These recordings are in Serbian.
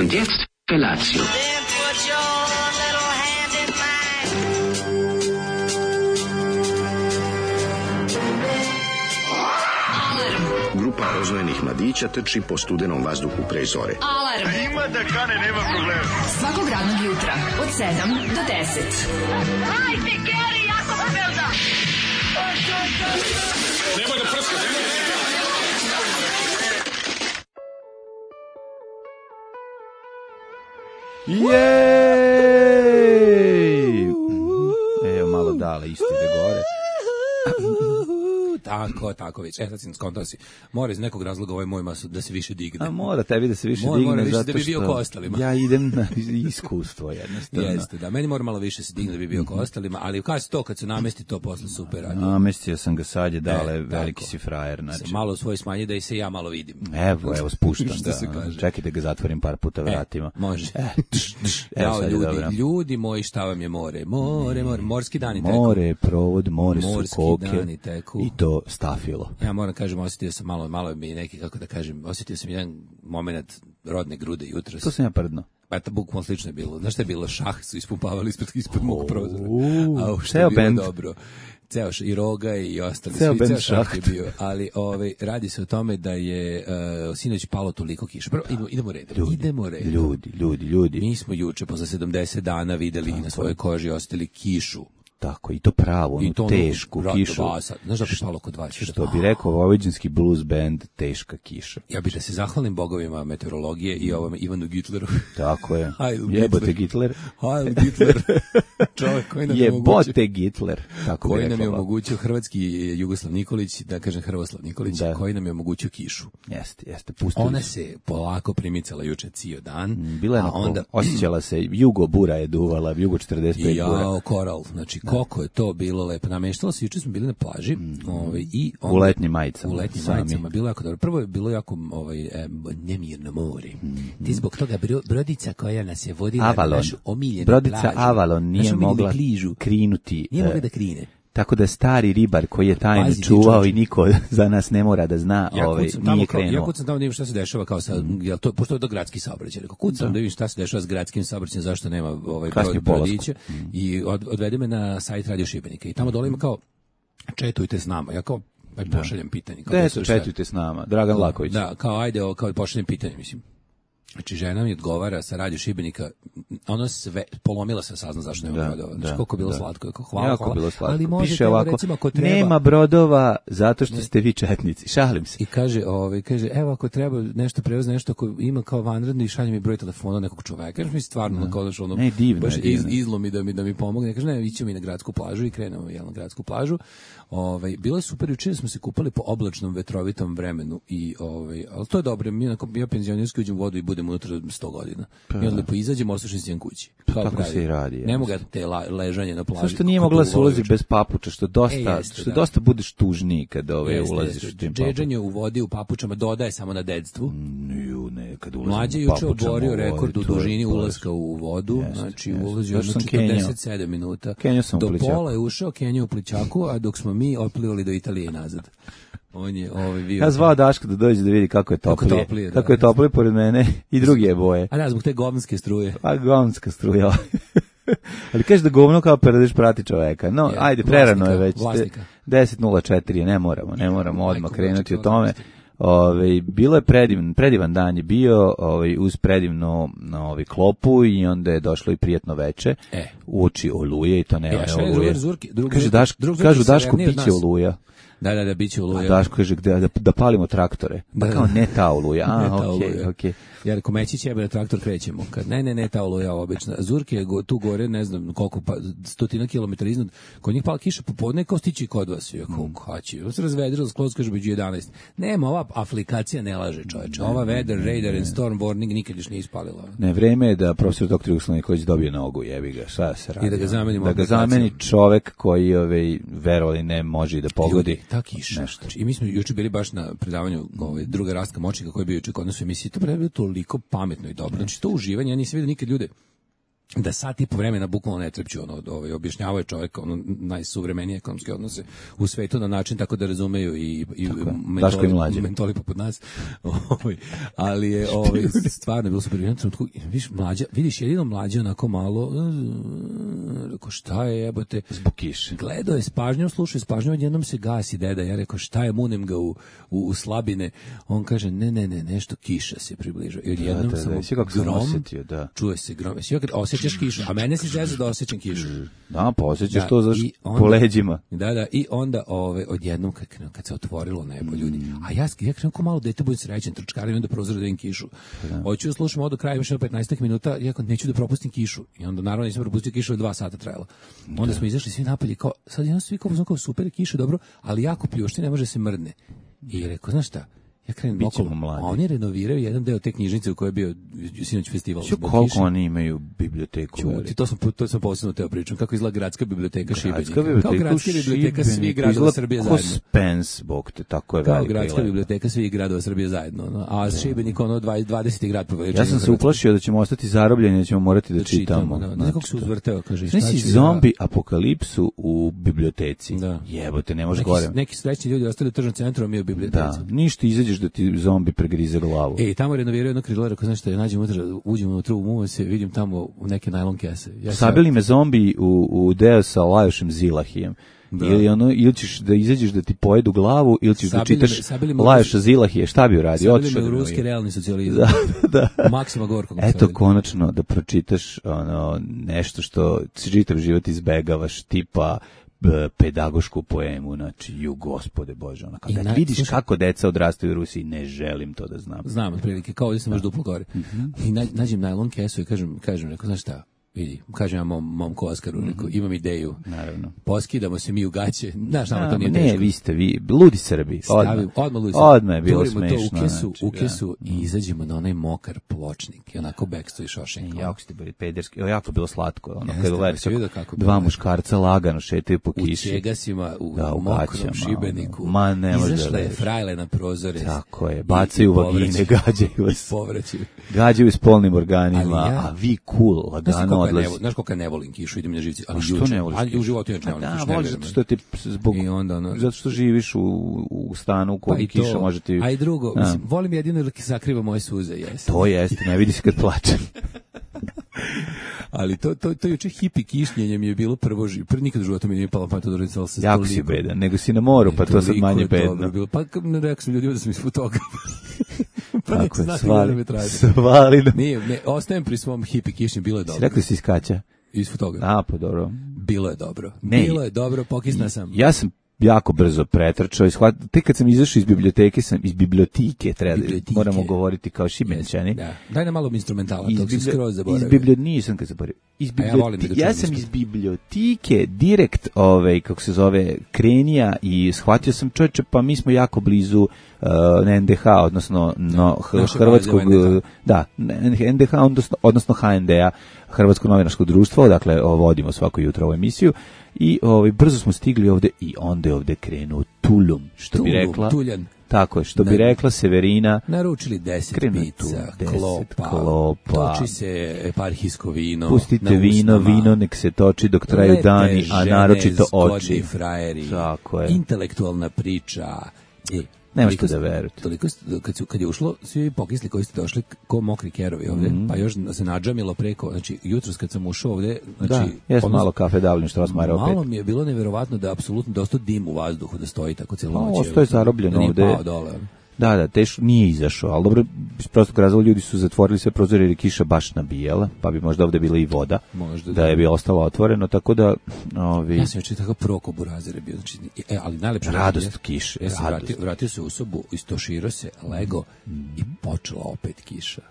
Und jetzt Felatio. Grupa rozvojenih mladića trči po studenom vazduhu pre zore. Alarm! Ima da kane, nema problema. Svakog radnog jutra, od 7 do 10. Hajde, Geri, jako se velda! Nemoj da prska, nemoj da prska! Jej! Evo malo dale, isto ide gore. Tako već. Sad si skontao si. Mora iz nekog razloga ovaj moj masu da se više digne. A mora tebi da se više digne. Mora više zato da bi bio što ko ostalima. Ja idem na iskustvo jednostavno. Jeste, da. Meni mora malo više se digne da bi bio ko ostalima, ali kad se namesti to posle super radi. Namestio sam ga sad je dale, veliki si frajer. Znači. Malo svoj smanji da i se ja malo vidim. Evo, spuštam Što se kaže. Čekaj da ga zatvorim par puta vratima. Može. Evo ljudi moji, šta vam je more? More, morski dani teku. More, provod, more su koke. Dani teku. I to stafilo. Ja moram kažem, osjetio sam malo mi neki, kako da kažem, osjetio sam jedan moment rodne grude jutros. To sam ja prdno. eto, bukvalno slično je bilo. Znaš šta je bilo? Šah su ispumpavali ispred mog prozora. A što ceo je bilo bend. dobro. Ceo i Roga i ostali. Ceo bend Šah je Šaht. bio. Ali radi se o tome da je sinoć palo toliko kiša. Prvo, idemo redom. Ljudi. Mi smo juče, posle 70 dana, videli i na svojoj koži osjetili kišu. Tako, i to pravo, onu tešku kišu. Znaš da bi palo oko 20? Što bi rekao vojvođanski blues band, teška kiša. Ja bih da se zahvalim bogovima meteorologije i ovome Ivanu Gitleru. Tako je. Heil Jebote Gitler. Heil Gitler. Čovjek koji nam je omogućio. Jebote Gitler. Tako Koji bi nam je rekla. omogućio hrvatski Jugoslav Nikolić, da kažem Hrvoslav Nikolić, Da. koji nam je omogućio kišu. Jeste, pustili. Ona se polako primicala juče cijel dan. Bila je a onda osjećala se, jugo bura je duvala, jugo 45 bura. jao, koral, znači koliko je to bilo lepo. Nameštalo se, juče smo bili na plaži i onda, U letnjim majicama. U letnjim sami. majicama, bilo jako dobro. Prvo je bilo jako nemirno more. Ti zbog toga brodica koja nas je vodila Avalon. na našu omiljenu Brodica plažu. Avalon nije našu omiljenu mogla kližu. krinuti. Nije mogla da krine. Tako da stari ribar koji je tajno Pazi, čuvao ti i niko za nas ne mora da zna, Ja kucam tamo nije kao, krenuo. ja kucam tamo da vidim šta se dešava kao sa, jel to, pošto je to gradski saobraćaj, rekao, kucam da vidim šta se dešava s gradskim saobraćajem, zašto nema Kasnije brodića i odvede me na sajt Radio Šibenika i tamo dole ima kao četujte s nama, ja kao pošaljem pitanje. Kao, Gde su četujte s nama? Dragan Laković. Da, kao ajde, kao pošaljem pitanje, mislim. Znači, žena mi odgovara sa Radio Šibenika, ono sve, polomila se sazna zašto nema brodova. Znači, koliko je bilo slatko, jako hvala. Bilo slatko. Ali možete, Piše ovako, recimo, ako treba, nema brodova zato što ste vi četnici. Šalim se. i kaže, evo ako treba nešto prevoz, nešto ako ima kao vanredno i šalje mi broj telefona nekog čoveka. Kaže mi stvarno kao da ono Ne, divno baš je, divno. izlomi da mi pomogne. Kaže ne, ićemo mi na gradsku plažu i krenemo na gradsku plažu. Bilo je super, juče smo se kupali po oblačnom vetrovitom vremenu i al to je dobro. Ja penzionerski uđem u vodu i budem unutra 100 godina. I onda lepo izađemo, ostašem se kući. Kao Tako pravi. se i radi. Ne mogu te ležanje na plaži. Zašto nije mogla se ulazi bez papuča, što jeste, dosta budeš tužniji kad ulaziš u tim papučama. Džedžanje u vodi u papučama dodaje samo na dedstvu. Ne, kad ulazim Mlađe u juče papučama oborio u vodi, rekord u to je dužini poraz. ulaska u vodu, znači ulazio Zašto jedno sam kenjao? 47 minuta. Kenjao sam u Do plićaku. pola je ušao, kenjao u plićaku, a dok smo mi otplivali do Italije i nazad. On je bio. Ja zvao Daška da dođe da vidi kako je toplije. Kako je toplije pored mene i drugi je boje. A da, zbog te govnske struje. Pa govnska struja. Ali kažeš da govno kao peradiš prati čoveka. No, ajde, prerano je već. Vlasnika. 10:04, ne moramo odmah krenuti o tome. Vlasnika. Bilo je predivan dan je bio, uz predivnu klopu i onda je došlo i prijatno veče. Uoči oluje i to ne oluje. Kažu Daško biće oluja. Da, biće oluja. A Daško kaže da palimo traktore. Pa kao ne ta oluja. Okej. Ja rekao, Mećić jebe da traktor krećemo. Kad ne ta oluja obična. Zurke je tu gore, ne znam koliko, 100 kilometara iznad. Kod njih pala kiša popodne, kao stići kod vas. Ja kao, haći. Ovo se razvedrilo, skloz kaže među 11. Nema, ova aplikacija ne laže, čoveče. Ova weather, radar and storm warning nikad još nije ispalila. Ne, vreme je da profesor dr. Jugoslav Nikolić dobije nogu, jebi ga, šta se radi? I da ga zamenimo da ga zameni čovek koji verovali ne može i da pogodi. Ljudi, ta kiša. Znači, i mi smo juče bili baš na predavanju druga Rastka Močnika koji je bio juče kod nas u emisiji. To je bilo toliko pametno i dobro. Znači to uživanje, ja nisam vidio nikad ljude da sat i po vremena bukvalno ne trepću, objašnjavao je čovjek najsuvremenije ekonomske odnose u svetu na način tako da razumeju i mentoli poput nas. Ali je stvarno bilo super. Vidiš jedino mlađe onako malo, rekao šta je jebote, zbog kiše. Gledao je s pažnjom, slušao je s pažnjom, odjednom se gasi deda. Ja rekao šta je, munem ga u slabine. On kaže ne, nešto kiša se približava. I odjednom samo grom, čuje se grom. Osjećaš kišu, a mene si žezao da osjećam kišu. Da, pa osjećaš to po leđima. Da, i onda odjednom kad se otvorilo nebo ljudi, a ja krenuo ko malo dete, budem srećen, trčkarim onda prozor da vidim kišu. Hoću da slušam od kraja, još 15 minuta, ja neću da propustim kišu. I onda naravno nisam propustio kišu, 2 sata trajalo. Onda smo izašli svi napolje, kao, sad jedno svi kao super kiša, dobro, ali jako pljušti, ne može se mrdne. I rekao, znaš šta? Ja krenem okolo, a oni renoviraju jedan deo te knjižnice u kojoj je bio sinoć festival. Koliko oni imaju biblioteku? To sam posebno teo pričam. Kako izgleda gradska biblioteka Šibenika. Kao gradska biblioteka svih gradova Srbije zajedno. Ko Spens, bog te, tako je velika. Kao gradska biblioteka svih gradova Srbije zajedno. A Šibenik 20. grad po veličini. Ja sam se uplašio da ćemo ostati zarobljeni, da ćemo morati da čitamo. Nekog se uzvrteo, kaže. Znači zombi apokalipsu u biblioteci. Jebote, ne može gore. Neki srećni ljudi ostali u tržnom centru, a mi u biblioteci. Da, ništa, izađeš izađeš da ti zombi pregrize glavu. Tamo renoviraju jedno krilo, rekao, znaš šta, nađem unutra, uđem unutra u muva se, vidim tamo neke najlon kese. Sabili me zombi u deo sa Lajošem Zilahijem. Ili ćeš da izađeš da ti pojedu glavu, ili ćeš da čitaš Lajoša Zilahije, šta bi uradio? Sabili me u ruski realni socijalizam. Da. Maksima Gorkog. Eto, konačno da pročitaš nešto što čitav život izbegavaš, tipa pedagošku poemu, znači, Gospode Bože, kada vidiš kako deca odrastaju u Rusiji, ne želim to da znam. Znam, otprilike, kao ovdje sam još duplo gore. I nađem najlon kesu i kažem, rekao, znaš šta, vidi, kažem ja momku Oskaru, imam ideju. Naravno. Poskidamo se mi u gaće. Znaš, nama to nije teško. Ne, vi ste ludi Srbi. Odmah je bilo smešno. To u kesu i izađemo na onaj mokar pločnik. I onako bekstvo i šošenj. Jako ste bili pederski. Jako bilo slatko. Kad gledaš dva muškarca lagano šetaju po kiši. U čegasima, u mokrom Šibeniku. Ma ne može da izašle frajle na prozore. Tako je. Bacaju vagine, gađaju vas. Gađaju s polnim organima, a vi cool, lagano odlazi. Znaš koliko ne volim kišu, idem na živci, ali što ne voliš? Ali u životu inače ne volim kišu. Da, voliš zato ti zato što živiš u stanu u kojem kiša može ti... A i drugo, mislim, volim jedino jer sakriva moje suze, jeste. To jeste, ne vidi se kad plačem. Ali to juče hipi kišnjenje mi je bilo nikad u životu mi nije palo pamet da uradim se. Jako si bedan, nego si na moru, pa to sad manje bedno. Pa rekao sam ljudima da sam iz fotograf. Pa neko znati da me traži. Svali. Ne, ostajem pri svom hipi kišnjenju, bilo je dobro. Si rekao si iz Kaća? Iz fotografa. A, pa dobro. Bilo je dobro. Bilo je dobro, pokisna sam. Ja sam jako brzo pretrčao i tek kad sam izašao iz biblioteke, moramo govoriti kao Šibenčani. Da. Daj nam malo instrumentala, tog si skroz zaboravio. Nisam kad zaboravio. Ja sam iz biblioteke direkt, kako se zove, krenija i shvatio sam, čovječe, pa mi smo jako blizu NDH, odnosno hrvatskog, NDH, odnosno HND-a, Hrvatsko novinarsko društvo, dakle vodimo svako jutro ovu emisiju i brzo smo stigli ovde i onda je ovde krenuo Tulum, što bi rekla. Tuljan. Tako je, što bi rekla Severina. Naručili 10 pica, klopa, toči se eparhijsko vino. Pustite vino nek se toči dok traju dani, a naročito oči. Frajeri, tako je. Intelektualna priča. Nemaš što da verujete. Toliko, kad je ušlo, svi pokisli koji ste došli ko mokri kerovi ovde, pa još se nadžamilo preko, znači jutros kad sam ušao ovde, znači... Da, jesam malo kafe davljen što vas mara opet. Malo mi je bilo neverovatno da apsolutno dosta dim u vazduhu, da stoji tako cijelo noć. Ovo stoji zarobljeno ovde. Nije pao dole. Da, teško nije izašao, ali dobro, iz prostog razloga ljudi su zatvorili sve prozore jer je kiša baš nabijala, pa bi možda ovde bila i voda, da je bi ostalo otvoreno, tako da... Ja sam već tako proko burazir bio, znači, ali najlepše... Radost kiše, vratio se u sobu, istoširao se, lego i počela opet kiša.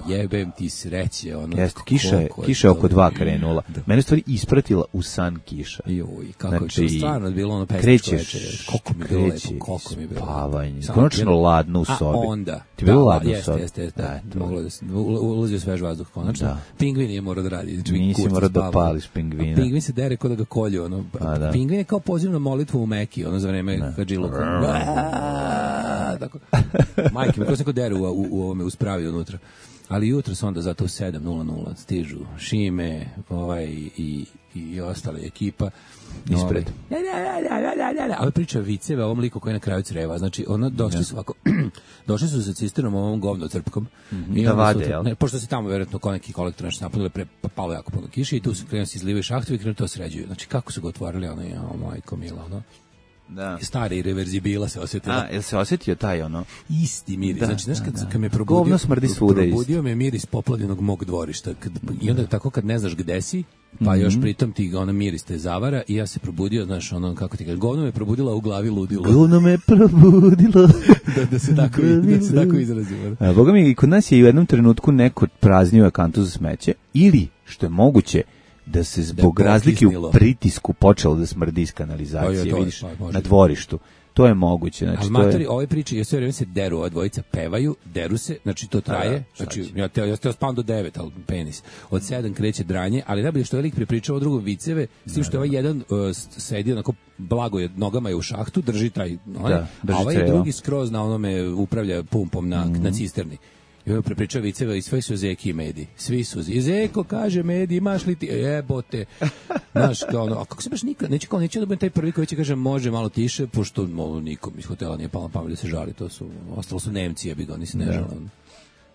Jebem ti sreće, ono. Jeste, kiša je oko 2 krenula. Mene stvari ispratila u san kiša. Joj, kako je to stvarno bilo ono pesničko večer. Koliko mi je bilo lepo, koliko mi je bilo. Spavanje. Konačno ladno u sobi. A onda. Ti bilo ladno u sobi? Jeste. Moglo da se ulazio svež vazduh, konačno. Pingvin je morao da radi. Nisi morao da pališ pingvina. Pingvin se dere kod da ga kolju, ono. Pingvin je kao poziv na molitvu u Meki, ono za vreme Hadžiluka. Tako. Majke, me ko se kod dere u ovome uspravi unutra. Ali jutro su onda zato u 7:00 stižu Šime i ostale ekipa ispred. Ali priča viceve o ovom liku koji je na kraju creva. Znači, došli su sa cisternom ovom govno crpkom. Da vade, jel? Pošto se tamo vjerojatno ko neki kolektor naš napunili, palo jako puno kiše i tu su krenuli se izlivaju šahtovi i krenuli to sređuju. Znači, kako su ga otvorili, majko mila, Da. Stari reverzibila se osjetila. Jel se osjetio taj isti miris. Znači, kad me probudio me miris poplavljenog mog dvorišta. I onda tako kad ne znaš gde si, pa još pritom ti miris te zavara i ja se probudio, znaš, kako ti kaže, govno me probudila u glavi ludilo. Govno me probudilo. da se tako izrazimo. Boga mi, i kod nas je u jednom trenutku neko praznio kantu za smeće ili, što je moguće, da se zbog razlike u pritisku počelo da smrdi iz kanalizacije, vidiš, na dvorištu. To je moguće. Znači, ali matori, ove priče, ja sve vreme se deru, ova dvojica pevaju, deru se, znači to traje, znači ja teo spavam do 9, ali penis. Od 7 kreće dranje, ali najbolje što je lik prepričao o drugom viceve, s tim što je ovaj jedan sedi onako blago je, nogama je u šahtu, drži taj, a ovaj drugi skroz na onome upravlja pumpom na cisterni. I on prepričao viceve i sve su Zeki i Medi. Svi su Zeko, kaže Medi, imaš li ti? Jebote. Znaš, kao ono, a kako se baš nikad, neće da budem taj prvi koji će kaže može malo tiše, pošto nikom iz hotela nije palo na pamet da se žali, ostalo su Nemci, jebi ga, oni se ne žale.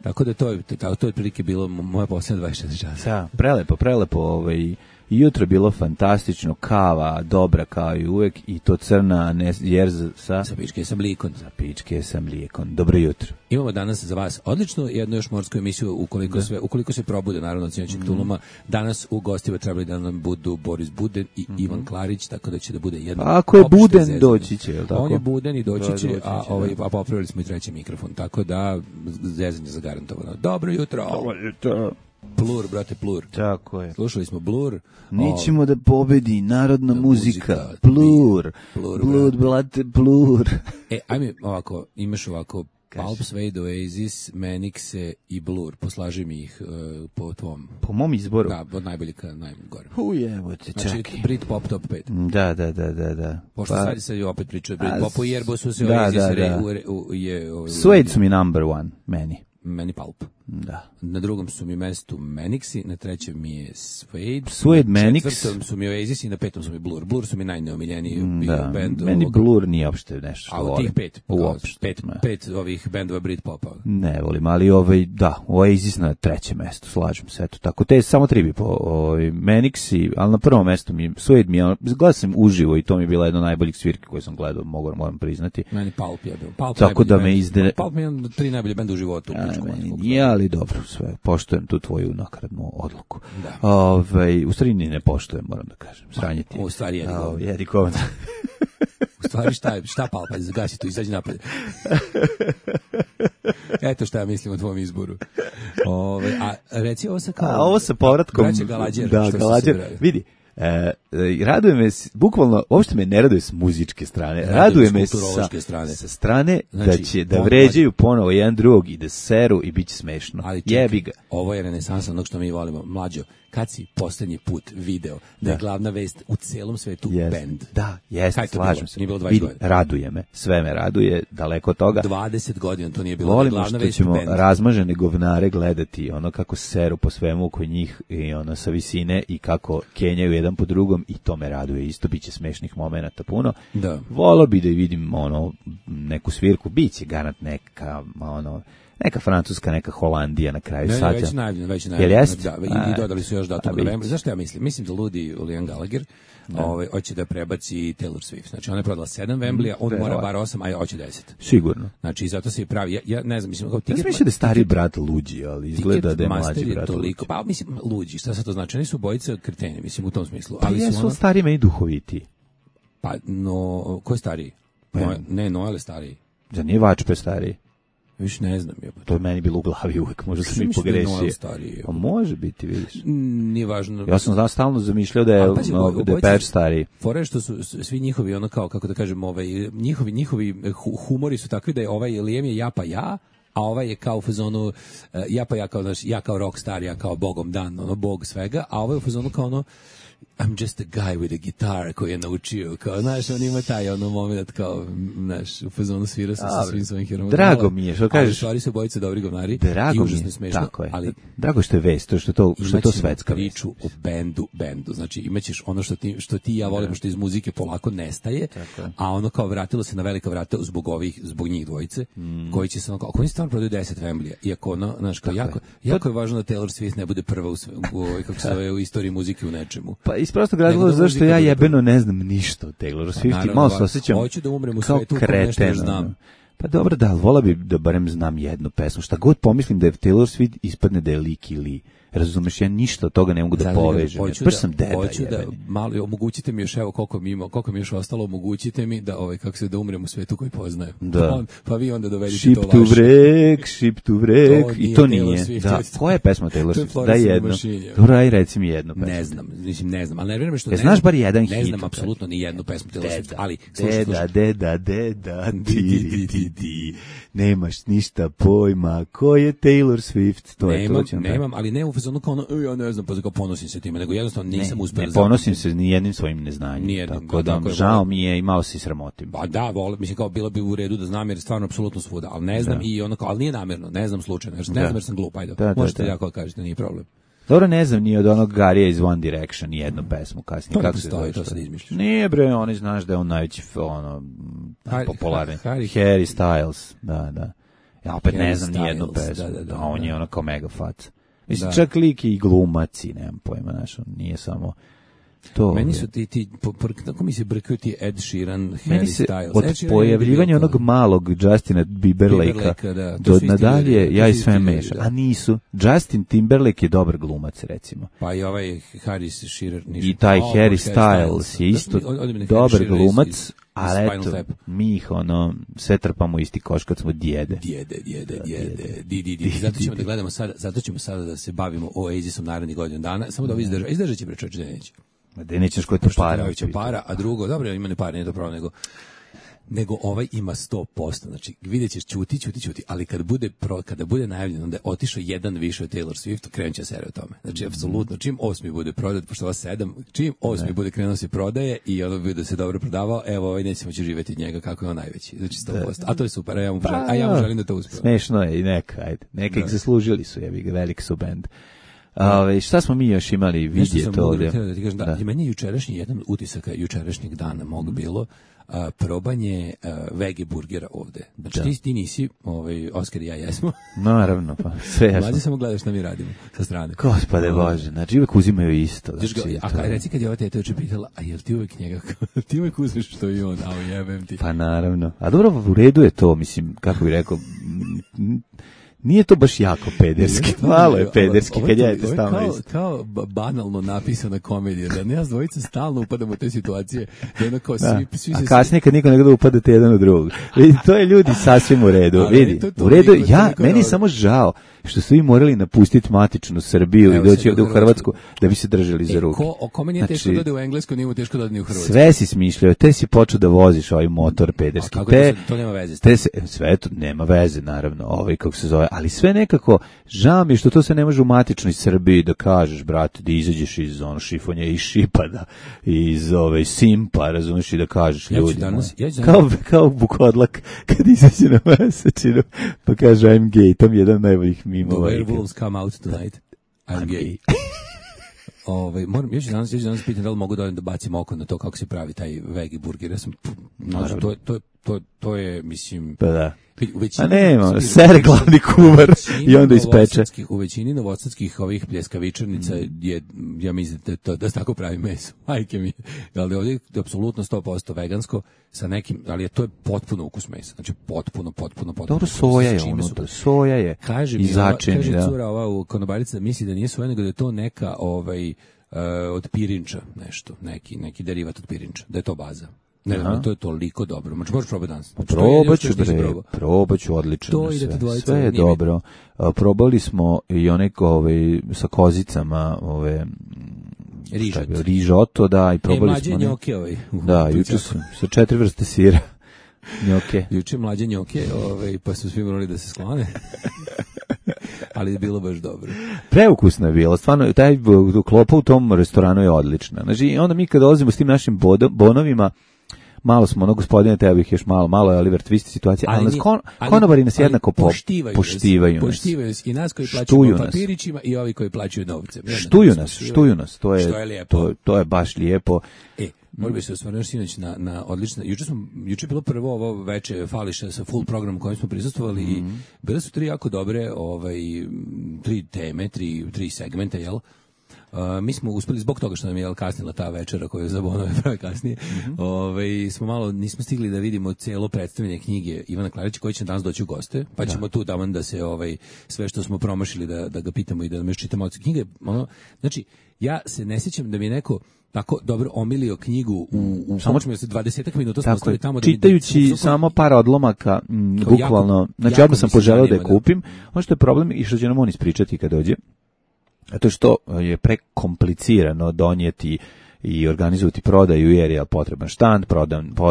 Tako da to je otprilike bilo moja posljednja 24 časa. Da, prelepo, i jutro je bilo fantastično, kava, dobra kao i uvek, i to crna, jer sa pičke sa mlijekon. Za pičke sa mlijekon. Dobro jutro. Imamo danas za vas odličnu jednu još morsku emisiju, ukoliko se probude, naravno, od sinoćeg tuluma. Danas u gostima trebali da nam budu Boris Buden i Ivan Klarić, tako da će da bude jedno. Ako je Buden, doći će, je li tako? On je Buden i doći će, a popravili smo i treći mikrofon, tako da zezanje zagarantovano. Dobro jutro. Dobro jutro. Plur, brate, Plur. Tako je. Slušali smo Blur. Nićemo da pobedi narodna muzika. Plur. Blud, brate, Plur. Ajme ovako, imaš ovako Pulp, Suede, Oasis, Manixe i Blur. Poslaži mi ih po tvom. Po mom izboru? Da, od najboljih ka najgore. Ujebote, čekaj. Znači, Britpop top 5. Da. Pošto sad opet pričao o Britpopu, jer su se Oasis Suede su mi number one, meni Pulp. Da. Na drugom su mi mestu Manixi, na trećem mi je Suede, Manix. Na četvrtom su mi Oasis i na petom su mi Blur. Blur su mi najneomiljeniji band. Meni Blur nije opšte nešto što volim. A tih pet ovih bendova Britpopa. Ne volim, ali Oasis na trećem mestu, slažem se, eto tako. Te samo tri bi po Manixi, ali na prvom mestu mi Suede mi, gledao sam uživo i to mi je bila jedna od najboljih svirki koje sam gledao, moram priznati. Meni Pulp je bio. Tako da me Pulp mi je jedan od 3 najbolje benda u životu. Ali dobro, sve, poštujem tu tvoju nakradnu odluku. U stvari ne poštujem, moram da kažem. Sranje ti. U stvari jedi govno. U stvari šta Palpa, zagasi tu, izađi napred. Eto šta ja mislim o tvom izboru. A reci ovo sa kao... ovo sa povratkom... Braće Galađer. Da, Galađer. Vidi, raduje me, bukvalno, uopšte me ne raduje s muzičke strane, raduje me sa strane znači, da vređaju ponovo jedan drugog i da seru i bit će smešno. Ali jebi ga. Ovo je renesansa onog što mi volimo. Mlađo, kad si poslednji put video da je glavna vest u celom svetu band? Da, jeste, slažem se. Nije bilo 20 godina. Raduje me, sve me raduje, daleko od toga. 20 godina to nije bilo. Volimo što ćemo razmažene govnare gledati, ono kako seru po svemu oko njih i ono sa visine i kako kenjaju jedan po drugom i to me raduje. Isto biće smešnih momenata puno. Da. Volio bi da vidim neku svirku, biće garant neka Francuska, neka Holandija na kraju sada. Već najavljeno. Jel jest? Da, i dodali su još datum novembra. Zašto ja mislim? Mislim da ludi Liam Gallagher hoće da prebaci Taylor Swift. Znači ona je prodala 7 Wembleya, on mora bar 8, a hoće 10. Sigurno. Znači zato se i pravi. Ja ne znam, mislim, ja mislim da je stari brat luđi, ali izgleda da je mlađi brat. Toliko, pa mislim luđi, šta sad to znači? Oni su bojice kreteni, mislim u tom smislu. Ali jesu stari meni duhoviti. Pa ko je stariji? Noel je stariji. Za nije Vačpe stariji. Viš ne znam. To je meni bilo u glavi uvek, možda sam i pogrešio. Pa može biti, vidiš. Nije važno. Ja sam stalno zamišljao da je Patch stariji. Fore što su svi njihovi, ono kao, kako da kažem, njihovi humori su takvi da je ovaj Liam je ja pa ja, a ovaj je kao u fazonu ja kao rockstar, ja kao bogom dan, bog svega, a ovaj u fazonu kao ono I'm just a guy with a guitar koji je naučio, kao, znaš, on ima taj moment, kao, znaš, u fazonu svira sa svim svojim herojima. Drago mi je, što kažeš. Ali stvari su bojice dobri govnari i užasno smešno. Tako je. Ali, drago što je vest, što je to svetska vest. Priču o bendu, znači imaćeš ono što ti ja volimo, što iz muzike polako nestaje, a ono kao vratilo se na velika vrata zbog njih dvojice, koji će se ono kao, ako oni stvarno prodaju 10 Wembleya, iako ono, znaš, kao, jako je važno da Taylor Swift ne bude prva u istoriji muzike u nečemu. Pa iz prostog razloga zašto ja jebeno ne znam ništa o Taylor Swift i malo se osjećam hoću da umrem u svetu u kojem nešto znam. Pa dobro, da, vola bi da barem znam jednu pesmu. Šta god pomislim da je Taylor Swift, ispadne da je lik ili razumeš, ja ništa od toga ne mogu da povežem. Baš sam deda. Hoću da malo omogućite mi još, evo koliko mi još ostalo, omogućite mi da da umrem u svetu koji poznajem. Da. Pa vi onda dovedite Ship to vaše. Ship to wreck, i to nije. Da. Koja je pesma Taylor Swift? Daj jedno. Dobro, aj reci mi jednu pesmu. Ne znam, ali nervira me što znaš bar jedan hit. Ne znam apsolutno ni jednu pesmu Taylor Swift, ali deda, ti nemaš ništa pojma, ko je Taylor Swift, to je to. Nemam, ali ne u fazonu kao ono, ja ne znam, pa kao ponosim se time, nego jednostavno nisam uspeo. Ne ponosim se ni jednim svojim neznanjem, tako da žao mi je i malo se sramotim. Pa da, mislim kao bilo bi u redu da znam jer stvarno apsolutno svuda, ali ne znam i ono kao, ali nije namerno, ne znam slučajno, ne znam jer sam glup, ajde, možete jako kažete, nije problem. Dobro, ne znam ni od onog Garija iz One Direction jednu pesmu kasnije. Kako se zove, to sad izmišljaš? Nije bre, oni znaš da je on najveći popularni. Harry Styles, da. Ja opet ne znam ni jednu pesmu. Da, on je ono kao mega fac. Mislim, čak lik i glumaci, nemam pojma, znaš, on nije samo to. Meni su kako mi se brkaju ti Ed Sheeran, Harry Styles. Od pojavljivanja onog malog Justina Timberlakea do nadalje, ja i sve mešam. A nisu. Justin Timberlake je dobar glumac, recimo. Pa i ovaj Harry Shearer. I taj Harry Styles je isto dobar glumac, ali eto, mi ih sve trpamo isti koš kad smo djede. Zato ćemo da gledamo sada, zato ćemo sada da se bavimo Oasisom narednih godinu dana. Samo da ovi izdržat će prečoč da neće. Da nećeš koji to para, a drugo, dobro, ima ne para, nije to pravo, nego ovaj ima 100%, znači vidjet ćeš ćuti, ali kada bude najavljeno da je otišao jedan više od Taylor Swift, krenut će serija o tome. Znači, apsolutno, čim 8. bude prodat, pošto ova 7, čim 8. bude krenuo se prodaje i ono bude se dobro prodavao, evo, ovaj nećemo će živjeti od njega kako je on najveći, znači 100%. A to je super, a ja mu želim da to uspije. Smešno je i neka ih zaslužili su, veliki su bend. Šta smo mi još imali vidjeti ovdje? Meni je jučerašnji jedan utisak jučerašnjeg dana mog bilo probanje vege burgera ovde. Znači ti nisi, Oskar i ja jesmo. Naravno, pa sve jasno. Mlađe samo gledaš šta mi radimo sa strane. Gospode Bože, znači uvek uzimaju isto. Reci kad je ova teta juče pitala, a jel ti uvek njega, ti uvek uzmeš što i on, a jebem ti. Pa naravno. A dobro, u redu je to, mislim, kako bih rekao, nije to baš jako pederski, malo je pederski kad jedete stalno isto. Kao banalno napisana komedija, da nas dvojica stalno upadamo u te situacije, da ono kao svi a kasnije kad niko ne gleda upadate jedan u drugog. Vidi, to je ljudi sasvim u redu. Vidi, u redu, meni je samo žao što su i morali napustiti matičnu Srbiju i doći ovdje u Hrvatsku da bi se držali za ruke. Kome nije teško da ode u Englesku, nije mu teško da ode u Hrvatsku. Sve si smišljao, te si počeo da voziš ovaj motor pederski. To nema veze. Sve to nema veze, naravno, kako se zove, ali sve nekako, žao mi što to se ne može u matičnoj Srbiji da kažeš, brate, da izađeš iz šifonja i šipada, iz simpa, razumiješ, i da kažeš ljudima. Kao Bukodlak, kad izađe na mesečinu, pa kaže I'm gay, to mi je jedan najboljih mimova. The werewolves come out tonight, I'm gay. Još danas pitam da li mogu da bacim oko na to kako se pravi taj vegi burger. Ja sam, to je, mislim... Pa da. A nema, sere glavni kuvar i onda ispeče. U većini novosadskih ovih pljeskavičarnica je, ja mislim da se tako pravi meso. Majke mi. Ali ovdje je apsolutno 100% vegansko sa nekim, ali to je potpuno ukus mesa. Znači potpuno. Dobro, soja je unutra. Soja je i začin. Kaže cura ova konobarica misli da nije soja, nego da je to neka od pirinča nešto. Neki derivat od pirinča. Da je to baza. Ne znam, to je toliko dobro. Možeš probati danas. Probat ću, odlično sve je dobro. Probali smo i one sa kozicama, rižoto, da, i probali smo. Mlađe njoke Da, juče su sa 4 vrste sira. Njoke. Juče mlađe njoke, pa su svi morali da se sklone. Ali je bilo baš dobro. Preukusno je bilo, stvarno, taj klopa u tom restoranu je odlična. Znači, onda mi kad dolazimo s tim našim bonovima, malo smo, gospodine, teba bih još malo je Oliver Twist situacija, ali konobari nas jednako poštivaju nas. Poštivaju nas i nas koji plaćaju papirićima i ovi koji plaćaju novcem. Štuju nas, to je baš lijepo. Moram bi se osvrnuti sinoć na odlično. Juče je bilo prvo ovo veče Fališa sa full programom kojem smo prisustvovali i bile su 3 jako dobre 3 teme, 3 segmenta, jel? Mi smo uspeli zbog toga što nam je kasnila ta večera koju za Bonove prave kasnije. Smo malo nismo stigli da vidimo celo predstavljanje knjige Ivana Klarića koji će danas doći u goste, pa ćemo tu taman da se sve što smo promašili da ga pitamo i da nam još čitamo od knjige. Znači, ja se ne sjećam da mi je neko tako dobro omilio knjigu u samo se 20 minuta smo ostali tamo čitajući samo par odlomaka, bukvalno. Znači, odmah sam poželeo da je kupim. Ono što je problem i što će nam on ispričati kad dođe, a to je što je prekomplicirano donijeti i organizuju ti prodaju jer je potreban štand,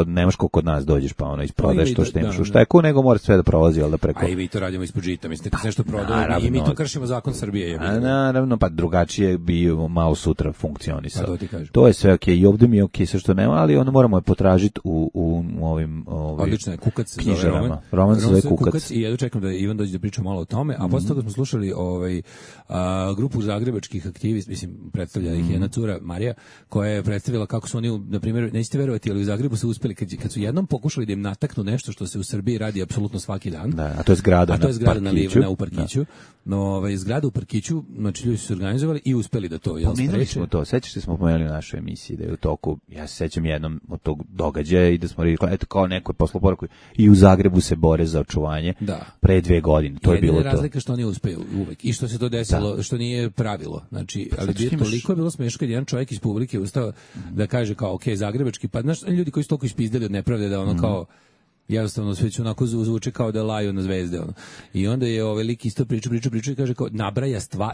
nemaš ko kod nas dođeš pa ono isprodaješ to što imaš u šteku, nego mora sve da prolazi da preko. A i vi to radimo ispod žita, mislite kad se nešto prodaje i mi to kršimo zakon Srbije. Naravno, pa drugačije bi malo sutra funkcionisao. Pa to je sve okej, i ovdje mi je okej sve što nema, ali ono moramo je potražiti u ovim odlično je, Kukac knjižarama. Roman se zove Kukac. I ja čekam da Ivan dođe da priča malo o tome, a posle toga smo slušali grupu zagrebačkih aktivista, mislim predstavlja ih jedna cura Marija, koja je predstavila kako su oni, na primjer, nećete verovati, ali u Zagrebu su uspeli kad su jednom pokušali da im nataknu nešto što se u Srbiji radi apsolutno svaki dan. Da, a to je zgrada u Parkiću. No, zgrada u Parkiću, znači ljudi su se organizovali i uspeli da to pomenuli smo to, sećaš se smo pomenuli u našoj emisiji da je u toku, ja se sećam jednom od tog događaja i da smo rekli, eto kao neko je poslao poruku i u Zagrebu se bore za očuvanje pre 2 godine. To je bilo to. Jedina razlika što oni uspeju uvek i što se to desilo, što nije pravilo. Znači, ali toliko je bilo smešno kad jedan čovjek iz publike ustao da kaže kao, ok, zagrebački, pa znaš, ljudi koji su toliko ispizdali od nepravde da ono kao jednostavno sve će onako zvuči kao da laju na zvezde ono. I onda je ovaj lik isto priča i kaže kao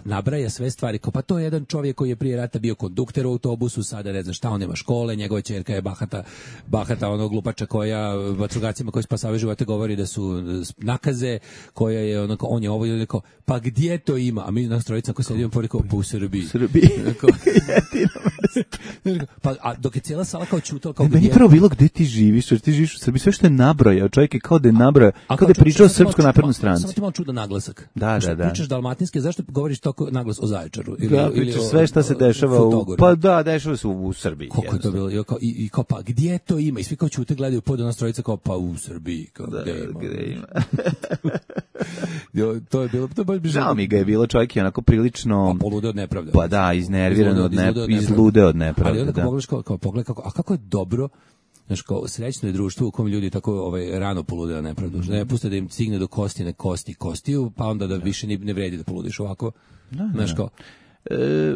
nabraja sve stvari, kao pa to je jedan čovjek koji je prije rata bio kondukter u autobusu, sada ne znam šta, on nema škole, njegova ćerka je bahata onog glupača koja vatrogascima koji spasavaju živote govori da su nakaze, koja je onako, on je ovo i rekao, pa gdje to ima? A mi nas trojica koji sedimo porekao, pa u Srbiji. Pa a dok je cijela sala kao čutala kao meni prvo bilo gdje ti živiš u Srbiji, sve što je nabrojao, čovjek je kao da je nabrojao, kao da je pričao o Srpskoj naprednoj stranci. Samo ti malo čudan naglasak. Da. Pričaš dalmatinski, zašto govoriš toliko naglas o Zaječaru? Pričaš sve što se dešava pa da, dešava se u Srbiji. Kako je to bilo? I kao pa gdje to ima? I svi kao čute gledaju pod nas trojica kao pa u Srbiji. Kao, gdje ima? To je bilo, žao mi ga je bilo, čovjek je onako prilično polude od nepravde. Pa da, iznerviran od nepravde, izlude od nepravde. Ali onda pogledaš kao pogled kako je dobro. Znaš, kao srećno je društvo u kom ljudi tako rano polude od nepravdu. Ne puste da im cigne do kostiju, pa onda da više ne vredi da poludiš ovako. Znaš, kao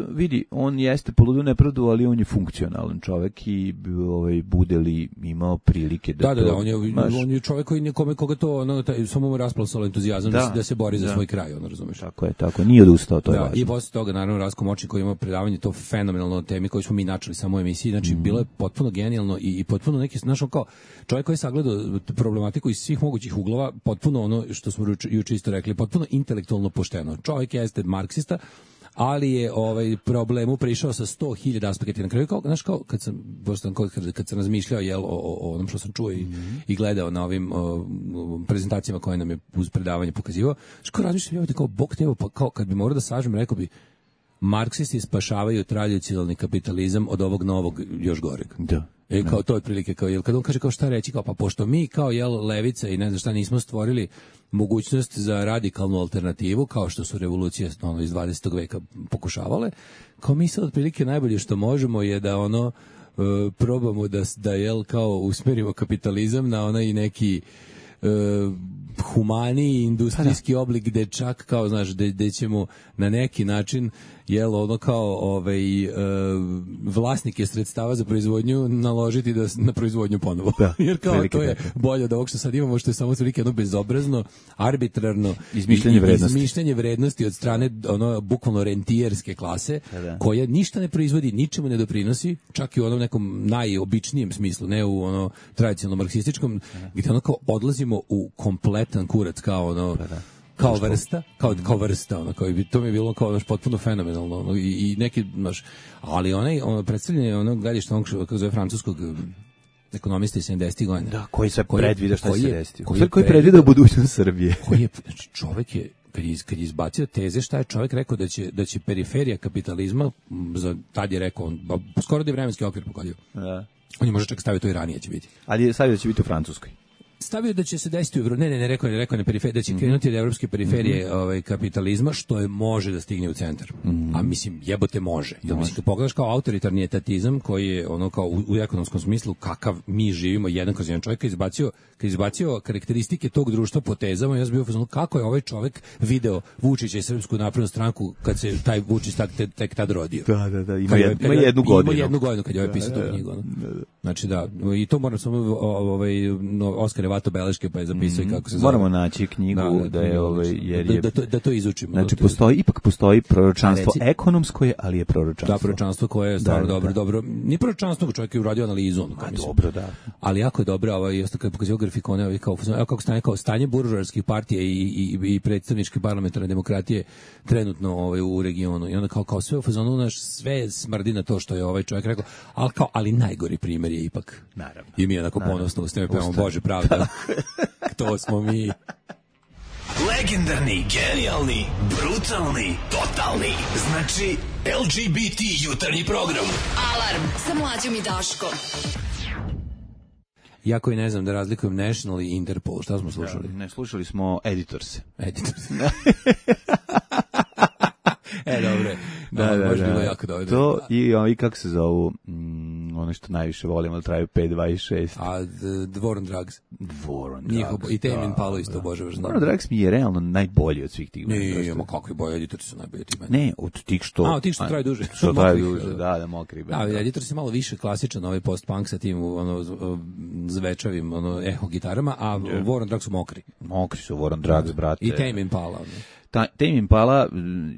vidi, on jeste poludio nepravdu, ali on je funkcionalan čovjek i bude li imao prilike da da, on je čovjek koji nekome koga to samo mu rasplasalo entuzijazam da se bori za svoj kraj, razumeš. Tako, nije odustao, to je važno. I posle toga naravno Ratko Močin koji ima predavanje to fenomenalno o temi koju smo mi načeli samo u emisiji, znači bilo je potpuno genijalno i potpuno neki kao čovjek koji je sagledao problematiku iz svih mogućih uglova, potpuno ono što smo juče isto rekli, potpuno intelektualno pošteno. Čovjek jeste marksista, ali je problemu prišao sa 100.000 aspekata. Na kraju kad sam razmišljao o onom što sam čuo i gledao na ovim prezentacijama koje nam je uz predavanje pokazivao, što razmišljam kao Bog te, kao kad bi morao da sažem, rekao bi marksisti spašavaju tradicionalni kapitalizam od ovog novog još goreg. Da. Kao to je otprilike kao kad on kaže kao šta reći, kao pa pošto mi kao levica i ne znam šta nismo stvorili mogućnost za radikalnu alternativu kao što su revolucije iz 20. veka pokušavale, kao mi sad otprilike najbolje što možemo je da probamo da kao usmerimo kapitalizam na onaj neki humaniji industrijski oblik gde čak kao znaš gde ćemo na neki način kao vlasnike sredstava za proizvodnju naložiti na proizvodnju ponovo. Jer kao to je bolje od ovog što sad imamo, što je samo toliko jedno bezobrazno, arbitrarno izmišljanje vrednosti od strane bukvalno rentijerske klase koja ništa ne proizvodi, ničemu ne doprinosi, čak i u onom nekom najobičnijem smislu, ne u tradicionalnom marksističkom, gdje kao odlazimo u kompletan kurac kao kao vrsta, to mi je bilo kao potpuno fenomenalno i neki ali predstavljanje gledište onog kako zove francuskog ekonomista iz 70. godina. Da, koji se predvida šta se desi. Koji predvida budućnost Srbije. Znači čovjek je kad je izbacio teze šta je čovjek rekao da će periferija kapitalizma, tad je rekao skoro da je vremenski okvir pogodio. Da. On je možda čak stavio to i ranije će biti. Ali je stavio da će biti u Francuskoj. Stavio da će se desiti rekao je na periferiji, da će krenuti od evropske periferije kapitalizma, što je može da stigne u centar. A mislim, jebote može. Mislim, kad pogledaš kao autoritarni etatizam, koji je kao u ekonomskom smislu, kakav mi živimo, jedan kroz jedan čovjek, kad izbacio karakteristike tog društva po tezama, ja sam bio fazon, kako je ovaj čovjek video Vučića i Srpsku naprednu stranku kad se taj Vučić tek tad rodio. Da, ima jednu godinu. Ima jednu godinu kad je pisao tu knjigu. Znači da, i to moram samo Oskar vato beleške pa je zapisao i kako se zove. Moramo naći knjigu da je jer je da to izučimo. Znači postoji proročanstvo ekonomsko je, ali je proročanstvo. Da, proročanstvo koje je stvarno dobro. Ni proročanstvo, čovjek je uradio analizu, dobro, da. Ali jako je dobro, isto kad pokazuje grafikone, kao kako stanje buržoarskih partija i predstavničke parlamentarne demokratije trenutno u regionu. I onda kao sve u fazonu naš sve smrdi na to što je ovaj čovjek rekao, ali najgori primjer je ipak. Naravno. I mi onako ponosno ustame pevamo Bože pravda. To smo mi. Legendarni, genijalni, brutalni, totalni. Znači LGBT jutarnji program. Alarm sa Mlađom i Daškom. Ja koji ne znam da razlikujem National i Interpol. Šta smo slušali? Ne, slušali smo Editors. Dobre. Da. Bilo jako dobro. To i kako se zovu, ono što najviše volimo, da traju 5.26. A The War on Drugs. War on Drugs. I Tame Impala isto, Bože vaš. War on Drugs mi je realno najbolji od svih tih. Ne, kakvi boje, Editorsi su najbolji od tih. Ne, od tih što... od tih što traju duže. Što traju duže, da, mokri. Da, Editorsi je malo više klasičan, ovaj post-punk sa tim zvečavim eho gitarama, a War on Drugs su mokri. Mokri su War on Drugs, brate. I Tame Impala. Tame Impala,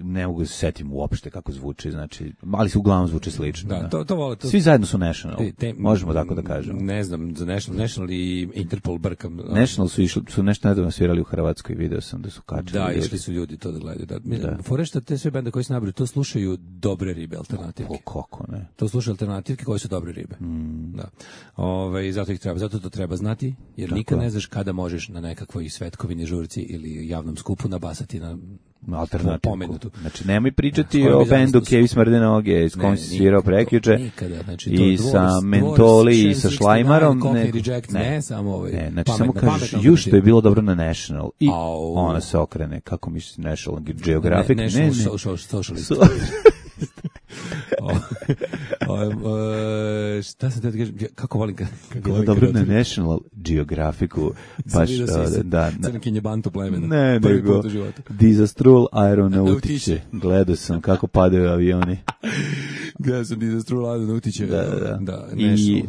ne mogu se setim uopšte kako zvuči, znači, ali se uglavnom zvuči slično. Da, to vole. Svi zajedno su National, možemo tako da kažemo. Ne znam, za National i Interpol brkam. National su nešto nedavno svirali u Hrvatskoj, video sam da su kačili. Da, išli su ljudi to da gledaju. Fore što te sve bende koji se nabraju, to slušaju dobre ribe alternativke. Kako ne? To slušaju alternativke koje su dobre ribe. Da. Zato to treba znati, jer nikad ne znaš kada možeš na nekakvoj svetkovini žurci ili javnom skupu nabasati na alternativku. Znači, nemoj pričati o bendu Kevi smrde noge, s kojom si svirao prekjuče, i sa Mentoli i sa Šlajmarom. Ne, samo ovaj. Znači, samo kažeš, što je bilo dobro na National. I ona se okrene, kako misliš National Geographic? National Socialist. Šta sam te kažem, kako volim kako dobro na National Geographicu baš da crnkinje bantu plemena ne nego Disastrul Aeronautice gledao sam kako padaju avioni gledao sam Disastrul Aeronautice da i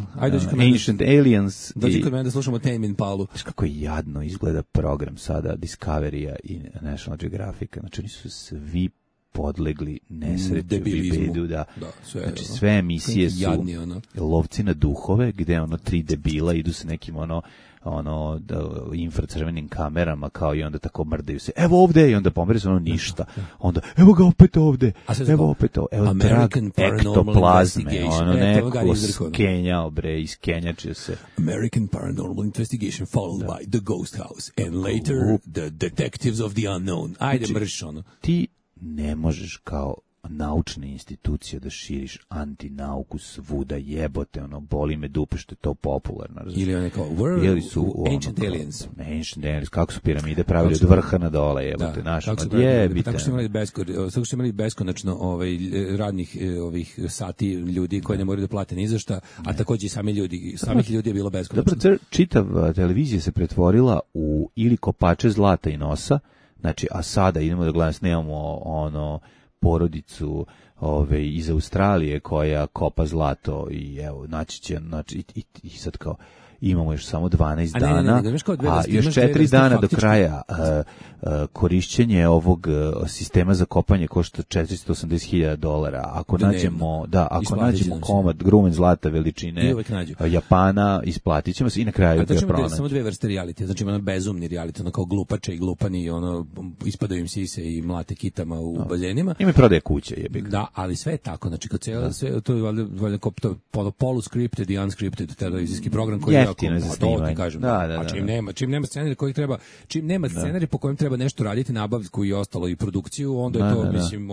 Ancient Aliens dođi kod mene da slušamo Tame Impalu. Znaš kako jadno izgleda program sada Discovery-a i National Geographica, znači oni su svi podlegli nesreću bedu, znači sve emisije su lovci na duhove, gde tri debila idu sa nekim infracrvenim kamerama kao i onda tako mrdaju se. Evo ovde i onda pomeri se ništa. Onda evo ga opet ovde. Evo opet ovde. Evo trag ektoplazme. Neko skenjao iskenjačio se. American Paranormal Investigation followed by The Ghost House and later The Detectives of the Unknown. Ajde mrš Ti ne možeš kao naučna institucija da širiš antinauku svuda, jebote, boli me dupe što je to popularno. Ili one kao Ancient Aliens. Ancient Aliens, kako su piramide pravili od vrha na dole, jebote, našo, jebite. Tako su imali beskonačno radnih sati ljudi koji ne moraju da plate ni za šta, a takođe i samih ljudi je bilo beskonačno. Dobro, čitav televizija se pretvorila u ili kopače zlata i nosa, znači, a sada idemo da gledamo, snimamo porodicu iz Australije koja kopa zlato i evo, naći će, i sad kao, imamo još samo 12 dana, a još 4 dana do kraja korišćenje ovog sistema za kopanje košta $480,000. Ako nađemo komad grumen zlata veličine Japana, isplatit ćemo se i na kraju ga pronaći. Samo dve vrste reality, znači ima bezumni reality, kao glupače i glupani, ispadaju im sise i mlate kitama u baljenima. Ima prodaje kuće, jebik. Da, ali sve je tako, znači kad sve, to je valjda poluscripted i unscripted televizijski program koji je jeftino za snimanje. A čim nema scenarija koji treba, čim nema scenarija po kojem treba nešto raditi, nabavku i ostalo i produkciju, onda je to, mislim,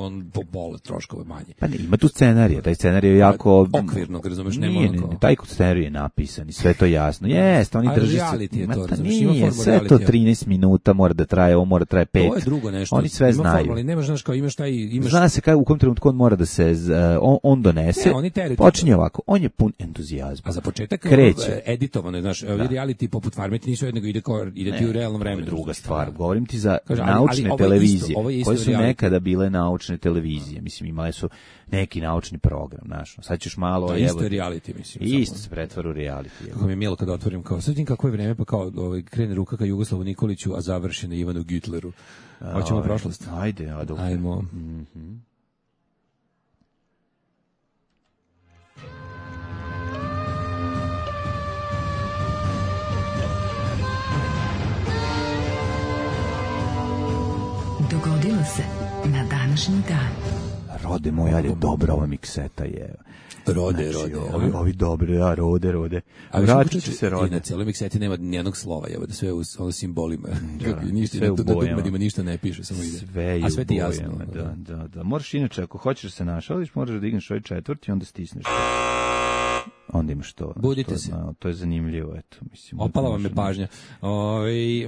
pola troškove manje. Pa ne, ima tu scenarija, taj scenarij je jako okvirno, razumeš, nema taj scenarij je napisan i sve to jasno. Jeste, oni drže se. Nije, sve to 13 minuta mora da traje, ovo mora da traje 5. To je drugo nešto. Oni sve znaju. Ali nemaš, znaš, kao imaš zna se u kom trenutku on mora da se on donese. Počinje ovako, on je pun entuzijazma. A za početak kreće. realizovano, znaš, reality poput Farme ti nisu jednego ide ti u realnom vremenu. Druga stvar, govorim ti za naučne televizije, koje su nekada bile naučne televizije, mislim, imale su neki naučni program, znaš, sad ćeš malo... Isto je reality, mislim. Isto se pretvara u reality. Kako mi je mijelo kada otvorim, kao, sad vidim kako je vreme, pa kao krene ruka ka Jugoslavu Nikoliću, a završi na Ivanu Gütleru. Hoćemo prošlost? Ajde, Adolf. Ajmo. Dogodilo se na današnji dan. Rode moj, ajde, dobra ova mikseta je. Rode. Ovi dobri, rode. A vratit će se Rode. I na cijeloj mikseti nema nijednog slova, da sve u simbolima. Sve u bojama. Ništa ne piše, samo ide. A sve ti jasno. Da. Moraš inače, ako hoćeš da se našališ, moraš da digneš ovaj četvrti i onda stisneš. Onda imaš to. Budite se. To je zanimljivo, eto. Mislim, opala vam je pažnja.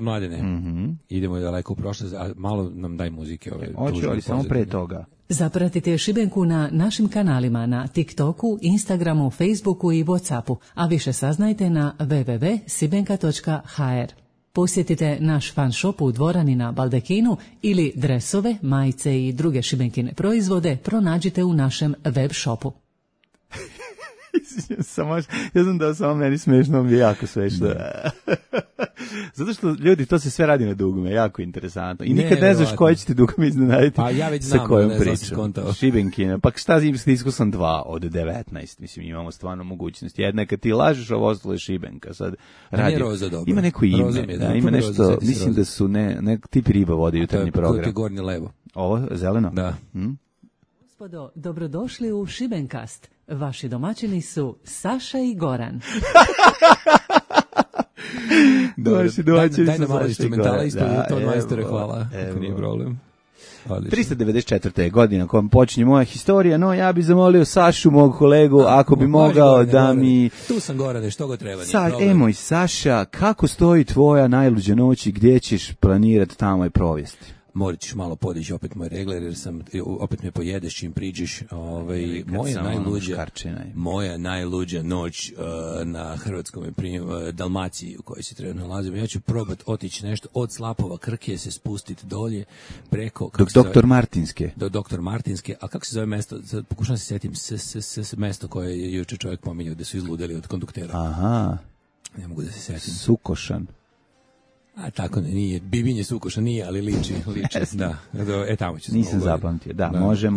Mladene, idemo daleko u prošlost, a malo nam daj muzike. Hoću, ali samo pre toga. Zapratite Šibenku na našim kanalima na TikToku, Instagramu, Facebooku i Whatsappu, a više saznajte na www.sibenka.hr. Posjetite naš fan shop u Dvorani na Baldekinu ili dresove, majice i druge šibenkine proizvode pronađite u našem web shopu. Ja znam da samo meni smešno, mi je jako smešno. Zato što ljudi, to se sve radi na dugme, jako interesantno. I nikad ne znaš koje će ti dugme iznenaditi. Pa ja već znam, sa kojom pričom. Šibenkina. Pa šta iskustvo sam 2 od 19. Mislim, imamo stvarno mogućnost. Jedna je kad ti lažeš, ovo ostalo je Šibenka. Sad radi. Ima neko ime. Ima nešto, mislim da su tip riba vode jutarnji program. To je gornje levo. Ovo, zeleno? Da. Gospodo, dobrodošli u Šibenkast. Vaši domaćini su Saša i Goran. Daj nam malo instrumentala isto, ton majstore, hvala. Ako nije problem. 394. godina kojom počinje moja historija, no ja bih zamolio Sašu, mog kolegu, ako bi mogao da mi... Tu sam, Gorane, što go treba. Moj Saša, kako stoji tvoja najluđa noć i gdje ćeš planirati tamo i provesti? Morat ćeš malo podići opet moj regler, jer opet me pojedeš čim priđeš. Moja najluđa noć na hrvatskom Dalmaciji u kojoj se trenutno nalazimo. Ja ću probati otići nešto od Slapova Krke, se spustiti dolje preko... Doktor Martinske. Do Doktor Martinske, a kako se zove mesto? Pokušam se sjetim, mesto koje je juče čovjek pominjao da su izludeli od konduktera. Aha. Ne mogu da se sjetim. Sukošan. A tako nije, Bibinje Sukoša nije, ali liči, da. Tamo ću. Nisam zapamtio, da, može.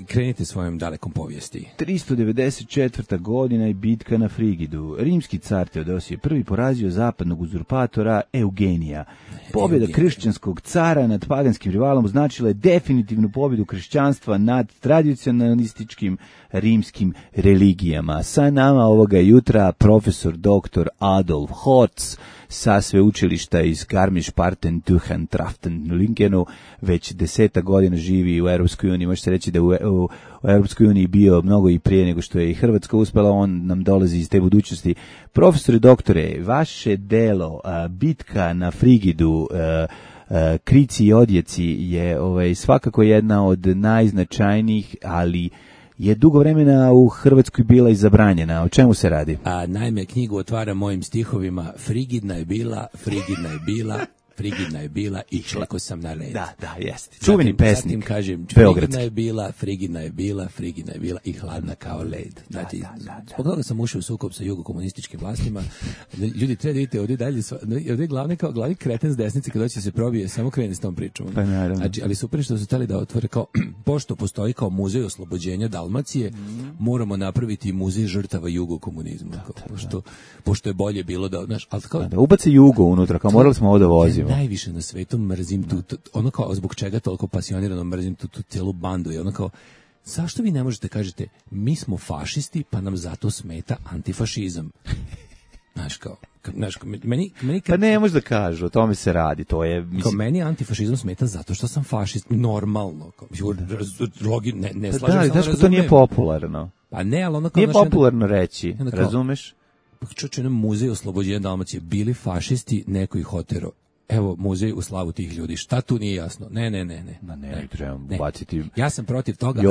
Krenite svojom dalekom povijesti. 394. godina i bitka na Frigidu. Rimski car Teodosije I porazio zapadnog uzurpatora Eugenija. Pobjeda kršćanskog cara nad paganskim rivalom značila je definitivnu pobjedu kršćanstva nad tradicionalističkim rimskim religijama. Sa nama ovoga jutra profesor dr. Adolf Horz sa sveučilišta iz Garmisch-Partenkirchen-Traften-Linkenu, već 10 godina živi u Europskoj uniji. Može se reći da u Europskoj uniji bio mnogo i prije nego što je i Hrvatska uspela, on nam dolazi iz te budućnosti. Profesore, doktore, vaše delo, bitka na Frigidu, Krici i odjeci je svakako jedna od najznačajnijih, ali je dugo vremena u Hrvatskoj bila i zabranjena. O čemu se radi? Naime, knjigu otvara mojim stihovima. Frigidna je bila i čekao sam na red. Da, jeste. Čuveni pesnik. Zatim kažem, frigidna je bila i hladna kao led. Zbog toga sam ušao u sukob sa jugokomunističkim vlastima. Ljudi, treba da vidite, ovdje dalje, ovdje glavni kreten s desnice kada će se probije, samo krene s tom pričom. Pa naravno. Znači, ali super što su htjeli da otvore kao, pošto postoji kao muzej oslobođenja Dalmacije, moramo napraviti muzej žrtava jugokomunizma. Pošto je bolje bilo da, znaš, ali kao... Da ubace jugo unutra, kao morali smo ovo da vozimo. Najviše na svetu mrzim ono kao zbog čega toliko pasionirano mrzim tu cijelu bandu i ono kao zašto vi ne možete kažete mi smo fašisti pa nam zato smeta antifašizam. Znaš kao meni pa ne može da kažu, o tome se radi, to je kao meni antifašizam smeta zato što sam fašist, normalno kao ne slažem se. Da, to nije popularno. Pa ne, ali ono kao nije popularno reći, razumeš? Čuče nam muzej oslobođenja Dalmacije, bili fašisti, neko ih otero. evo muzej u slavu tih ljudi. Šta tu nije jasno? Ne. Ma ne, trebamo baciti. Ja sam protiv toga,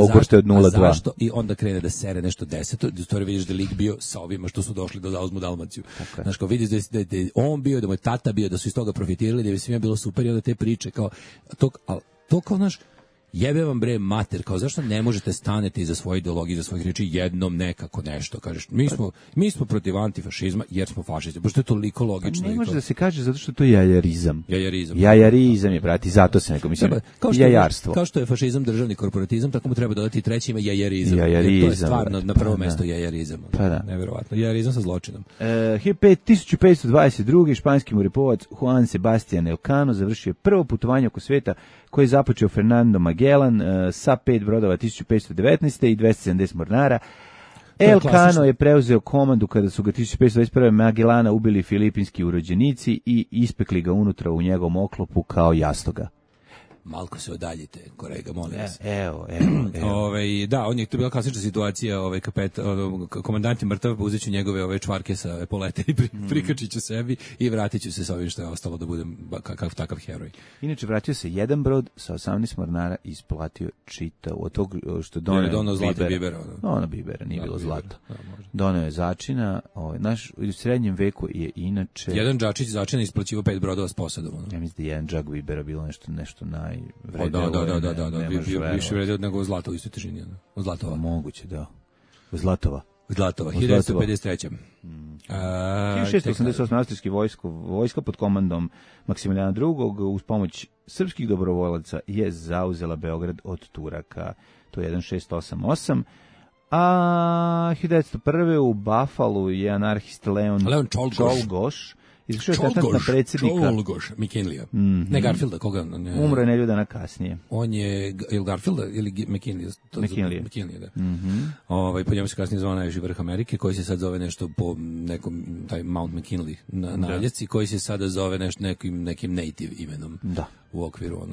zašto? I onda krene da sere nešto 10. U stvari vidiš da lik bio sa ovima što su došli da zauzmu Dalmaciju. Znaš, kao vidiš da je on bio, da mu je tata bio, da su iz toga profitirali, da je svima bilo super i onda te priče kao to kao naš jebe vam bre mater, kao zašto ne možete staneti iza svoje ideologije, iza svojih riječi jednom nekako nešto, kažeš, mi smo protiv antifašizma jer smo fašisti, pošto je toliko logično. Ne može da se kaže zato što to je jajarizam. Jajarizam je, brati, zato se neko mislim, jajarstvo. Kao što je fašizam državni korporatizam, tako mu treba dodati treći ime jajarizam. To je stvarno na prvo mesto jajarizam. Neverovatno. Jajarizam sa zločinom. 1522. španski mореplavac Juan Sebastián Elcano završio prvo putovanje oko sveta koje je započeo Fernando Magellan sa 5 brodova 1519. i 270 mornara. Elcano je preuzeo komandu kada su ga 1521. Magellana ubili filipinski urođenici i ispekli ga unutra u njegovom oklopu kao jastoga. Malko se odaljite, kolega, molim vas. Evo. Da, on je to bila klasična situacija, komandant je mrtav, uzet ću njegove čvarke sa epolete i prikačit ću sebi i vratit ću se sa ovim što je ostalo da budem takav heroj. Inače, vratio se jedan brod sa 18 mornara i isplatio čitav od tog što doneo zlata bibera. Ono bibera, nije bilo zlata. Doneo je začina, naš u srednjem veku je inače... Jedan džačić začina isplaćivao 5 brodova s posadom. Ja mislim da je jedan džak bibera bilo nešto Da, više vredi od nego zlata u istoj težini. Od Zlatova. Moguće, da. Zlatova, 1953. 1688. austrijski vojska pod komandom Maksimilijana II. Uz pomoć srpskih dobrovolaca je zauzela Beograd od Turaka. To je 1688. A 1901. u Buffalu je anarhist Leon Czolgosz izvršio atentat na predsjednika McKinleya. Ne Garfielda, koga? Umro je nedelju dana kasnije. On je Garfielda ili McKinleya, da. Po njemu se kasnije zvao najviši vrh Amerike, koji se sad zove nešto po nekom, taj Mount McKinley na ljeci, koji se sada zove nešto nekim native imenom. Da. U okviru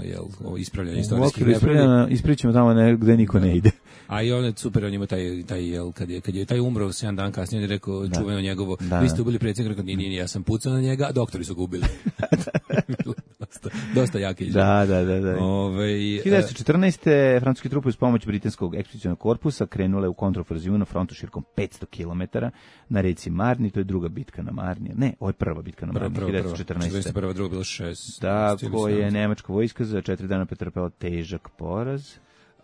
ispravljanja istorijskih nepravdi. Ispričamo tamo gde niko ne ide. A i on je super, on ima kad je taj umro 7 dana kasnije, on je rekao čuveno njegovo, vi ste ubili predsjednika, rekao nije, ja sam pucao na njega, a doktori su ga ubili. dosta jake izjave. Da. 1914. francuske trupe uz pomoć britanskog ekspedicionog korpusa krenule u kontrofaziju na frontu širokom 500 km na reci Marni, to je druga bitka na Marni. Ne, ovo je prva bitka na Marni, 1914. Prva, druga bilo 6. Da, koje je nemačka vojska za 4 dana pretrpela težak poraz.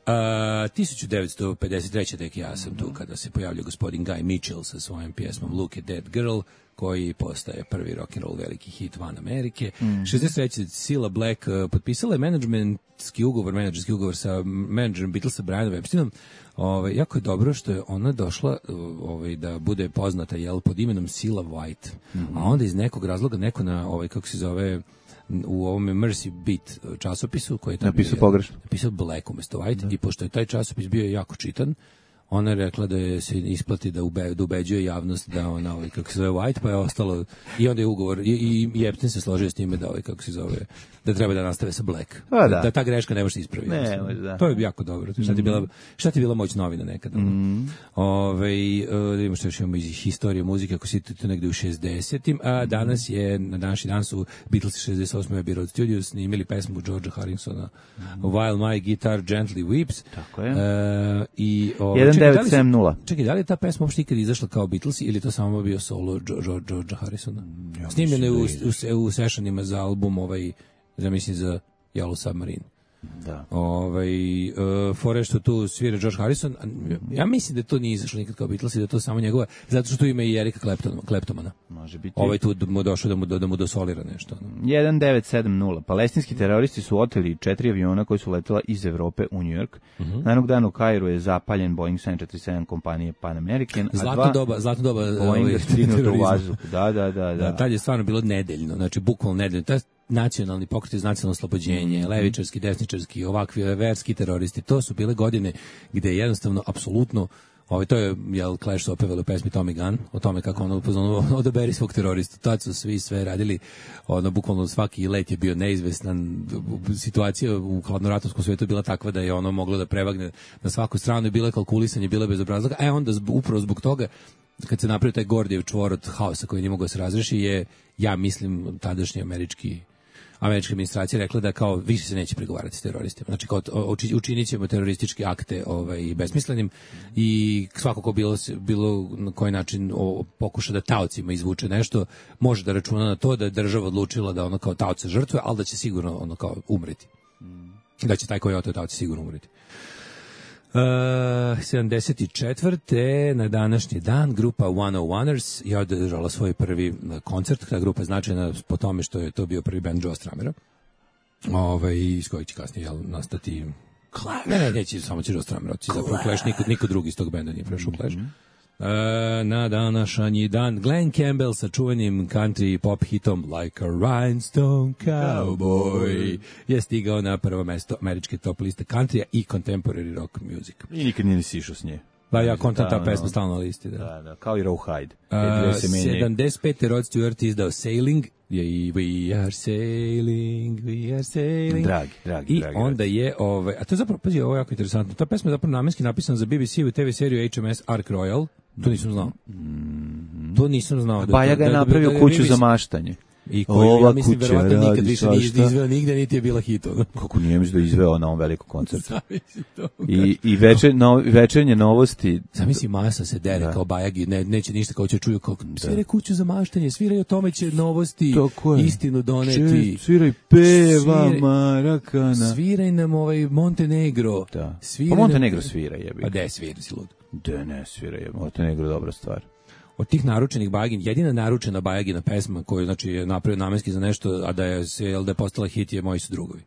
1953. tek ja sam tu kada se pojavljao gospodin Guy Mitchell sa svojom pjesmom Look at That Girl, koji postaje prvi rock'n'roll veliki hit van Amerike. 63. Cilla Black potpisala je menadžerski ugovor sa menadžerom Beatlesa Brianom Epsteinom. Jako je dobro što je ona došla da bude poznata pod imenom Cilla White. A onda iz nekog razloga neko na kako se zove u ovome Mercy Beat časopisu koji je napisao Black umjesto White i pošto je taj časopis bio jako čitan, ona je rekla da se isplati da ubeđuje javnost da ona kako se zove White, pa je ostalo i onda je ugovor i Epstein se složio s time da kako se zove da treba da nastave sa Black. Da ta greška ne može se ispraviti. To je jako dobro. Šta ti je bila moć novina nekada? Da imamo što još imamo iz historije muzike, ako si tu negde u 60-im, a danas je, na današnji dan su Beatles 68. Abbey Road Studios snimili pesmu Georgea Harrisona While My Guitar Gently Weeps. Tako je. 1970. Čekaj, da li je ta pesma uopšte ikad izašla kao Beatlesi ili to samo bio solo Georgea Harrisona? Snimljene u sessionima za album mislim za Yellow Submarine. Da. Fore što tu svira George Harrison, ja mislim da to nije izašlo nikad kao Beatles i da je to samo njegova, zato što tu ima i Erika Claptona. Može biti. Tu mu došao da mu dosolira nešto. 1970. Palestinski teroristi su oteli 4 aviona koji su letela iz Evrope u New York. Na jednog dana u Kairu je zapaljen Boeing 747 kompanije Pan American. Zlatno doba Boeinga stignuto u vazduh. Da. Tad je stvarno bilo nedeljno, znači bukvalno nedeljno. Nacionalni pokret iz nacionalno oslobođenje, levičarski, desničarski, ovakvi verski teroristi, to su bile godine gde jednostavno, apsolutno, to je Clash su opevali u pesmi Tommy Gun, o tome kako ono odaberi svog teroristu. Tad su svi sve radili, bukvalno svaki let je bio neizvestan, situacija u hladnoratovskom svijetu je bila takva da je ono moglo da prevagne na svaku stranu i bilo je kalkulisanje, bilo je bez obrazloga, a onda upravo zbog toga kad se napravio taj Gordijev čvor od haosa koji nije mogao se razreši je, ja mislim, tadašnji američki američka administracija rekla da kao više se neće pregovarati s teroristima. Znači kao učinit ćemo terorističke akte besmislenim i svako ko bilo na koji način pokuša da taocima izvuče nešto, može da računa na to da je država odlučila da ono kao taoca žrtve, ali da će sigurno ono kao umreti. Da će taj koji je oteo taoca sigurno umreti. 74. na današnji dan grupa 101ers je održala svoj prvi koncert. Ta grupa je značajna po tome što je to bio prvi band Joe Stramera. Iz kojeg će kasnije nastati Clash. Ne, neće, samo će Joe Stramer otići. Zapravo Clash, niko drugi iz tog benda nije prešao u Clash. Na današnji dan Glenn Campbell sa čuvenim country pop hitom Like a Rhinestone Cowboy je stigao na prvo mesto američke top liste countrya i contemporary rock music. I nikad nije sišao s nje. Pa ja kontam ta pesma stalno na listi. Da, kao i Rawhide. 75. Rod Stewart izdao Sailing, i We Are Sailing, We Are Sailing. Dragi. I onda je, a to je zapravo, pazi, ovo je jako interesantno, ta pesma je zapravo namenski napisana za BBC u TV seriju HMS Ark Royal, to nisam znao. Baja ga je napravio kuću za maštaње. I koju, ja mislim, verovatno nikad više nije izveo nigde, niti je bila hit. Kako nije mislim da izveo na ovom velikom koncertu. I večernje novosti. Zamisli Masa se dere kao Bajagi, neće ništa, kao će čuju kao svire kuću za maštanje, sviraj o tome će novosti, istinu doneti. Sviraj peva Marakana. Sviraj nam Montenegro. Pa Montenegro svira jebi. Pa de svira si lud. De ne svira jebi, Montenegro dobra stvar. Od tih naručenih Bajagin, jedina naručena Bajagina pesma koju znači je napravio namenski za nešto, a da je postala hit je Moji su drugovi.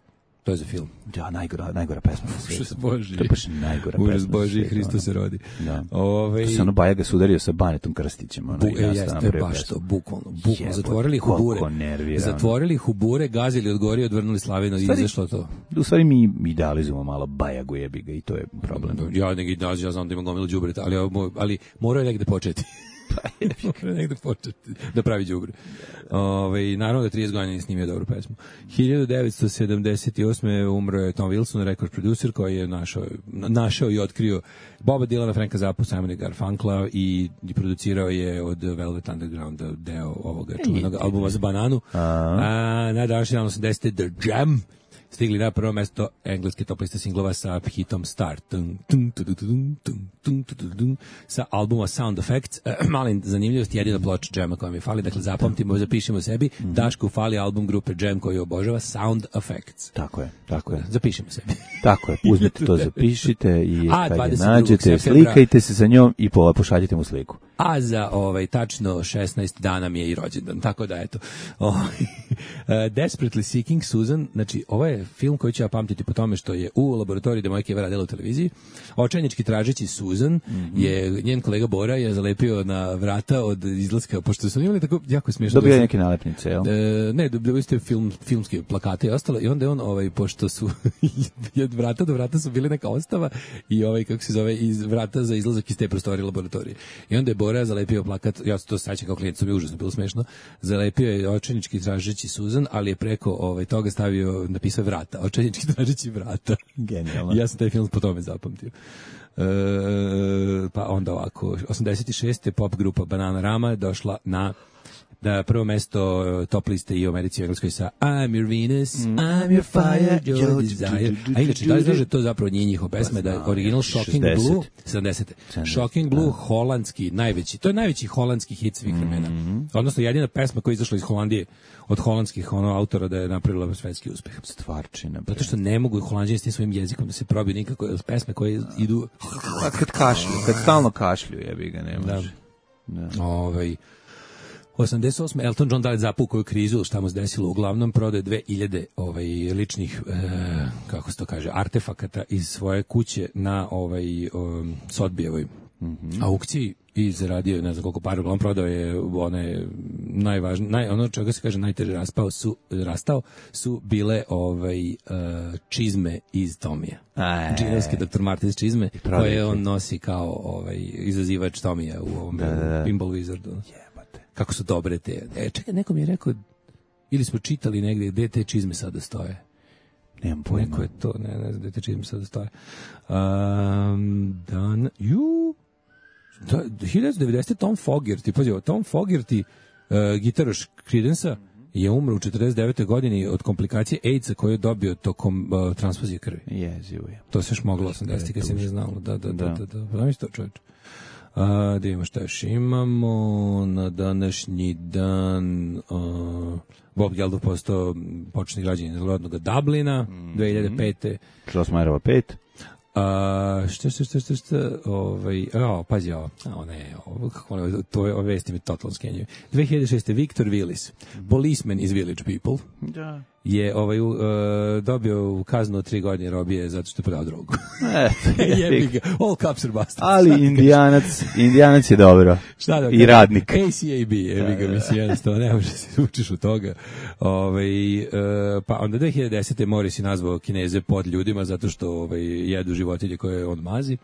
To je za film. Ja, najgora pesma na svijetu. Boži. To je baš najgora pesma. Užas Boži, Hristo se rodi. Da. To se Bajaga sudario sa Banetom Krstićem. Jeste baš to, bukvalno. Zatvorili hubure, gazili od gore, odvrnuli Slavinu i izašlo to. U stvari mi idealizujemo malo Bajagu jebiga i to je problem. Ja znam da imam gomilu đubreta, ali morao je negde početi. Negde početi da pravi đubre. Naravno da 30 godina nije snimio dobru pesmu. 1978. umro je Tom Wilson, record producer koji je našao i otkrio Boba Dylana, Franka Zappu, Simona Garfunkla i producirao je od Velvet Undergrounda deo ovoga čuvenog albuma za Bananu. Na današnji dan 80. The Jam stigli na prvo mesto engleske top liste singlova sa hitom Start. Sa albuma Sound Effects. Mali zanimljivost, jedina ploča Jama koja mi fali, dakle zapamtimo, zapišemo sebi, Dašku fali album grupe Jam koji obožava Sound Effects. Tako je. Zapišemo sebi. Tako je, uzmite to, zapišite i kad je nađete, slikajte se sa njom i pošaljite mu sliku. A za tačno 16 dana mi je i rođendan, tako da eto. Desperately Seeking Susan, znači ovo je film koji ću ja pamtiti po tome što je u laboratoriji gde moja keva radila u televiziji. Očajnički tražeći Susan je njen kolega Bora je zalepio na vrata od izlaska, pošto su imali tako jako smiješno. Dobio neke nalepnice, jel? Ne, dobili ste filmske plakate i ostalo i onda je on pošto su od vrata do vrata su bili neka ostava i kako se zove, iz vrata za izlazak iz te prostorije laboratorije. I onda je Bora zalepio plakat, ja se to sećam kao klijent, to mi je užasno bilo smešno. Zalepio je očajnički tražeći Susan, ali je preko toga napisao vrata, očajnički tražeći vrata. Genijalno. Ja sam taj film po tome zapamtio. Pa onda ovako, 86. pop grupa Bananarama došla na prvo mesto top liste i u Americi i u Engleskoj sa I'm your Venus, I'm your fire, your desire. A inače, da li znaš da to zapravo nije njihova pesma, da je original Shocking Blue, 70. Shocking Blue, holandski, najveći, to je najveći holandski hit svih vremena. Odnosno, jedina pesma koja je izašla iz Holandije od holandskih autora da je napravila svetski uspeh. Stvarčina. Zato što ne mogu Holanđani s tim svojim jezikom da se probiju nikako, pesme koje idu... Kad stalno kašlju, jebi ga, ne može. Da. 88. Elton John dali zapukoju krizu, šta mu se desilo, uglavnom prodaje 2000 ličnih, kako se to kaže, artefakata iz svoje kuće na Sotbijevoj aukciji i zaradio, ne znam koliko para, uglavnom prodao je one najvažnije, ono čega se kaže najteže rastao su bile čizme iz Tomija. Džinovske Dr. Martens čizme, koje on nosi kao izazivač Tomija u ovom Pinball Wizardu. Kako su dobre te. Čekaj, neko mi je rekao, ili smo čitali negdje gde te čizme sada stoje. Nemam pojma. Neko je to, ne znam gde te čizme sada stoje. 1990. Tom Fogerty, pazi, Tom Fogerty, gitaraš Creedence-a, je umro u 49. godini od komplikacije AIDS-a koju je dobio tokom transfuzije krvi. Jezivo je. To se još moglo 80. kad se nije znalo. Da. Znam isto, čovječ. Da imamo šta još imamo na današnji dan. Bob Geldof postao početni građanin rodnog Dublina 2005. Šlosmajerova 5. Pazi ovo. To vesti mi totalno skenjaju. 2006. Victor Willis, policeman iz Village People, je dobio kaznu od 3 godine robije zato što je prodao drogu. Jebi ga. All cops are bastards. Ali Indijanac je dobro. Šta da i radnik. ACAB, jebi ga, mislim, jednostavno, ne može se učiš u toga. Pa onda 2010. Morris je nazvao Kineze pod ljudima zato što jedu životinje koje on mazi.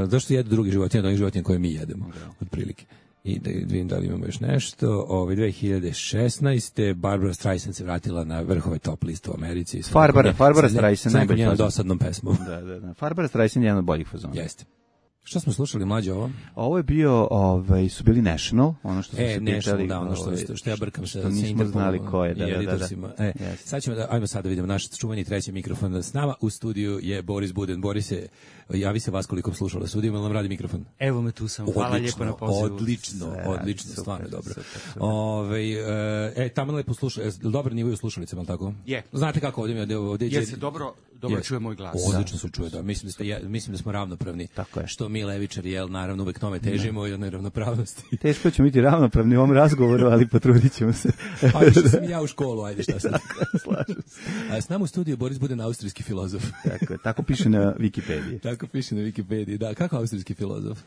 Zašto jedu drugi životinje od onih životinja koje mi jedemo, otprilike. I da vidim da li imamo još nešto. 2016. Barbara Streisand se vratila na vrhove top listu u Americi. Barbara Streisand najbolji njenom dosadnom pesmom. Da. Barbara Streisand je jedan od boljih fazona. Jeste. Šta smo slušali mlađe ovo? Ovo je bio, su bili National, ono što smo se pričali. Da, ono što ja brkam se. Nismo znali ko je, da. Sad ćemo ajmo sad da vidimo naš čuveni treći mikrofon. S nama u studiju je Boris Buden. Borise, javi se vas koliko slušala studiju, ali nam radi mikrofon. Evo me tu sam, hvala lijepo na pozivu. Odlično, stvarno dobro. Tamo lepo slušali, dobro nivo u slušalicama, ali tako? Je. Znate kako ovdje je se dobro čuje moj glas. Odlično se čuje, da. Mislim da smo ravnopravni. Tako je. Što mi levičari, naravno uvek tome težimo i jednoj ravnopravnosti. Teško ćemo biti ravnopravni u ovom razgovoru, ali potrudit ćemo se. Ajde što sam ja u školu, ajde šta sad. Slažem se. S nama u studiju Boris Buden, austrijski filozof. Tako piše na Wikipediji. Tako piše na Wikipediji, da. Kako austrijski filozof?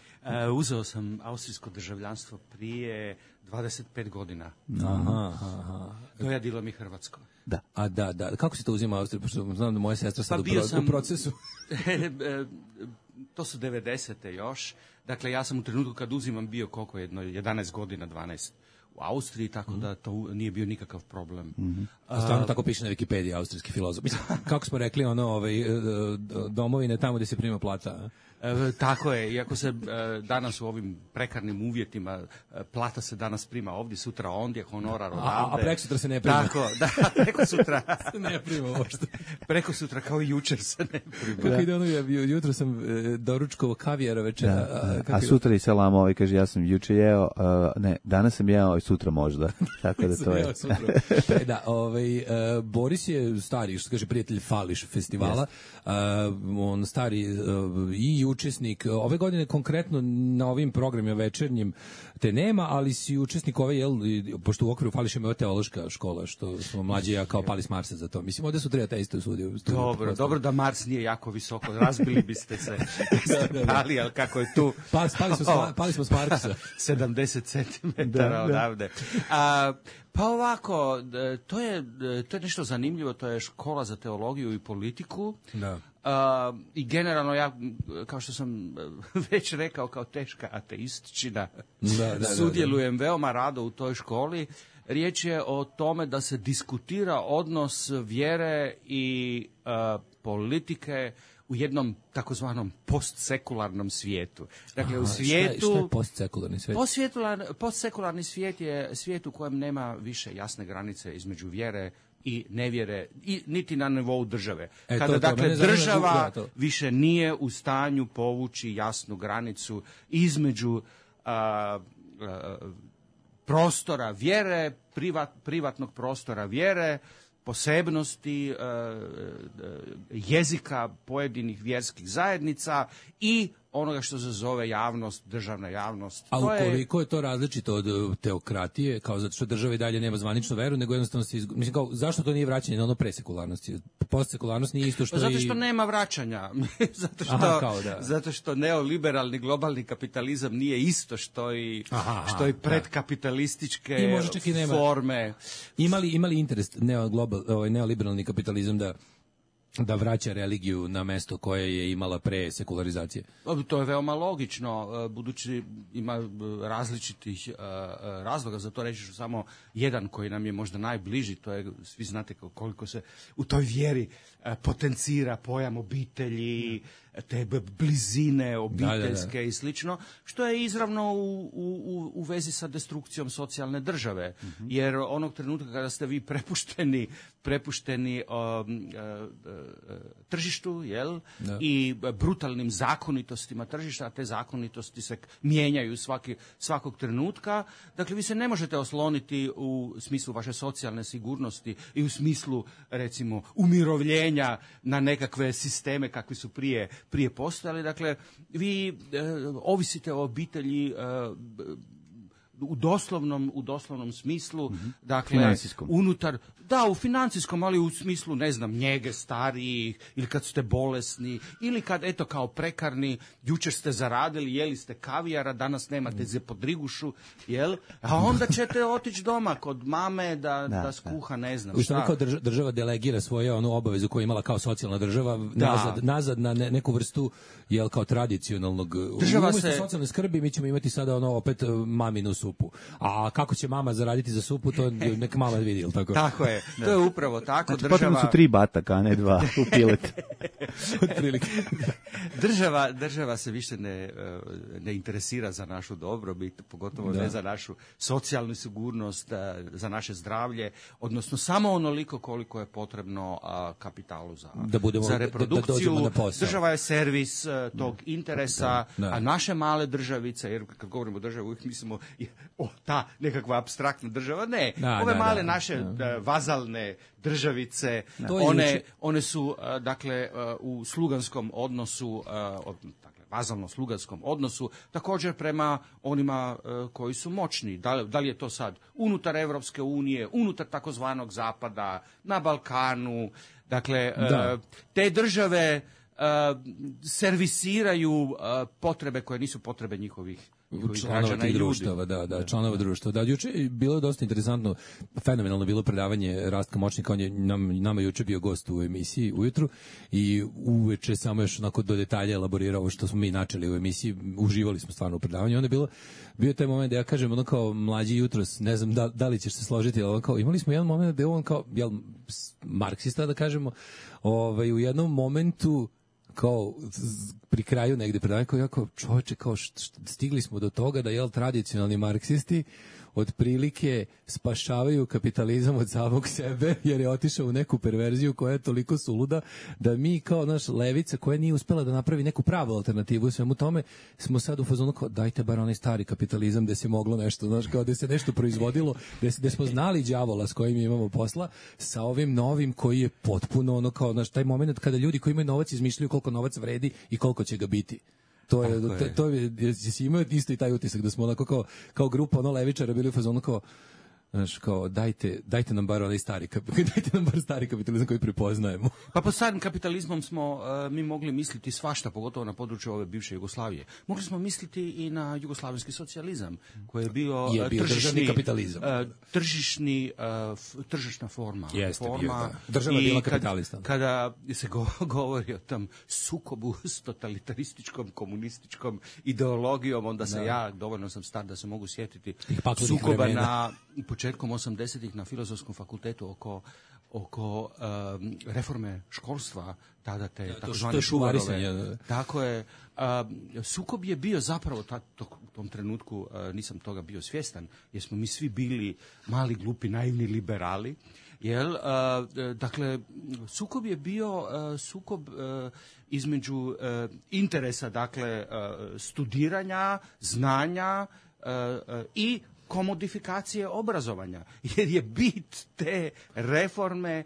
Uzeo sam austrijsko državljanstvo prije 25 godina. Aha. Dojadilo mi hrvatsko. Da. Da. Kako se to uzima Austrija? Pošto znam da moja sestra sad u procesu. To su 90. još. Dakle, ja sam u trenutku kad uzimam bio koliko jedno, 11 godina, 12 u Austriji, tako da to nije bio nikakav problem. Stvarno tako piše na Wikipediji, austrijski filozof. Kako smo rekli, domovine tamo gdje se prima plata. Tako je, iako se danas u ovim prekarnim uvjetima plata se danas prima ovdje, sutra ondje, honorar odavde. A prekosutra se ne prima. Tako, da, prekosutra se ne prima uopšte. Prekosutra kao i jučer se ne prima. Kako ide jutro sam doručkovao kavijara večera. A sutra i selam, kaže ja sam juče jeo, danas sam jeo i sutra možda. Tako da to je. Da, Boris je stari, što kaže prijatelj Fališ festivala. On stari i učesnik ove godine konkretno na ovim programima večernjim te nema, ali si učesnik ove, pošto u okviru Fališa ima teološka škola, što smo mlađi ja kao pali s Marsa za to. Mislim, ovdje su treba teiste u studiju. Dobro da Mars nije jako visoko, razbili biste se. Pali, ali kako je tu? Pali smo s Marsa. 70 centimetara odavde. Pa ovako, to je nešto zanimljivo, to je škola za teologiju i politiku. Da. I generalno ja, kao što sam već rekao, kao teška ateistčina, sudjelujem veoma rado u toj školi. Riječ je o tome da se diskutira odnos vjere i politike u jednom takozvanom postsekularnom svijetu. Dakle, u svijetu... Šta je postsekularni svijet? Postsekularni svijet je svijet u kojem nema više jasne granice između vjere i nevjere, niti na nivou države. Kada država više nije u stanju povući jasnu granicu između prostora vjere, privatnog prostora vjere, posebnosti jezika pojedinih vjerskih zajednica i onoga što se zove javnost, državna javnost. A ukoliko je to različito od teokratije, kao zato što država i dalje nema zvaničnu veru, nego jednostavno mislim, kao, zašto to nije vraćanje na ono presekularnosti? Postsekularnost nije isto što zato što nema vraćanja. Zato što neoliberalni globalni kapitalizam nije isto što i predkapitalističke forme. Ima li interes neoliberalni kapitalizam da da vraća religiju na mesto koje je imala pre sekularizacije. To je veoma logično, budući ima različitih razloga za to. Reći ću samo jedan koji nam je možda najbliži, to je, svi znate koliko se u toj vjeri potencira pojam obitelji, te blizine obiteljske i slično, što je izravno u vezi sa destrukcijom socijalne države. Jer onog trenutka kada ste vi prepušteni tržištu, jel? I brutalnim zakonitostima tržišta, a te zakonitosti se mijenjaju svakog trenutka. Dakle, vi se ne možete osloniti u smislu vaše socijalne sigurnosti i u smislu, recimo, umirovljenja na nekakve sisteme kakvi su prije postojali. Dakle, vi ovisite o obitelji u doslovnom smislu, dakle, financijskom. U financijskom, ali u smislu, ne znam, njege starijih, ili kad ste bolesni, ili kad, eto, kao prekarni, jučer ste zaradili, jeli ste kavijara, danas nemate za podrigušu, jel? A onda ćete otići doma kod mame da skuha, ne znam šta. Kao država delegira svoje onu obavezu koju je imala kao socijalna država nazad na neku vrstu, jel, kao tradicionalnog umjesto socijalne skrbi, mi ćemo imati sada opet maminu supu. A kako će mama zaraditi za supu, to neka mama vidi, jel tako? Tako je. To je upravo tako. Znači, potrebno su 3 bataka, a ne 2 u pilet. Država se više ne interesira za našu dobrobit, pogotovo ne za našu socijalnu sigurnost, za naše zdravlje, odnosno samo onoliko koliko je potrebno kapitalu za reprodukciju. Država je servis tog interesa, a naše male državice, jer kad govorimo o državi, uvijek mislimo ta nekakva apstraktna država, ne. Ove male naše vazalne državice, one su, dakle, u sluganskom odnosu, dakle, vazalno-sluganskom odnosu, također prema onima koji su moćni. Da li je to sad unutar Evropske unije, unutar takozvanog Zapada, na Balkanu, dakle, te države servisiraju potrebe koje nisu potrebe njihovih članova tih društava, članova društva. Da, juče je bilo dosta interesantno, fenomenalno bilo predavanje Rastka Močnika, on je nama juče bio gost u emisiji ujutru i uveče samo još onako do detalja elaborirao ovo što smo mi načeli u emisiji, uživali smo stvarno u predavanju. Onda bio je taj moment da ja kažem, ono kao mlađi jutros, ne znam da li ćeš se složiti, ali kao, imali smo jedan moment da je on kao, marksista da kažemo, u jednom momentu kao pri kraju negde predavanja, kao jako čoveče, kao stigli smo do toga da tradicionalni marksisti otprilike spašavaju kapitalizam od samog sebe, jer je otišao u neku perverziju koja je toliko suluda da mi kao naš levica koja nije uspela da napravi neku pravu alternativu svemu tome, smo sad u fazonu kao dajte bar onaj stari kapitalizam gde se moglo nešto, znaš, kao gde se nešto proizvodilo, gde smo znali đavola s kojim imamo posla, sa ovim novim koji je potpuno ono kao, znaš, taj moment kada ljudi koji imaju novac izmišljaju koliko novac vredi i koliko će ga biti. To je jesi imao isto i taj utisak da smo onako kao grupa levičara bili u fazonu kao, znaš, kao dajte nam bar onaj stari kapitalizam koji prepoznajemo. Pa pod starim kapitalizmom smo mi mogli misliti svašta, pogotovo na području ove bivše Jugoslavije. Mogli smo misliti i na jugoslavenski socijalizam, koji je bio državni kapitalizam. Tržišna forma. Jeste, država je bila kapitalista. Kada se govori o tom sukobu s totalitarističkom, komunističkom ideologijom, onda se dovoljno sam star da se mogu sjetiti sukoba na početkom 80-ih na Filozofskom fakultetu oko reforme školstva, tada te takozvane Šuvarove. Tako je. Sukob je bio zapravo u tom trenutku, nisam toga bio svjestan, jer smo mi svi bili mali, glupi, naivni liberali. Dakle, sukob je bio sukob između interesa, dakle, studiranja, znanja i komodifikacije obrazovanja, jer je bit te reforme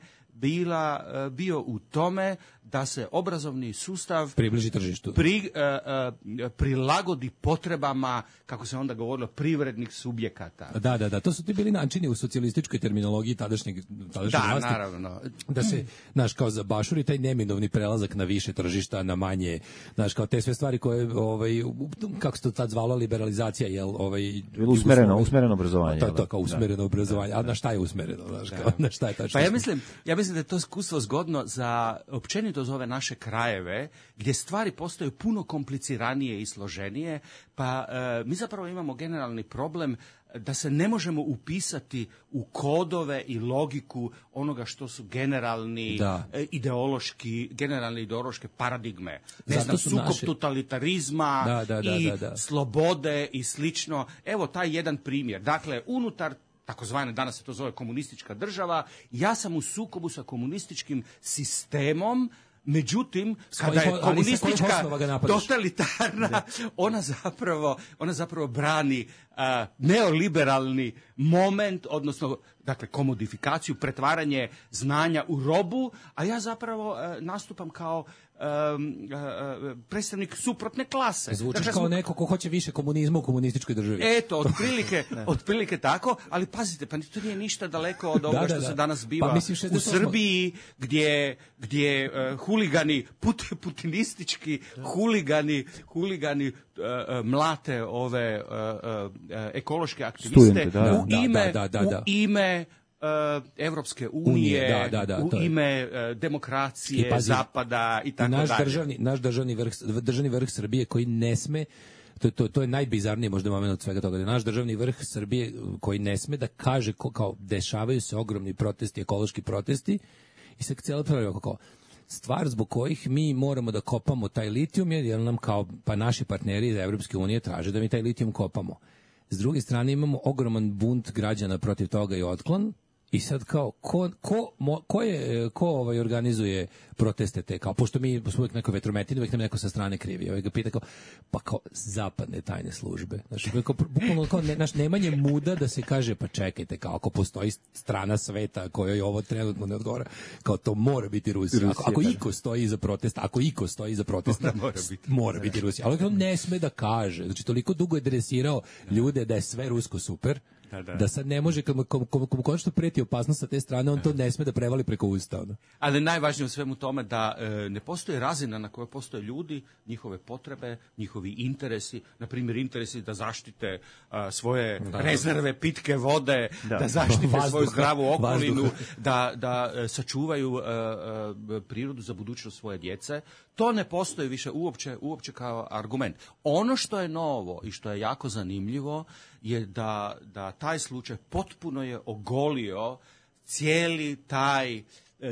bio u tome da se obrazovni sustav približi tržištu, prilagodi potrebama, kako se onda govorilo, privrednih subjekata. Da, to su ti bili načini u socijalističkoj terminologiji tadašnjeg vlasti. Naravno. Da se, znaš, kao zabašuri taj neminovni prelazak na više tržišta, na manje, znaš, kao te sve stvari koje, kako se to tad zvalo, liberalizacija, usmereno obrazovanje. To kao usmereno obrazovanje, a na šta je usmereno, znaš, kao, na šta je tačno? Pa ja mislim mislim da je to iskustvo zgodno za općenito za ove naše krajeve, gdje stvari postaju puno kompliciranije i složenije, pa mi zapravo imamo generalni problem da se ne možemo upisati u kodove i logiku onoga što su generalne ideološke paradigme. Ne znam, sukob totalitarizma i slobode i slično. Evo taj jedan primjer. Dakle, unutar takozvane, danas se to zove komunistička država, ja sam u sukobu sa komunističkim sistemom. Međutim, kada je komunistička totalitarna, ona zapravo brani neoliberalni moment, odnosno dakle komodifikaciju, pretvaranje znanja u robu, a ja zapravo nastupam kao predstavnik suprotne klase. Zvučiš dakle, kao neko ko hoće više komunizma u komunističkoj državi. Eto, otprilike tako, ali pazite, pa to nije ništa daleko od ovoga što se danas biva u Srbiji, gdje huligani, putinistički huligani mlate ove ekološke aktiviste u ime Evropske unije, u ime demokracije, Zapada i tako dalje. Naš državni vrh Srbije koji ne sme, to je najbizarniji možda moment od svega toga, da naš državni vrh Srbije koji ne sme da kaže kao dešavaju se ogromni protesti, ekološki protesti i sad cijela pravila kao stvar zbog kojih mi moramo da kopamo taj litijum jer nam kao pa naši partneri iz Evropske unije traže da mi taj litijum kopamo. S druge strane imamo ogroman bunt građana protiv toga i otklon. I sad kao, ko organizuje proteste te, kao, pošto mi smo uvijek neko vetrometine, uvijek nam neko sa strane krivi, ga pita kao, pa kao, zapadne tajne službe. Znači, bukvalno kao, nemanje muda da se kaže, pa čekajte, kao, ako postoji strana sveta kojoj ovo trenutno ne odgovara, kao, to mora biti Rusija. Ako iko stoji iza protesta, mora biti Rusija. Ali on ne sme da kaže, znači, toliko dugo je dresirao ljude da je sve rusko super, da sad ne može, kad mu konačno preti opasnost sa te strane, on to ne sme da prevali preko usta. Ali najvažnije u svemu tome da ne postoji razina na kojoj postoje ljudi, njihove potrebe, njihovi interesi, na primjer interesi da zaštite svoje rezerve pitke vode, da zaštite svoju zdravu okolinu, da sačuvaju prirodu za budućnost svoje djece. To ne postoji više uopće kao argument. Ono što je novo i što je jako zanimljivo je da taj slučaj potpuno je ogolio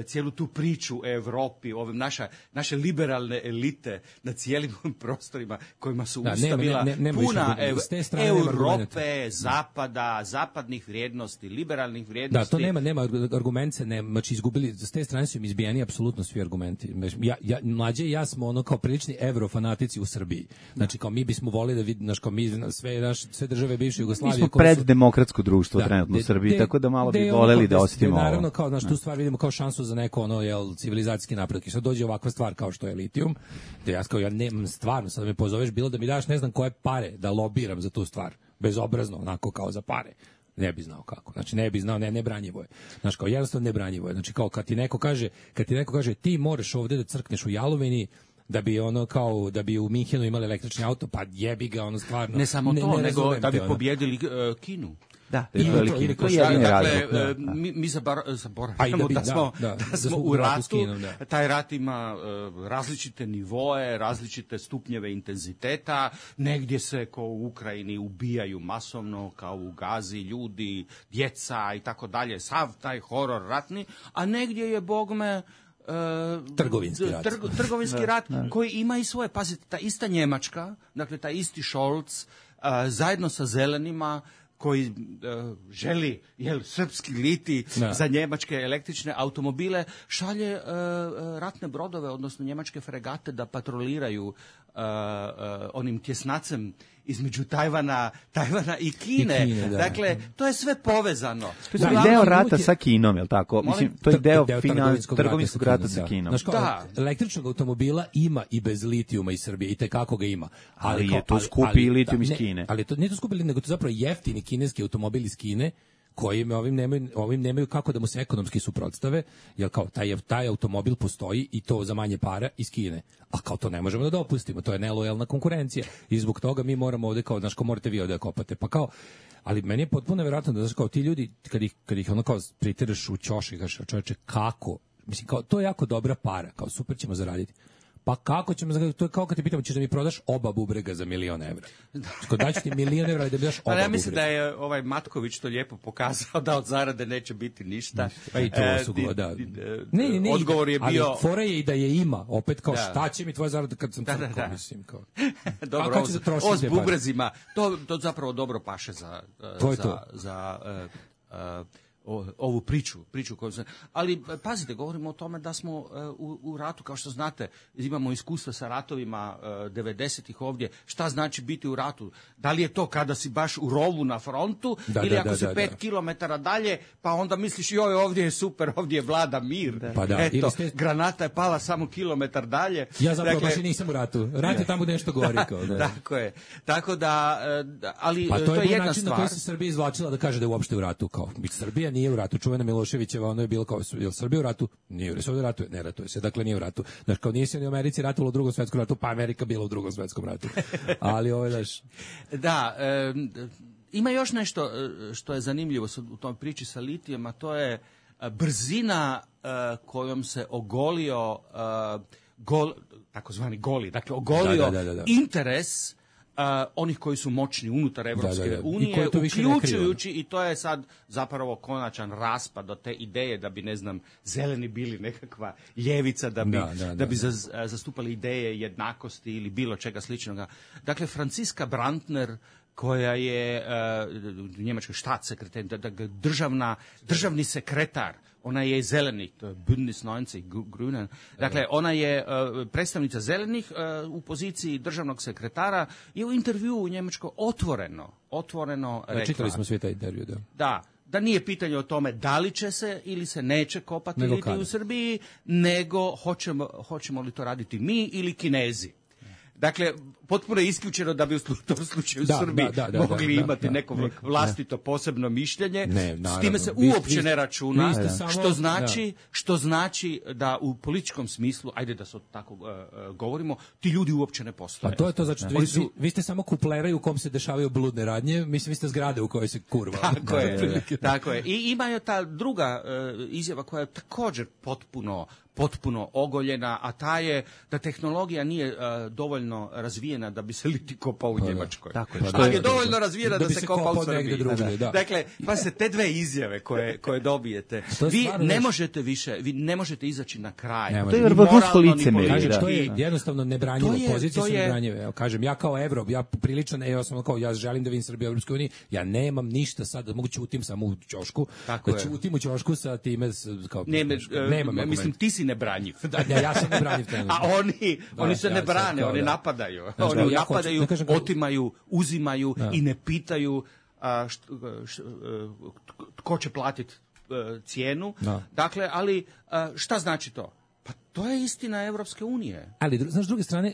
cijelu tu priču o Europi, naše liberalne elite na cijelim prostorima kojima su usta bila puna Europe, Zapada, zapadnih vrijednosti, liberalnih vrijednosti. Da, to nema argument se ne, znači izgubili, s te strane su im izbijeni apsolutno svi argumenti. Mlađe i ja smo ono kao prilični evrofanatici u Srbiji. Znači kao mi bismo volili da vidimo, kao mi sve države bivše Jugoslavije. Mi smo preddemokratsko društvo trenutno u Srbiji, tako da malo bi voleli da osjetimo ovo. Naravno, kao, znači, tu stvar vidimo kao šansu za neko civilizacijski napredak. I sad dođe ovakva stvar kao što je litijum, da ja nemam stvarno, sad me pozoveš bilo da mi daš ne znam koje pare da lobiram za tu stvar, bezobrazno, onako kao za pare. Ne bi znao kako. Znači ne bi znao, nebranjivo je. Znači kao jednostavno nebranjivo je. Znači kao kad ti neko kaže ti moraš ovdje da crkneš u jalovini da bi u Minhenu imali električni auto, pa jebi ga ono stvarno. Ne samo to, nego da bi pobjedili Kinu. Da, mi zaboravljamo da smo u ratu. Taj rat ima različite nivoe, različite stupnjeve intenziteta. Negdje se kao u Ukrajini ubijaju masovno, kao u Gazi ljudi, djeca i tako dalje. Sav taj horor ratni, a negdje je bogme trgovinski rat koji ima i svoje. Pazite, ta ista Njemačka, dakle taj isti Scholz, zajedno sa zelenima koji želi srpski liti za njemačke električne automobile, šalje ratne brodove, odnosno njemačke fregate da patroliraju onim tjesnacem između Tajvana i Kine. Dakle, to je sve povezano. To je deo rata sa Kinom, je li tako? Mislim, to je deo trgovinskog rata sa Kinom. Električnog automobila ima i bez litijuma iz Srbije, i tekako ga ima. Ali je to skupi litijum iz Kine. Ali to nije to skupi, nego to zapravo jeftini kineski automobil iz Kine, koji ovim nemaju kako da mu se ekonomski suprotstave, jer kao taj automobil postoji i to za manje para iz Kine. A kao to ne možemo da dopustimo, to je nelojalna konkurencija i zbog toga mi moramo ovde kao, znaš, ko morate vi ovde da kopate, pa kao, ali meni je potpuno nevjerojatno da, znaš, kao ti ljudi, kad ih ono kao pritiraš u ćoš i kažeš, čoveče, kako? Mislim, kao, to je jako dobra para, kao, super ćemo zaraditi. Pa kako ćemo zaraditi? To je kao kad te pitamo, ćeš da mi prodaš oba bubrega za $1.000.000. Kod daću ti $1.000.000 da mi daš oba bubrega. Ja mislim da je Matković to lijepo pokazao, da od zarade neće biti ništa. Pa i to su da. Ne, odgovor je bio... Ali fora je i da je ima, opet kao šta će mi tvoja zarada kad sam crko, mislim. Kao. Dobro, o s bubrezima, to zapravo dobro paše za ovu priču koju sam... Ali pazite, govorimo o tome da smo u ratu, kao što znate, imamo iskustva sa ratovima 90-ih ovdje. Šta znači biti u ratu? Da li je to kada si baš u rovu na frontu ili ako si 5 kilometara dalje, pa onda misliš joj, ovdje je super, ovdje je vlada mir. Pa da. Eto, granata je pala samo kilometar dalje. Ja zapravo baš i nisam u ratu. Rat je tamo nešto gori. Tako je. Tako da, ali pa to je jedna način stvar. na koji se Srbija izvlačila da kaže da je uopšte u ratu. Kao, Srbija nije u ratu, čuvena Miloševićeva, ono je bilo kao, je li Srbija u ratu? Nije u ratu, ne ratuje se, dakle nije u ratu. Znači, kao nije se ni u Americi ratovalo u Drugom svetskom ratu, pa Amerika bila u Drugom svetskom ratu. Ali ovo je, znaš... Da, ima još nešto što je zanimljivo u toj priči sa litijem, a to je brzina kojom se ogolio takozvani goli, dakle ogolio interes onih koji su moćni unutar Evropske unije, uključujući, i to je sad zapravo konačan raspad od te ideje da bi, ne znam, zeleni bili nekakva ljevica, da bi zastupali ideje jednakosti ili bilo čega sličnoga. Dakle, Franciska Brandner, koja je njemački štatsekretar, državni sekretar, ona je zelenih, to je Bündnis 90 Grünen. Dakle, ona je predstavnica zelenih u poziciji državnog sekretara i u intervjuu u Njemačkoj otvoreno rekla. Čitali smo svi taj intervju, da nije pitanje o tome da li će se ili se neće kopati litij u Srbiji, nego hoćemo li to raditi mi ili Kinezi. Dakle, potpuno je isključeno da bi u tom slučaju Srbi mogli imati neko vlastito posebno mišljenje. S time se uopće ne računa, što znači da u političkom smislu, ajde da se tako govorimo, ti ljudi uopće ne postoje. A to je to, znači vi ste samo kupleraj u kom se dešavaju bludne radnje, mislim vi ste zgrade u kojoj se kurva. Tako je. I ima ta druga izjava koja je također potpuno ogoljena, a ta je da tehnologija nije dovoljno razvijena da bi se litij kopao u Njemačkoj. Ali je dovoljno razvijena da se kopa u Srbiji. Dakle, pa se te dve izjave koje dobijete, vi ne možete izaći na kraj. To je vrhunsko licemerje. Kažem, to je jednostavno nebranjivo, pozicije su nebranjive. Evo, kažem, ja kao Evrop, ja priličan, ja želim da vidim Srbiju u Evropskoj uniji, ja nemam ništa sad, mogu ćutim samo u ćošku, da ćutim u ćošku sa time, kao... Mislim, ti si nebranjiv. Ja sam nebranjiv. A oni se ne brane, oni napadaju. Oni napadaju, otimaju, uzimaju i ne pitaju tko će platiti cijenu. Dakle, ali šta znači to? Pa to je istina Evropske unije. Ali, znaš, s druge strane,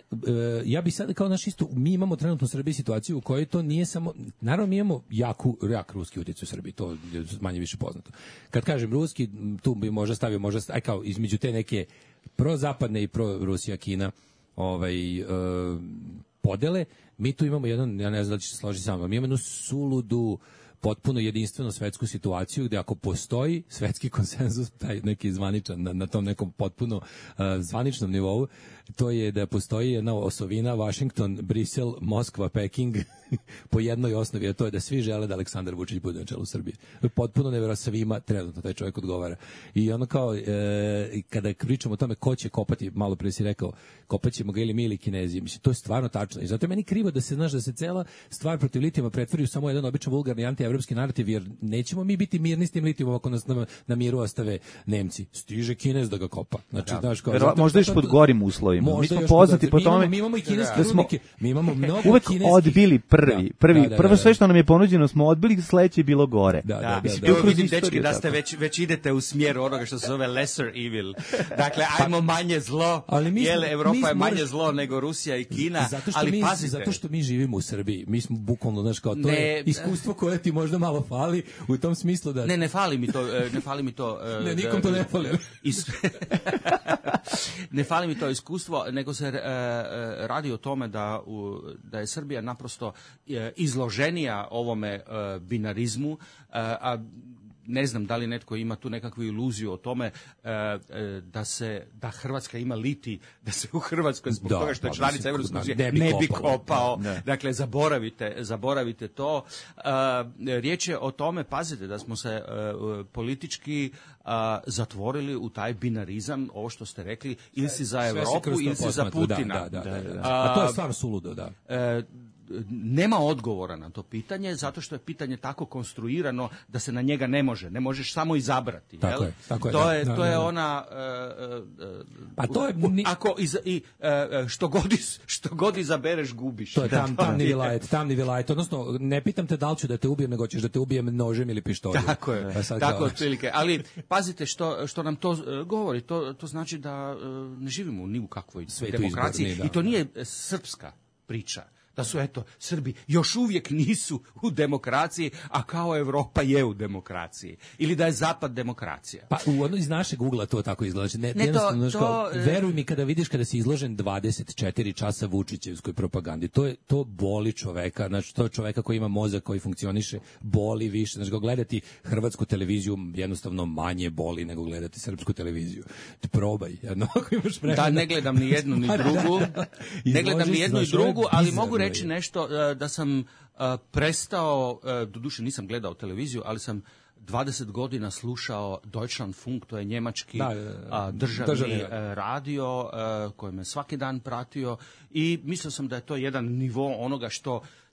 ja bih sad kao naš isto, mi imamo trenutno u Srbiji situaciju u kojoj to nije samo, naravno mi imamo jak ruski utjecaj u Srbiji, to je manje više poznato. Kad kažem ruski, tu bi možda stavio, kao između te neke prozapadne i pro-Rusija, Kina, podele, mi tu imamo jedan, ja ne znam da će se složiti samo, mi imamo jednu suludu, potpuno jedinstvenu svetsku situaciju gdje ako postoji svetski konsenzus, taj neki zvaničan, na tom nekom potpuno zvaničnom nivou, to je da postoji jedna osovina Washington, Brisel, Moskva, Peking po jednoj osnovi, a to je da svi žele da Aleksandar Vučić bude na čelu Srbije. Potpuno nevjerojatno, svima trenutno taj čovjek odgovara. I ono kao, kada pričamo o tome ko će kopati, malo prije si rekao, kopat ćemo ga ili mi ili Kinezi, mislim, to je stvarno tačno. I zato je meni krivo da se, znaš, da se cela stvar protiv litijuma pretvori u samo jedan običan vulgarni antievropski narativ, jer nećemo mi biti mirni s tim litijumom ako nas na miru ostave Nemci. Stiže Kinez da ga kopa. Znači, znaš, kao, možda još pod gorim uslovima. Mi smo poznati po tome mi imamo i kineske rudnike, mi imamo mnogo uvek odbili prvo sve što nam je ponuđeno smo odbili, sledeće je bilo gore. Vidim, dečki, da ste već idete u smjeru onoga što se zove lesser evil. Dakle, ajmo manje zlo, jer Evropa je manje zlo nego Rusija i Kina, ali pazite. Zato što mi živimo u Srbiji, mi smo bukvalno, znaš, kao to je iskustvo koje ti možda malo fali u tom smislu da... Ne fali mi to. Ne, nikom to ne fali. Ne fali mi to iskustvo, nego se radi o tome da je Srbija naprosto izloženija ovome binarizmu, a ne znam da li netko ima tu nekakvu iluziju o tome da Hrvatska ima liti, da se u Hrvatskoj zbog toga što je članica Evropske unije ne bi kopao. Dakle, zaboravite to. Riječ je o tome, pazite, da smo se politički zatvorili u taj binarizam, ovo što ste rekli, ili si za Evropu ili si za Putina. A to je stvarno suludo, da. Nema odgovora na to pitanje, zato što je pitanje tako konstruirano da se na njega ne možeš samo izabrati. Tako je. To je ona... Pa to je... Što god izabereš, gubiš. To je tamni vilajet. Odnosno, ne pitam te da li ću da te ubijem, nego ćeš da te ubijem nožem ili pištoljem. Tako je, tako otprilike. Ali pazite što nam to govori. To znači da ne živimo ni u kakvoj demokraciji. I to nije srpska priča. Da su, Srbi još uvijek nisu u demokraciji, a kao Evropa je u demokraciji. Ili da je Zapad demokracija. Pa u iz našeg ugla to tako izgleda. Veruj mi, kada si izložen 24 časa Vučićevskoj propagandi, to boli čoveka. Znači, to je čoveka koji ima mozak, koji funkcioniše, boli više. Znači, gledati hrvatsku televiziju jednostavno manje boli nego gledati srpsku televiziju. Ti probaj. Ako imaš vremena. Da, ne gledam ni jednu ni drugu. Ne gledam ni jednu ni drugu, ali mogu reći nešto da sam prestao, doduše nisam gledao televiziju, ali sam 20 godina slušao Deutschlandfunk, to je njemački državni radio koji me svaki dan pratio i mislio sam da je to jedan nivo onoga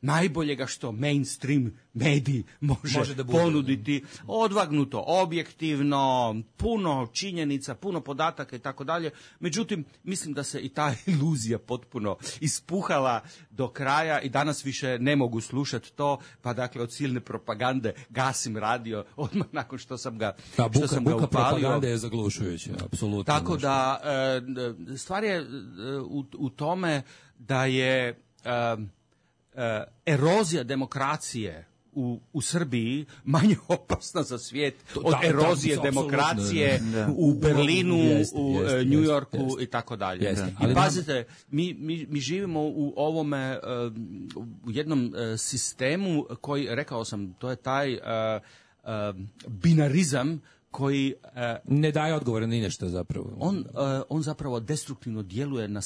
najboljega što mainstream mediji može da ponuditi, odvagnuto, objektivno, puno činjenica, puno podataka i tako dalje. Međutim, mislim da se i ta iluzija potpuno ispuhala do kraja i danas više ne mogu slušati to, pa dakle od silne propagande gasim radio odmah nakon što sam ga upalio. Propagande je zaglušujuća, apsolutno. Tako da stvar je u tome da je erozija demokracije u Srbiji manje opasna za svijet od erozije demokracije u Berlinu, u New Yorku i tako dalje. I pazite, mi živimo u ovome, u jednom sistemu koji, rekao sam, to je taj binarizam koji ne daje odgovore ni nešto zapravo. On zapravo destruktivno djeluje na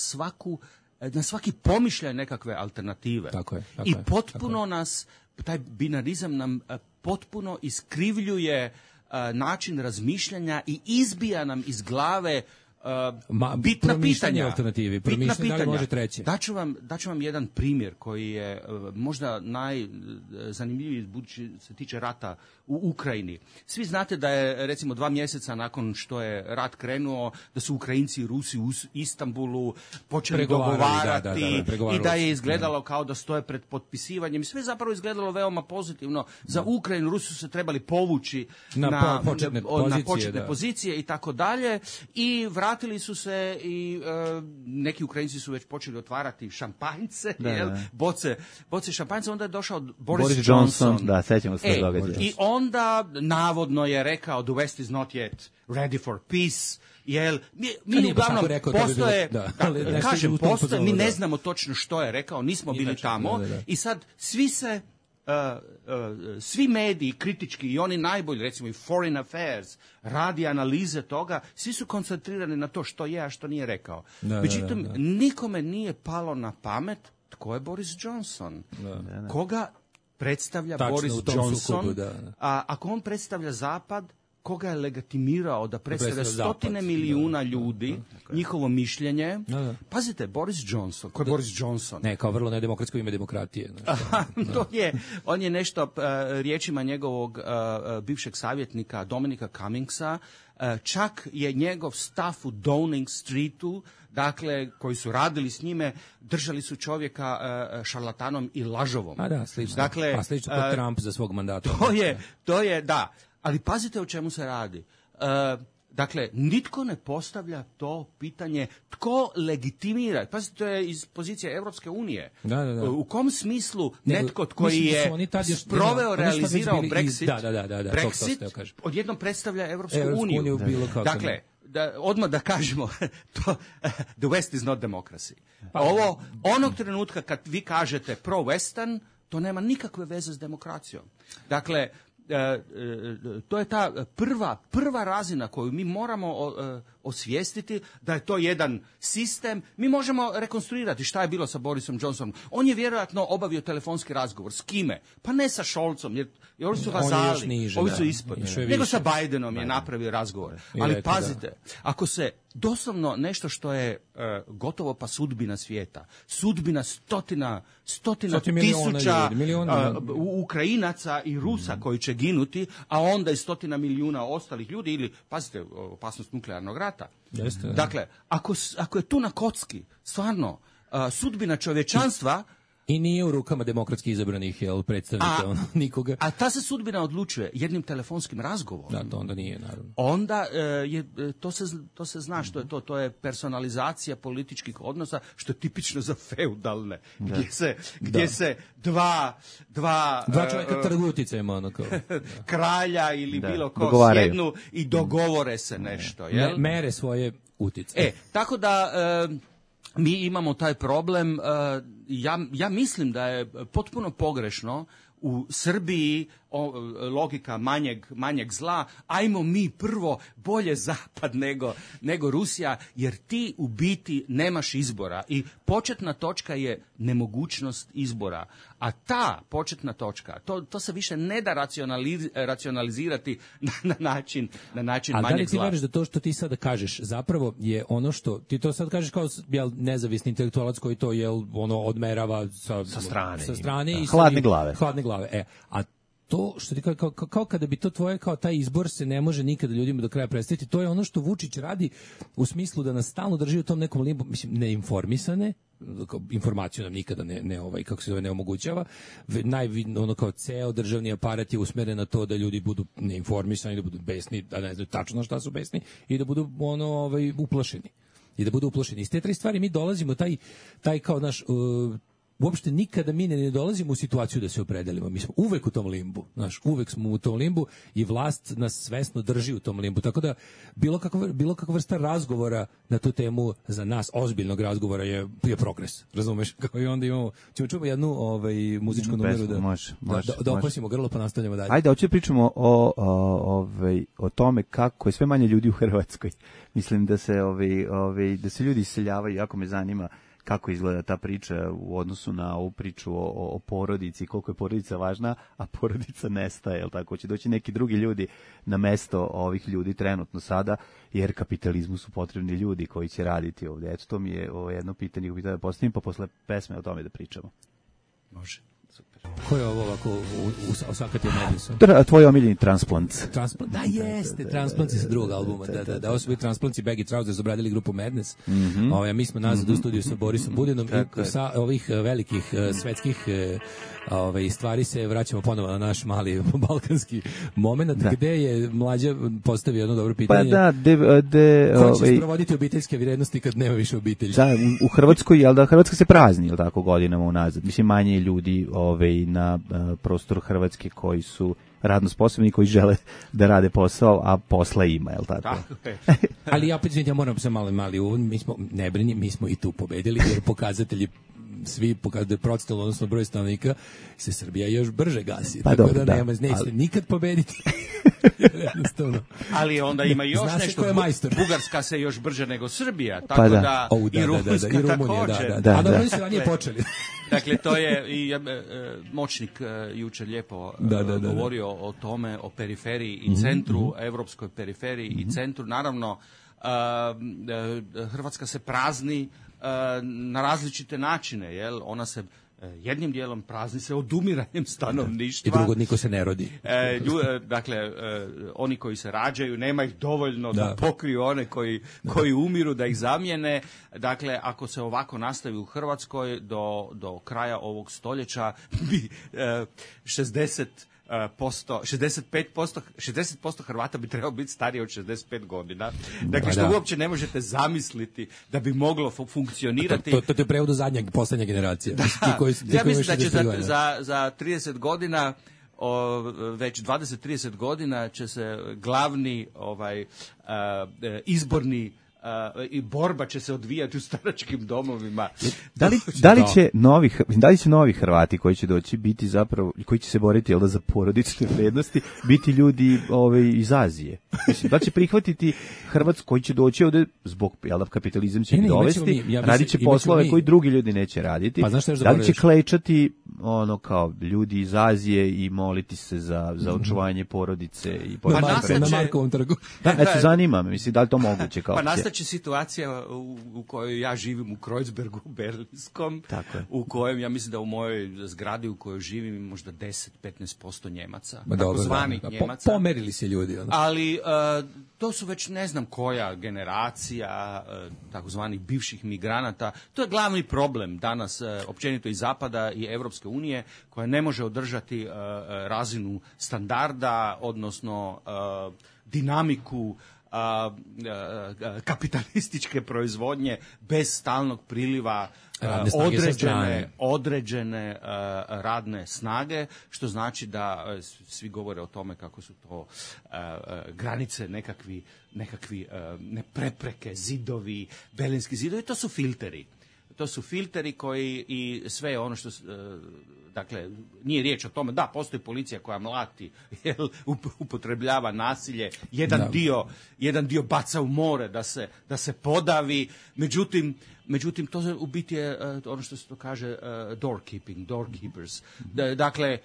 svaki pomišljaj nekakve alternative. Tako je. I potpuno taj binarizam nam potpuno iskrivljuje način razmišljanja i izbija nam iz glave bitna pitanja. Bitna pitanja. Može treće. Daću vam jedan primjer koji je možda najzanimljiviji budući se tiče rata u Ukrajini. Svi znate da je recimo 2 mjeseca nakon što je rat krenuo, da su Ukrajinci i Rusi u Istanbulu počeli dogovarati i da je izgledalo kao da stoje pred potpisivanjem. I sve je zapravo izgledalo veoma pozitivno. Za Ukrajinu Rusi su se trebali povući na početne pozicije i tako dalje i vratili su se i neki Ukrajinci su već počeli otvarati šampanjce, boce šampanjca, onda je došao Boris Johnson. Da, sećamo se događaja. I onda navodno je rekao the West is not yet ready for peace. Mi uglavnom postoje, mi ne znamo točno što je rekao, nismo bili tamo i sad svi mediji kritički i oni najbolji, recimo i Foreign Affairs, radi analize toga, svi su koncentrirani na to što je, a što nije rekao. Međutim, nikome nije palo na pamet tko je Boris Johnson. Koga predstavlja Boris Johnson, a ako on predstavlja Zapad, koga je legitimirao da predstavlja stotine milijuna ljudi, njihovo mišljenje. Pazite, Boris Johnson, ko je Boris Johnson? Ne, kao vrlo nedemokratsko ime demokratije. On je nešto, riječima njegovog bivšeg savjetnika Dominika Cummingsa, čak je njegov staf u Downing Streetu, dakle, koji su radili s njime, držali su čovjeka šarlatanom i lažovom. Slično. Dakle, slično kod Trump za svog mandata. To je, da. Ali pazite o čemu se radi. Dakle, nitko ne postavlja to pitanje tko legitimira. Pazite, to je iz pozicije Evropske unije. Da. U kom smislu netko koji je sproveo, realizirao Brexit, odjednom predstavlja Evropsku uniju. Dakle, odmah da kažemo, the West is not democracy. Onog trenutka kad vi kažete pro-Western, to nema nikakve veze s demokracijom. Dakle, to je ta prva razina koju mi moramo osvijestiti, da je to jedan sistem. Mi možemo rekonstruirati šta je bilo sa Borisom Johnsonom. On je vjerojatno obavio telefonski razgovor. S kime? Pa ne sa Scholzom, jer ovi su vazali, ovi su ispod. Nego sa Bidenom je napravio razgovor. Ali pazite, ako se doslovno nešto što je gotovo pa sudbina svijeta, sudbina stotina tisuća Ukrajinaca i Rusa koji će ginuti, a onda i stotina milijuna ostalih ljudi, ili, pazite, opasnost nuklearnog rata. Jeste, dakle, ako je tu na kocki, stvarno, sudbina čovječanstva, i nije u rukama demokratski izabranih predstavnika nikoga. A ta se sudbina odlučuje jednim telefonskim razgovorom. Da, to onda nije, naravno. Onda to se zna što je to. To je personalizacija političkih odnosa, što je tipično za feudalne. Gdje se dva čovjeka trguju uticajima, kralja ili bilo ko sjednu i dogovore se nešto. Mere svoje uticaje. Tako da mi imamo taj problem. Ja mislim da je potpuno pogrešno u Srbiji logika manjeg zla, ajmo mi prvo bolje zapad nego Rusija, jer ti u biti nemaš izbora i početna točka je nemogućnost izbora. A ta početna točka, to se više ne da racionalizirati na način manjeg zla. Ali da li ti veriš da to što ti sada kažeš zapravo je ono što ti to sad kažeš kao nezavisni intelektualac koji to odmerava sa strane i hladne glave. A to što ti kao kada bi to tvoje, kao taj izbor se ne može nikada ljudima do kraja predstaviti, to je ono što Vučić radi u smislu da nas stalno drži u tom nekom limbu, mislim, neinformisane, informaciju nam nikada ne omogućava, kao ceo državni aparat je usmeren na to da ljudi budu neinformisani, da budu besni, da ne znaju tačno šta su besni i da budu uplašeni. I da budu uplašeni. Iz te tri stvari mi dolazimo taj kao naš uopšte nikada mi ne dolazimo u situaciju da se opredelimo. Mi smo uvek u tom limbu. Uvek smo u tom limbu i vlast nas svesno drži u tom limbu. Tako da bilo kakva vrsta razgovora na tu temu za nas, ozbiljnog razgovora je progres. Razumeš? Kao i onda ćemo čuti jednu muzičku numeru da opasimo grlo pa nastavljamo dalje. Ajde, hoće pričamo o tome kako je sve manje ljudi u Hrvatskoj. Mislim da se da se ljudi iseljavaju, jako me zanima kako izgleda ta priča u odnosu na ovu priču o porodici, koliko je porodica važna, a porodica nestaje, jel tako? Će doći neki drugi ljudi na mesto ovih ljudi trenutno sada, jer kapitalizmu su potrebni ljudi koji će raditi ovdje. Eto, to mi je jedno pitanje koje da postavim, pa posle pesme o tome da pričamo. Može. Super. Ko je ovo ovako osakatio Madison? Tvoj omiljeni Transplants. Da, jeste, Transplants sa drugog albuma. Da, ovo su bili Transplants i Baggy Trousers, obradili grupu Madness. Mi smo nazad u studiju sa Borisom Budinom i sa ovih velikih svetskih stvari se vraćamo ponovo na naš mali balkanski moment, gde je Mlađa postavio jedno dobro pitanje. Pa da, ko će sprovoditi obiteljske vrijednosti kad nema više obitelji? Da, u Hrvatskoj, jel da, Hrvatska se prazni, jel tako, godinama unazad. Mislim, manje ljudi na prostoru Hrvatske koji su radno sposobni, koji žele da rade posao, a posla ima, jel tako? Ali ja moram se mali uvod, mi smo i tu pobedili, jer pokazatelji svi pokazuju procentualno, odnosno broj stanovnika, se Srbija još brže gasi. Pa tako da neće nikad pobediti. Jednostavno. Ali onda ima još nešto. Bugarska se još brže nego Srbija, tako da i Rumunjska također. A da, oni su ranije počeli. Dakle, to je i Moćnik jučer lijepo govorio o tome, o periferiji i centru, evropskoj periferiji i centru. Naravno, Hrvatska se prazni na različite načine, jel? Ona se jednim dijelom prazni se odumiranjem stanovništva. I drugo, niko se ne rodi. Dakle, oni koji se rađaju, nema ih dovoljno da pokriju one koji umiru, da ih zamijene. Dakle, ako se ovako nastavi u Hrvatskoj do kraja ovog stoljeća, bi 60 60% Hrvata bi trebalo biti starije od 65 godina. Dakle, što uopće ne možete zamisliti da bi moglo funkcionirati. To je prevod zadnja, poslednja generacija. Ja mislim da će za 30 godina već 20-30 godina će se glavni izborni i borba će se odvijati u staračkim domovima. Da li će novi Hrvati koji će doći biti zapravo, koji će se boriti za porodične vrednosti, biti ljudi iz Azije? Mislim, da li će prihvatiti Hrvatsku koji će doći ovde zbog kapitalizam će ih dovesti, radit će poslove koji drugi ljudi neće raditi. Da li će klečati kao ljudi iz Azije i moliti se za očuvanje porodice i na Markovom trgu? Zanima me, mislim, da li to moguće kao će situacija u kojoj ja živim u Kreuzbergu berlinskom, u kojem ja mislim da u mojoj zgradi u kojoj živim možda 10-15% Njemaca, takozvanih Njemaca. Pomerili se ljudi. Ali to su već ne znam koja generacija takozvanih bivših migranata. To je glavni problem danas općenito i Zapada i Evropske unije, koja ne može održati razinu standarda, odnosno dinamiku kapitalističke proizvodnje bez stalnog priliva određene radne snage, što znači da svi govore o tome kako su to granice nekakvi prepreke, zidovi, berlinski zidovi, to su filteri. To su filteri koji i sve ono što dakle, nije riječ o tome, da, postoji policija koja mlati, upotrebljava nasilje, jedan dio baca u more da se podavi, međutim to u biti je ono što se to kaže doorkeepers. Dakle,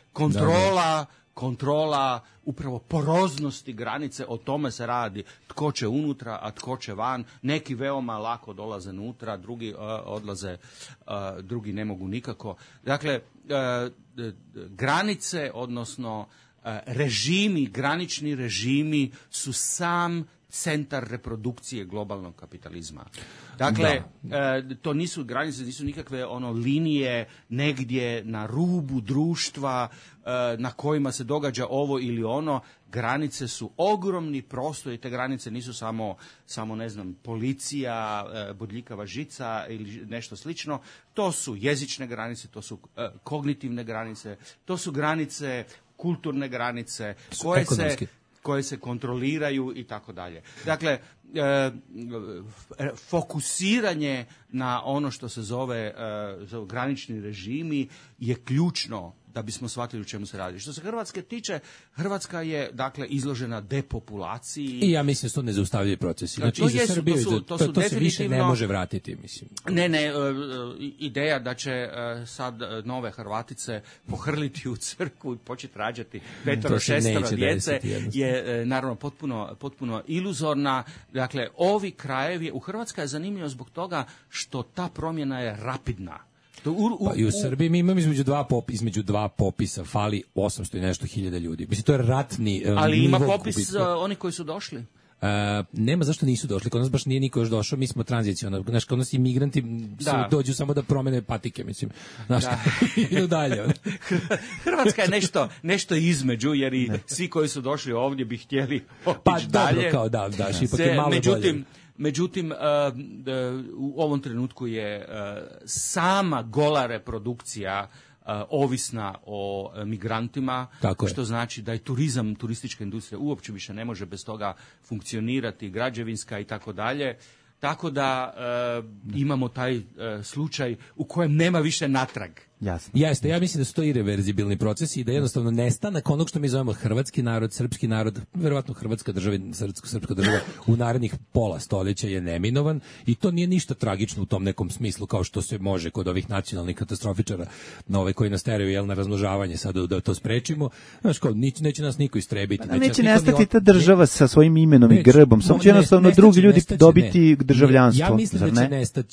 kontrola upravo poroznosti granice, o tome se radi. Tko će unutra, a tko će van. Neki veoma lako dolaze unutra, drugi odlaze, drugi ne mogu nikako. Dakle, granice, odnosno granični režimi su sam centar reprodukcije globalnog kapitalizma. Dakle, to nisu granice, nisu nikakve linije negdje na rubu društva na kojima se događa ovo ili ono. Granice su ogromni prostor i te granice nisu samo ne znam, policija, bodljikava žica ili nešto slično. To su jezične granice, to su kognitivne granice, to su granice, kulturne granice koje se kontroliraju i tako dalje. Dakle, fokusiranje na ono što se zove granični režimi je ključno da bismo shvatili o čemu se radi. Što se Hrvatske tiče, Hrvatska je dakle izložena depopulaciji. I ja mislim da su to nezaustavljivi procesi. Znači, to se više ne može vratiti, mislim. Ne, ideja da će sad nove Hrvatice pohrliti u crkvu i početi rađati 5-6 djece je naravno potpuno iluzorna. Dakle, ovi krajevi, u Hrvatskoj je zanimljivo zbog toga što ta promjena je rapidna. Pa i u Srbiji mi imamo između dva popisa fali 800 i nešto hiljada ljudi. Mislim, to je ratni ali ima popis oni koji su došli. Nema zašto nisu došli, kod nas baš nije niko još došao, mi smo tranzicionalni, znaš, kod nas imigranti dođu samo da promene patike, mislim, znaš, idu dalje. Hrvatska je nešto između, jer i svi koji su došli ovdje bi htjeli otići dalje. Pa dobro, kao ipak je malo bolje. Međutim, u ovom trenutku je sama gola reprodukcija ovisna o migrantima, što znači da je turistička industrija uopće više ne može bez toga funkcionirati, građevinska i tako dalje. Tako da imamo taj slučaj u kojem nema više natrag. Jasno. Jeste, ja mislim da su to irreverzibilni procesi i da jednostavno nestanak onog što mi zovemo hrvatski narod, srpski narod, verovatno hrvatska država, srpska država u narednih pola stoljeća je neminovan i to nije ništa tragično u tom nekom smislu kao što se može kod ovih nacionalnih katastrofičara koji nas teraju na razmnožavanje sad da to sprečimo. Znaš, kao, neće nas niko istrebiti. Neće nestati ta država sa svojim imenom i grbom, samo će jednostavno drugi ljudi dobiti državljanstvo.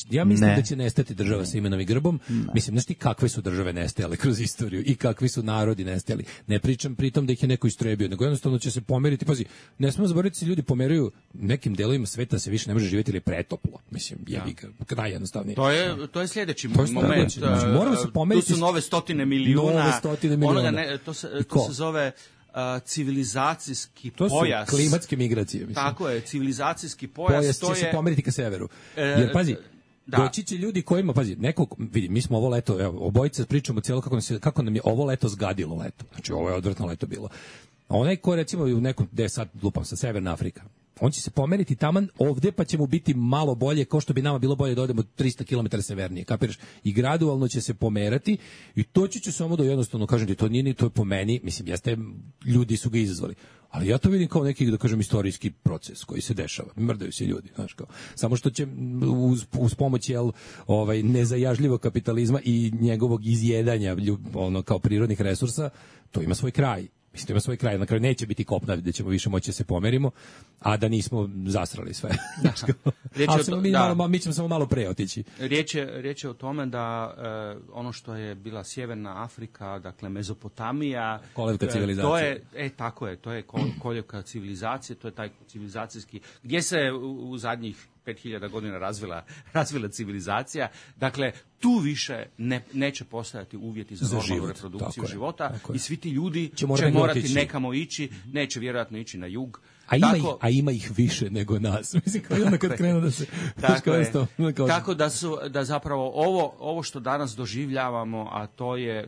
Ja mislim da će nestati država sa imenom i grbom. Mislim, znaš ti kakve su države nestajale kroz istoriju i kakvi su narodi nestajali. Ne pričam pritom da ih je neko istrebio, nego jednostavno će se pomeriti. Pazi, ne smemo zaboraviti da se ljudi pomeraju nekim delovima sveta, se više ne može živjeti ili pretoplo. Mislim, kraj jednostavnije. To je sljedeći moment. Znači, moramo se pomeriti. Tu su nove stotine miliona. To se zove civilizacijski pojas. To su klimatske migracije. Mislim. Tako je, civilizacijski pojas. To će se pomeriti ka severu. Jer, pazi, doći će ljudi kojima, pazi, nekog, vidi, mi smo ovo leto, evo, obojice pričamo cijelo kako nam je ovo leto zgadilo leto. Znači, ovo je odvrtno leto bilo. A onaj ko, recimo, u nekom, gde sad lupam sa Severna Afrika, on će se pomeriti taman ovde, pa će mu biti malo bolje, kao što bi nama bilo bolje da odemo 300 km severnije, kapiraš? I gradualno će se pomerati i to će samo da jednostavno, kažem ti, to nije ni to je po meni, mislim, jeste, ljudi su ga izazvali. Ali ja to vidim kao neki, da kažem, istorijski proces koji se dešava. Mrdaju se ljudi, znaš kao. Samo što će uz pomoć nezajažljivog kapitalizma i njegovog izjedanja kao prirodnih resursa, to ima svoj kraj. Mislim, ima svoj kraj, na kraju neće biti kopna gde ćemo više moći da se pomerimo, a da nismo zasrali sve. Mi ćemo samo malo pre otići. Riječ je o tome da ono što je bila Sjeverna Afrika, dakle Mezopotamija, koljevka civilizacije. To je koljevka civilizacije, to je taj civilizacijski, gdje se u zadnjih 5000 godina razvila civilizacija. Dakle, tu više neće postojati uvjeti za normalnu reprodukciju života i svi ti ljudi će morati nekamo ići, neće vjerojatno ići na jug. A ima ih više nego nas. Mislim, kao onda kad krenu da se... Tako da zapravo ovo što danas doživljavamo, a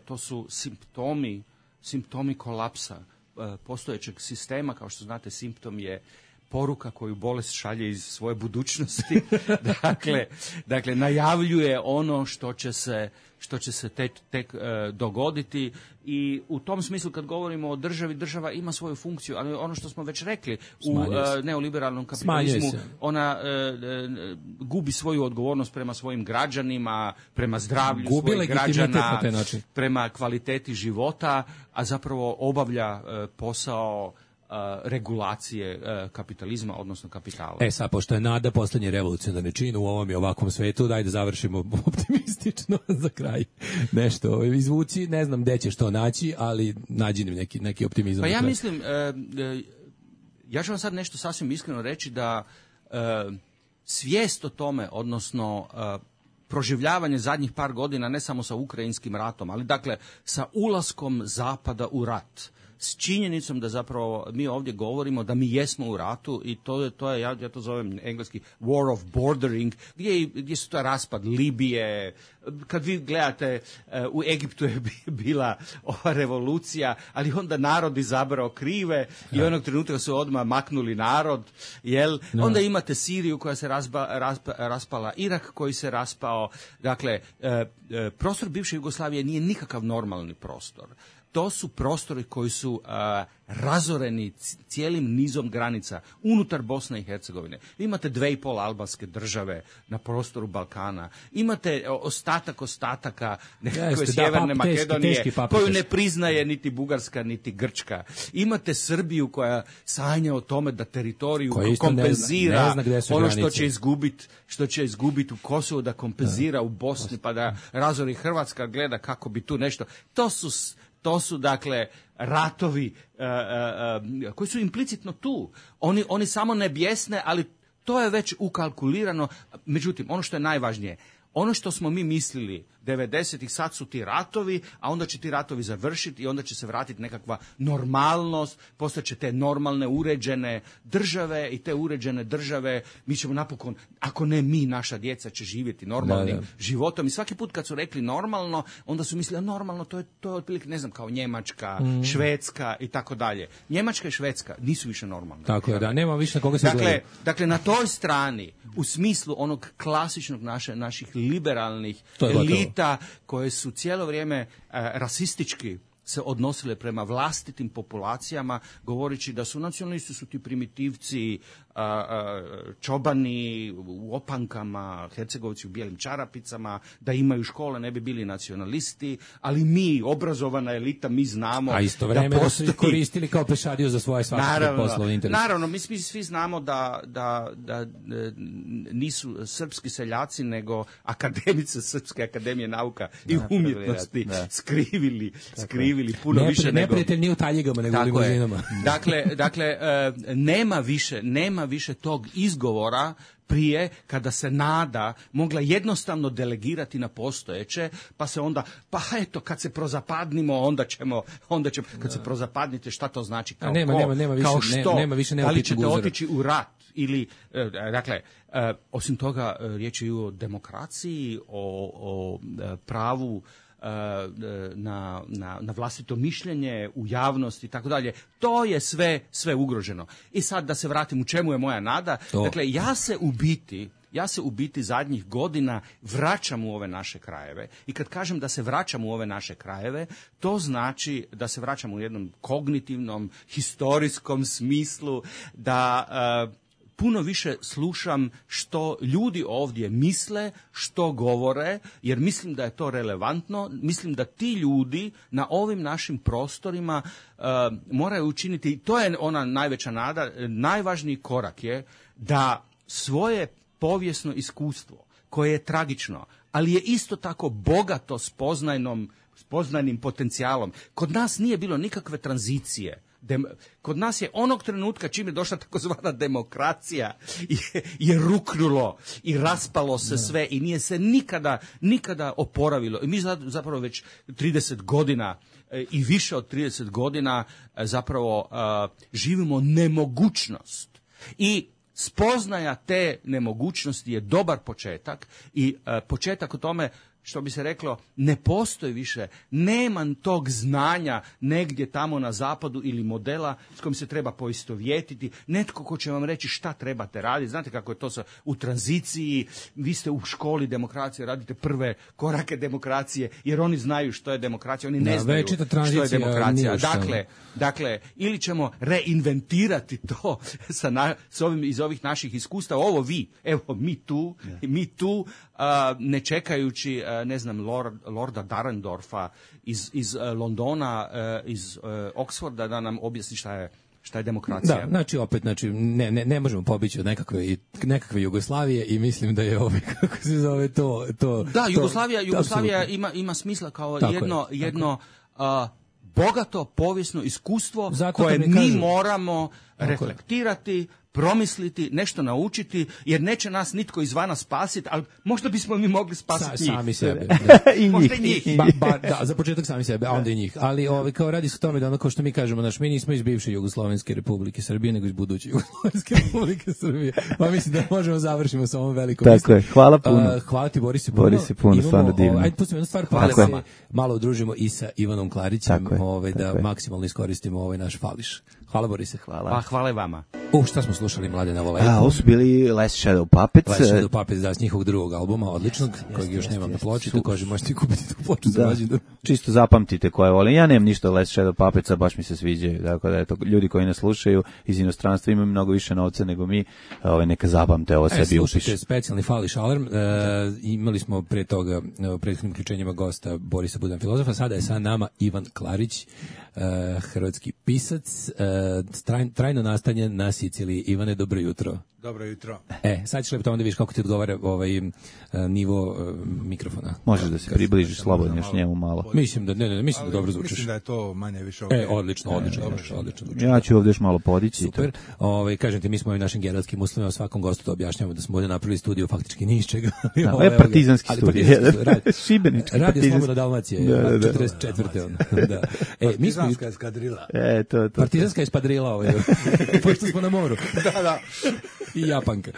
to su simptomi kolapsa postojećeg sistema. Kao što znate, simptom je poruka koju bolest šalje iz svoje budućnosti. dakle, najavljuje ono što će se tek dogoditi i u tom smislu kad govorimo o državi, država ima svoju funkciju, ali ono što smo već rekli u neoliberalnom kapitalizmu, ona gubi svoju odgovornost prema svojim građanima, prema zdravlju svojih građana, prema kvaliteti života, a zapravo obavlja posao regulacije kapitalizma, odnosno kapitala. Sad, pošto je nada poslednji revolucionarni čin u ovom i ovakvom svetu, daj da završimo optimistično za kraj. Nešto izvuci, ne znam gde ćeš to naći, ali nađi neki optimizam. Pa ja mislim, ja ću vam sad nešto sasvim iskreno reći da svijest o tome, odnosno proživljavanje zadnjih par godina, ne samo sa Ukrajinskim ratom, ali dakle sa ulaskom Zapada u rat, s činjenicom da zapravo mi ovdje govorimo da mi jesmo u ratu i to je ja to zovem engleski war of bordering, gdje su to raspad Libije. Kad vi gledate, u Egiptu je bila ova revolucija, ali onda narod izabrao krive i onog trenutka su odmah maknuli narod, jel? Onda imate Siriju koja se raspala, Irak koji se raspao. Dakle, prostor bivše Jugoslavije nije nikakav normalni prostor. To su prostori koji su razoreni cijelim nizom granica unutar Bosne i Hercegovine. Imate 2,5 albanske države na prostoru Balkana. Imate ostataka nekakve Sjeverne Makedonije koju ne priznaje niti Bugarska niti Grčka. Imate Srbiju koja sanja o tome da teritoriju kompenzira ono što će izgubiti u Kosovu, da kompenzira u Bosni, pa da razori Hrvatska gleda kako bi tu nešto. To su dakle ratovi koji su implicitno tu. Oni samo ne bjesne, ali to je već ukalkulirano. Međutim, ono što je najvažnije, ono što smo mi mislili 90-ih, sad su ti ratovi, a onda će ti ratovi završiti i onda će se vratiti nekakva normalnost, postaće te normalne, uređene države i te uređene države, mi ćemo napokon, ako ne mi, naša djeca će živjeti normalnim životom. I svaki put kad su rekli normalno, onda su mislili, normalno, to je otprilike, ne znam, kao Njemačka, Švedska i tako dalje. Njemačka i Švedska nisu više normalne. Tako je, da, nema više na koga se gledaju. Dakle, na toj strani, u smislu onog klasičnog naših liberalnih elita, koje su cijelo vrijeme rasistički se odnosile prema vlastitim populacijama, govoreći da su nacionalisti su ti primitivci, čobani u opankama, Hercegovci u bijelim čarapicama, da imaju škole, ne bi bili nacionalisti, ali mi, obrazovana elita, mi znamo a isto vreme da su koristili kao pešadiju za svoje svakako poslovne interese. Naravno, mi svi znamo da nisu srpski seljaci, nego akademici Srpske akademije nauka i umjetnosti skrivili puno više nego... Neprijatelj nije u taljigama, nego u limuzinama. Dakle, nema više tog izgovora prije, kada se nada mogla jednostavno delegirati na postojeće, pa se onda, pa eto, kad se prozapadnimo, onda ćemo, kad se prozapadnite, šta to znači, kao nema više da li ćete otići u rat, ili, dakle, osim toga, riječ je o demokraciji, o pravu na vlastito mišljenje u javnosti i tako dalje. To je sve ugroženo. I sad da se vratim u čemu je moja nada. Dakle, ja se u biti zadnjih godina vraćam u ove naše krajeve. I kad kažem da se vraćam u ove naše krajeve, to znači da se vraćam u jednom kognitivnom, historijskom smislu, da puno više slušam što ljudi ovdje misle, što govore, jer mislim da je to relevantno. Mislim da ti ljudi na ovim našim prostorima moraju učiniti, i to je ona najveća nada, najvažniji korak je da svoje povijesno iskustvo, koje je tragično, ali je isto tako bogato spoznajnim potencijalom. Kod nas nije bilo nikakve tranzicije. Kod nas je onog trenutka čim je došla takozvana demokracija je ruknulo i raspalo se sve i nije se nikada oporavilo. I mi zapravo već 30 godina i više od 30 godina zapravo živimo nemogućnost. I spoznaja te nemogućnosti je dobar početak i početak o tome, što bi se reklo, ne postoji više, nema tog znanja negdje tamo na zapadu ili modela s kojim se treba poistovjetiti, netko ko će vam reći šta trebate raditi. Znate kako je to u tranziciji, vi ste u školi demokracije, radite prve korake demokracije, jer oni znaju što je demokracija, oni ne znaju što je demokracija. Dakle, ili ćemo reinventirati to s ovim iz ovih naših iskustava, mi tu, ne čekajući ne znam, Lorda Dahrendorfa iz Londona, iz Oxforda da nam objasni šta je demokracija. Da, znači ne možemo pobići od nekakve Jugoslavije i mislim da je kako se zove to. Da, Jugoslavija ima smisla kao jedno bogato povijesno iskustvo koje mi moramo reflektirati, promisliti, nešto naučiti, jer neće nas nitko izvana spasiti, ali možda bismo mi mogli spasiti njih. Sami sebe. Možda i njih. Da, za početak sami sebe, a onda i njih. Ali kao radi se o tome da ono kao što mi kažemo, mi nismo iz bivše Jugoslovenske Republike Srbije, nego iz buduće Jugoslovenske Republike Srbije. Pa mislim da možemo završimo sa ovom velikom misli. Tako je, hvala puno. Hvala ti, Boris puno, stvarno divno. Ajde, pustimo jednu stvar, pa se malo udružimo i sa Ivanom Klarićem, da maksimalno iskoristimo ovaj naš fališ. Hvala, Borise. Hvala. Hvala i vama. Šta smo slušali, Mladena Voleku? Ovo su bili Last Shadow Puppets. Last Shadow Puppets, da, s njihovog drugog albuma, odličnog, kojeg još nemam na ploči, takođe možete kupiti tu ploču za rođendan. Čisto zapamtite koje volim. Ja nemam ništa Last Shadow Puppetsa, baš mi se sviđaju. Dakle, da je to ljudi koji nas slušaju iz inostranstva imaju mnogo više novca nego mi, neka zapamte ovo sebi upiš. Slušajte specijalni fališ alarm. Imali smo pre toga u prethodnim uključenjima gosta Borisa Budan filozofa, sada je sa nama Ivan Klarić, hrvatski pisac, trajno nastanjen na Siciliji. Ivane, dobro jutro. Dobro jutro. Sad ćeš lepo da vidiš kako ti odgovara nivo mikrofona. Možeš da se približiš slobodno još njemu malo. Mislim da dobro zvučiš. Mislim da je to manje više odlično. Ja ću ovdje još malo podići. Super. Kažem ti, mi smo ovim našim generatskim uslovima svakom gostu to objašnjavamo da smo ovdje napravili studio faktički ni iz čega. Ovo je partizanski studio. Šibenički. Radio Slobodna Dalmacija. 44. Da. Partizanska eskadrila. Partizanska eskadrila, pošto smo na moru. Da. I Japanka.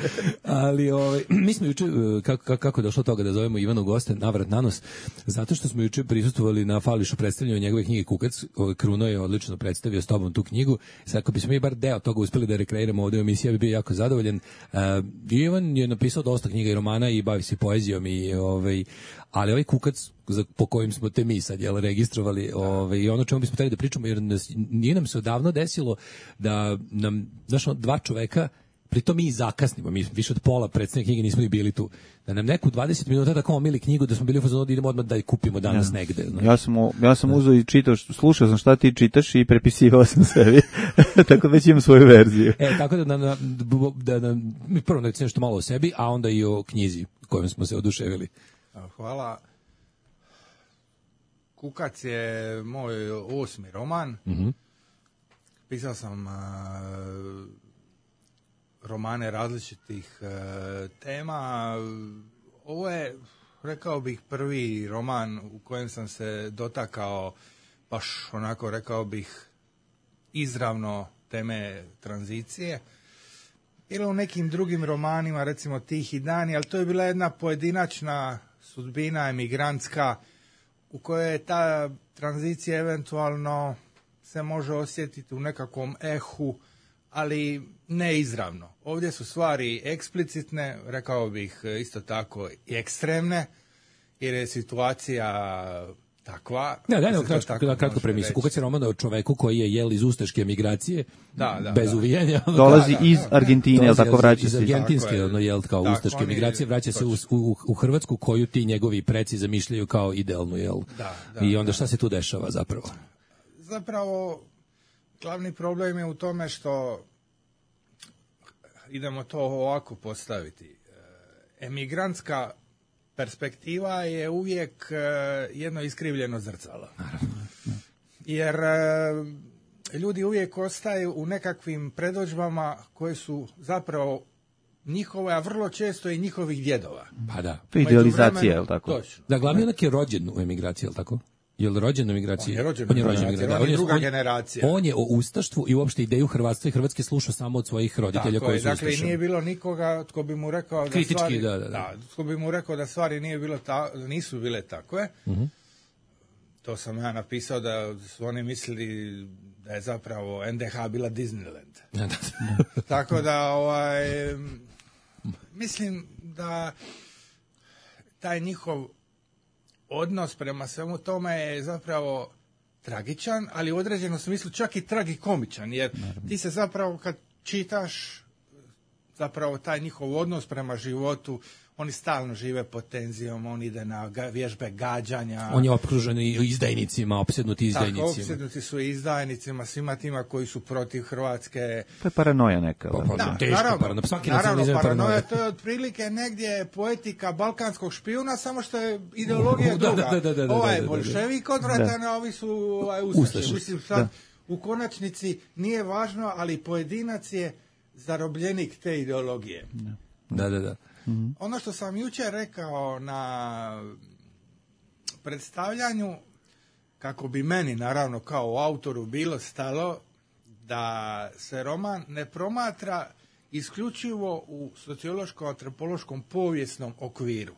Ali mi smo juče, kako je došlo toga da zovemo Ivanu goste navrat na nos, zato što smo juče prisustvovali na fališu predstavljanju njegove knjige Kukac. Kruno je odlično predstavio s tobom tu knjigu. Sad, ako bismo mi bar deo toga uspeli da rekreiramo ovdje u emisiji, ja bi bio jako zadovoljan. Ivan je napisao dosta knjiga i romana i bavi se poezijom ali ovaj Kukac po kojim smo te mi sad registrovali i ono čemu bismo trebali da pričamo, jer nije nam se odavno desilo da nam, dva čoveka pritom mi zakasnimo, mi više od pola predstavne knjige nismo ni bili tu. Da nam neku 20 minuta tako omili knjigu, da smo bili u fazonu da idemo odmah da je kupimo danas negde. Ja sam uzeo i čitao, slušao sam šta ti čitaš i prepisivao sam sebi. Tako da već imam svoju verziju. Tako da mi prvo da nešto malo o sebi, a onda i o knjizi kojom smo se oduševili. Hvala. Kukac je moj 8. roman. Pisao sam romane različitih tema. Ovo je, rekao bih, prvi roman u kojem sam se dotakao baš onako, rekao bih, izravno teme tranzicije. Ili u nekim drugim romanima, recimo Tihi dani, ali to je bila jedna pojedinačna sudbina emigrantska u kojoj je ta tranzicija eventualno se može osjetiti u nekakvom ehu, ali ne izravno. Ovdje su stvari eksplicitne, rekao bih isto tako i ekstremne, jer je situacija takva. Kratko premisu. Kukac je roman o čoveku koji je iz ustaške emigracije, bez uvijanja. Dolazi iz Argentine, jel tako, vraća se? Iz argentinske, kao ustaške emigracije, vraća se u Hrvatsku, koju ti njegovi preci zamišljaju kao idealnu, jel? I onda šta se tu dešava zapravo? Zapravo, glavni problem je u tome što, idemo to ovako postaviti, emigrantska perspektiva je uvijek jedno iskrivljeno zrcalo. Jer ljudi uvijek ostaju u nekakvim predodžbama koje su zapravo njihove, a vrlo često i njihovih djedova. Pa da. Idealizacija, je li tako? Točno. Da, glavni onak je rođen u emigraciji, je li tako? Je li rođen u emigraciji? On je rođen u emigraciji, on je druga generacija. On je o ustaštvu i uopšte ideju hrvatstva i Hrvatske slušao samo od svojih roditelja koji su ustašani. Dakle, nije bilo nikoga tko bi mu rekao da kritički, stvari, da. Tko bi mu rekao da stvari nisu bile takve. To sam ja napisao da su oni mislili da je zapravo NDH bila Disneyland. Tako da, mislim da taj njihov odnos prema svemu tome je zapravo tragičan, ali u određenom smislu čak i tragikomičan, jer ti se zapravo kad čitaš zapravo taj njihov odnos prema životu, oni stalno žive pod tenzijom, on ide na vježbe gađanja. On je okružen izdajnicima, opsednuti izdajnicima. Tako, opsednuti su izdajnicima, svima tima koji su protiv Hrvatske. To je paranoja neka. Naravno, paranoja, to je otprilike negdje poetika balkanskog špijuna, samo što je ideologija druga. Ovaj je bolševik odvratan, a ovi su ustaši. Mislim, sad, u konačnici nije važno, ali pojedinac je zarobljenik te ideologije. Da. Ono što sam jučer rekao na predstavljanju, kako bi meni naravno kao autoru bilo stalo da se roman ne promatra isključivo u sociološko-antropološkom povijesnom okviru.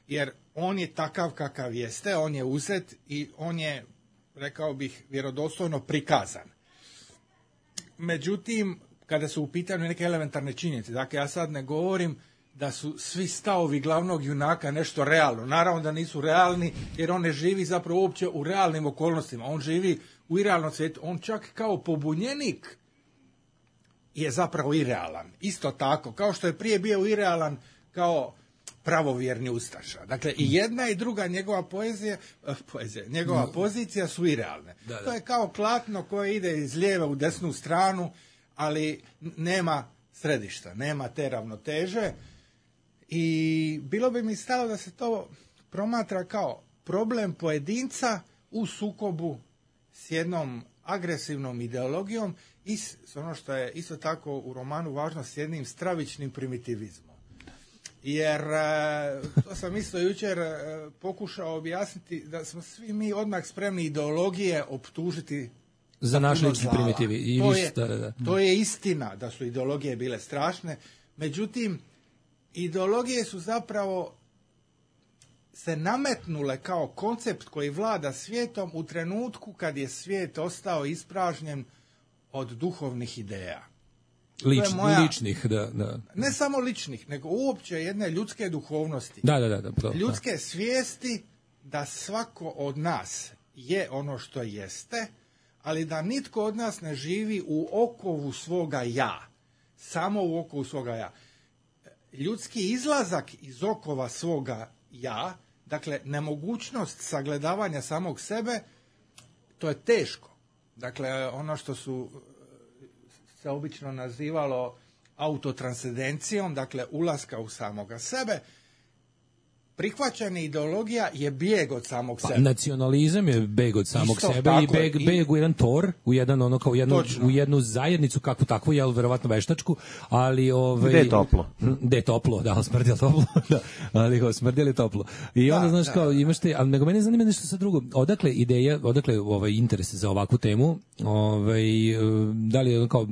Jer on je takav kakav jeste, on je uzet i on je, rekao bih, vjerodostojno prikazan. Međutim, kada su u pitanju neke elementarne činjenice, dakle ja sad ne govorim da su svi stavovi glavnog junaka nešto realno. Naravno da nisu realni, jer on ne živi zapravo uopće u realnim okolnostima. On živi u irealnom svijetu. On čak kao pobunjenik je zapravo irealan. Isto tako, kao što je prije bio irealan kao pravovjerni ustaša. Dakle, i jedna i druga njegova njegova pozicija su irealne. Da. To je kao klatno koje ide iz lijeve u desnu stranu, ali nema središta, nema te ravnoteže. I bilo bi mi stalo da se to promatra kao problem pojedinca u sukobu s jednom agresivnom ideologijom i s ono što je isto tako u romanu važno, s jednim stravičnim primitivizmom. Jer, to sam isto jučer pokušao objasniti, da smo svi mi odmah spremni ideologije optužiti za naš lični primitivi. To je istina da su ideologije bile strašne, međutim, ideologije su zapravo se nametnule kao koncept koji vlada svijetom u trenutku kad je svijet ostao ispražnjen od duhovnih ideja. Ličnih, da. Ne samo ličnih, nego uopće jedne ljudske duhovnosti. Da. Ljudske svijesti da svako od nas je ono što jeste, ali da nitko od nas ne živi u okovu svoga ja. samo u okviru svoga ja. Ljudski izlazak iz okova svoga ja, dakle, nemogućnost sagledavanja samog sebe, to je teško. Dakle, ono što se obično nazivalo autotranscendencijom, dakle, ulaska u samoga sebe, prihvaćanje ideologija je bijeg od samog sebe. Nacionalizam je beg od samog sebe i beg u jedan tor, u jedan ono kao u jednu zajednicu kakvu takvu, jel verovatno veštačku, ali gde je toplo? Gde je toplo, da, smrdjelo toplo, da, ali smrdjelo toplo. I onda znaš kao imaš te, ali nego mene zanima nešto sa drugo. Odakle ideja, odakle interes za ovakvu temu? Da li je kao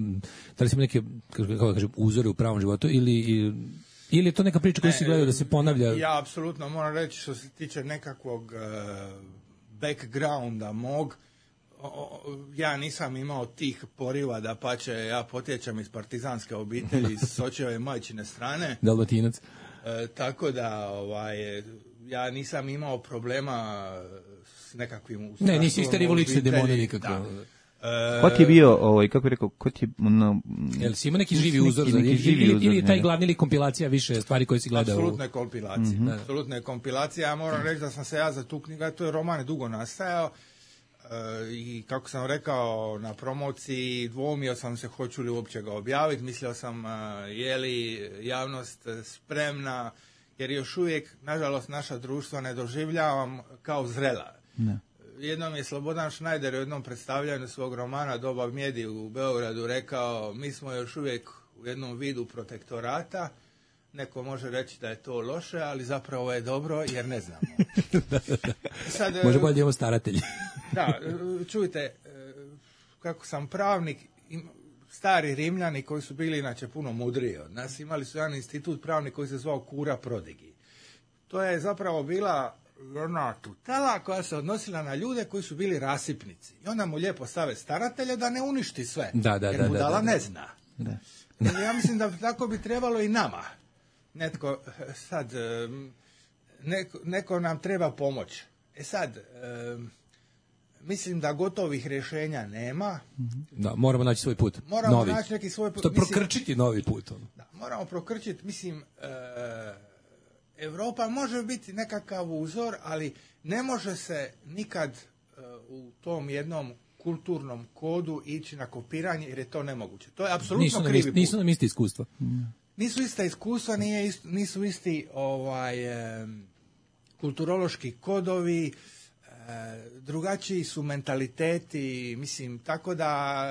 da li su neke kako da kažem uzore u pravom životu ili je to neka priča koju si gledao da se ponavlja? Ja apsolutno moram reći što se tiče nekakvog backgrounda mog, ja nisam imao tih poriva, da pače, ja potječem iz partizanske obitelji, s očeve majčine strane. Dalmatinac. Tako da, ja nisam imao problema s nekakvim... Ne, nisi isterivo lične demone nikako. Ko ti je bio, kako bih rekao, ko ti je... Jel si ima neki živi uzor? Ili je taj glavni ili kompilacija više stvari koje si gledao? Apsolutne kompilacije. Apsolutne kompilacije. Ja moram reći da sam se ja za tu knjigu, to je roman dugo nastajao, i kako sam rekao na promociji, dvoumio sam se hoću li uopće ga objaviti, mislio sam je li javnost spremna, jer još uvijek, nažalost, naša društva ne doživljavam kao zrela. Ne. Jednom je Slobodan Šnajder u jednom predstavljanju svog romana Doba mjedi u Beogradu rekao, mi smo još uvijek u jednom vidu protektorata, neko može reći da je to loše, ali zapravo je dobro jer ne znamo. Sad, može bolje imamo staratelji. Da, čujte, kako sam pravnik, stari Rimljani koji su bili inače puno mudriji od nas, imali su jedan institut pravnik koji se zvao Cura Prodigi. To je zapravo bila jedna tutela koja se odnosila na ljude koji su bili rasipnici. I onda mu lijepo stave staratelje da ne uništi sve. Jer budala ne zna. Ja mislim da tako bi trebalo i nama. Netko sad, neko nam treba pomoć. Sad, mislim da gotovih rješenja nema. Da, moramo naći svoj put. Moramo naći neki svoj put. Prokrčiti novi put. Da, moramo prokrčiti, mislim... Europa može biti nekakav uzor, ali ne može se nikad u tom jednom kulturnom kodu ići na kopiranje, jer je to nemoguće. To je apsolutno krivi put. Nisu nam isti iskustva. Nisu ista iskustva, nisu isti kulturološki kodovi, drugačiji su mentaliteti, mislim, tako da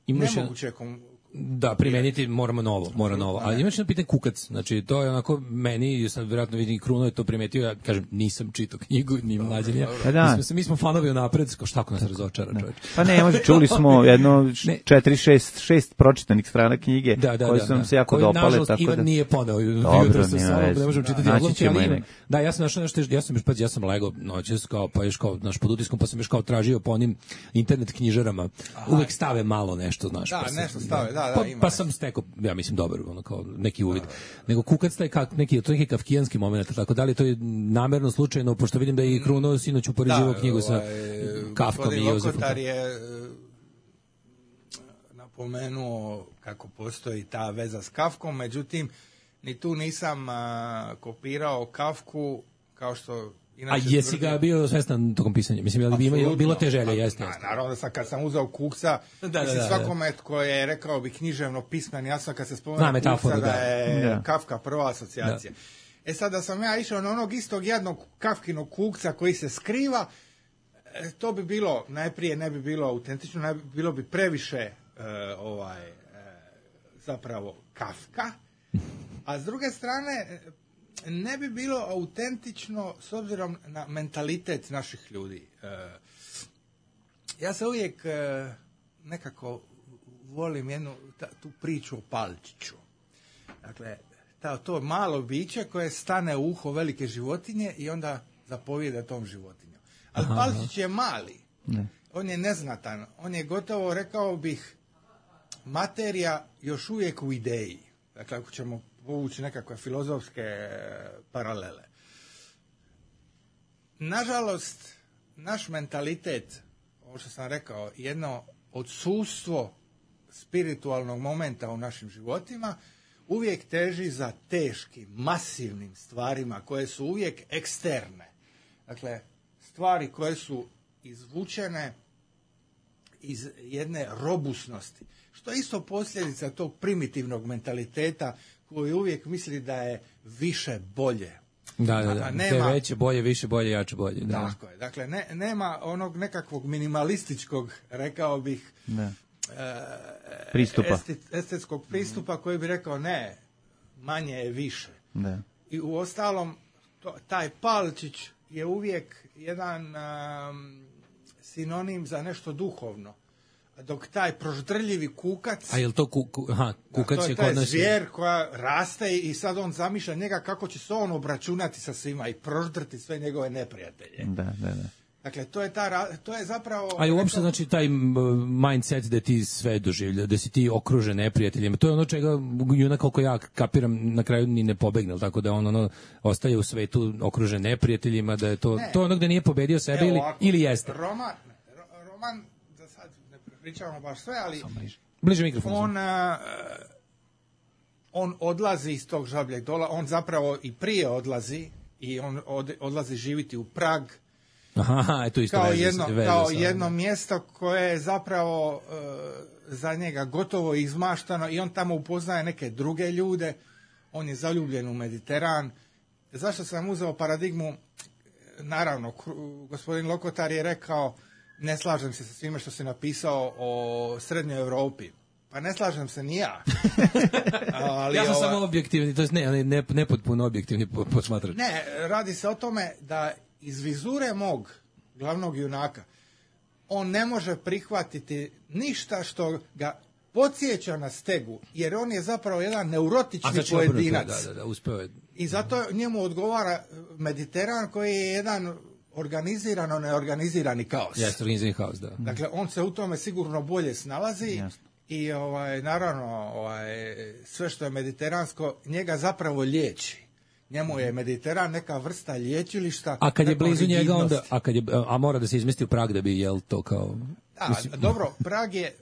nemoguće da, primeniti moramo novo. Ali imaš jedno pitanje kukac, znači to je onako meni, sam vjerojatno vidim Kruno je to primetio, ja kažem nisam čitao knjigu, ni mlađe ni ja. Mi smo fanovi napred, šta ako nas razočara čovjek. Pa ne, može, čuli smo jedno 4-6 pročitanih strana knjige koje su nam se jako dopale. Nažalost, Ivan nije poneo jutro sa sobom, ne možemo čitati odlomke, ali da, ja sam našao nešto, ja sam legao noćas, pa još kao naš pod utiskom, pa sam još kao tražio po onim internet knjižarama, uvek stave malo nešto, znaš. Da, nešto stave, pa sam stekao, ja mislim, dobar, ono kao neki uvid. Nego kukac taj neki kafkijanski moment, tako da li to je namerno, slučajno, pošto vidim da je i Kruno sinoć upoređivao knjigu sa Kafkom i Jozefom. Lokotar je napomenuo kako postoji ta veza s Kafkom, međutim, ni tu nisam kopirao Kafku kao što... A jesi ga bio svestan tokom pisanja? Mislim, je li bilo te želje? Jeste. Naravno da sam, kad sam uzeo Kukca, svakome tko je, rekao bi, književno pismen, jasno kad se spomenuo Kukca da je Kafka prva asocijacija. Sad da sam ja išao na onog istog jednog Kafkinog Kukca koji se skriva, to bi bilo, najprije ne bi bilo autentično, bilo bi previše zapravo Kafka, a s druge strane ne bi bilo autentično s obzirom na mentalitet naših ljudi. Ja se uvijek nekako volim tu priču o Palčiću. Dakle, to malo biće koje stane u uho velike životinje i onda zapovijeda tom životinjom. Ali Palčić je mali. On je neznatan. On je gotovo, rekao bih, materija još uvijek u ideji. Dakle, ako ćemo povući nekakve filozofske paralele. Nažalost, naš mentalitet, ovo što sam rekao, jedno odsustvo spiritualnog momenta u našim životima, uvijek teži za teškim, masivnim stvarima koje su uvijek eksterne. Dakle, stvari koje su izvučene iz jedne robusnosti, što je isto posljedica tog primitivnog mentaliteta koji uvijek misli da je više bolje. Da. Nema, te veće, bolje, više, bolje, jače, bolje. Da. Tako je. Dakle, nema onog nekakvog minimalističkog, rekao bih, pristupa. Estetskog pristupa koji bi rekao ne, manje je više. Da. I u ostalom, taj palčić je uvijek jedan sinonim za nešto duhovno. Dok taj proždrljivi kukac... A je li to kukac to je taj kod nas... zvijer koja raste i sad on zamišlja njega kako će se on obračunati sa svima i proždrti sve njegove neprijatelje. Da. Dakle, to je zapravo... A je uopšte, znači, taj mindset da ti sve doživlja, da si ti okružen neprijateljima, to je ono čega junak, koliko ja kapiram, na kraju ni ne pobegne, tako da on ostaje u svetu okružen neprijateljima, da je to ono gde nije pobedio sebe ili jeste. Roman, da sad ne pričamo baš sve, ali... Bliže mikrofon. On odlazi iz tog žabljeg dola, on zapravo i prije odlazi i on odlazi živiti u Prag, to isto kao jedno mjesto koje je zapravo za njega gotovo izmaštano i on tamo upoznaje neke druge ljude, on je zaljubljen u Mediteran. Zašto sam uzeo paradigmu? Naravno, gospodin Lokotar je rekao, ne slažem se sa svime što si napisao o Srednjoj Europi. Pa ne slažem se ni ja. Ali ja sam samo objektivni, to je nepotpuno objektivni posmatrač. Ne, radi se o tome da iz vizure mog glavnog junaka on ne može prihvatiti ništa što ga podsjeća na stegu, jer on je zapravo jedan neurotični pojedinac. Da, uspeo je. I zato njemu odgovara Mediteran koji je jedan organizirano neorganizirani kaos. Jeste, organizirani kaos, da. Dakle, on se u tome sigurno bolje snalazi. Jasno. I naravno sve što je mediteransko njega zapravo liječi. Njemu je Mediteran neka vrsta liječilišta. A kad je blizu njega onda, a mora da se izmesti u Prag da bi jel to kao... Da, dobro, Prag je,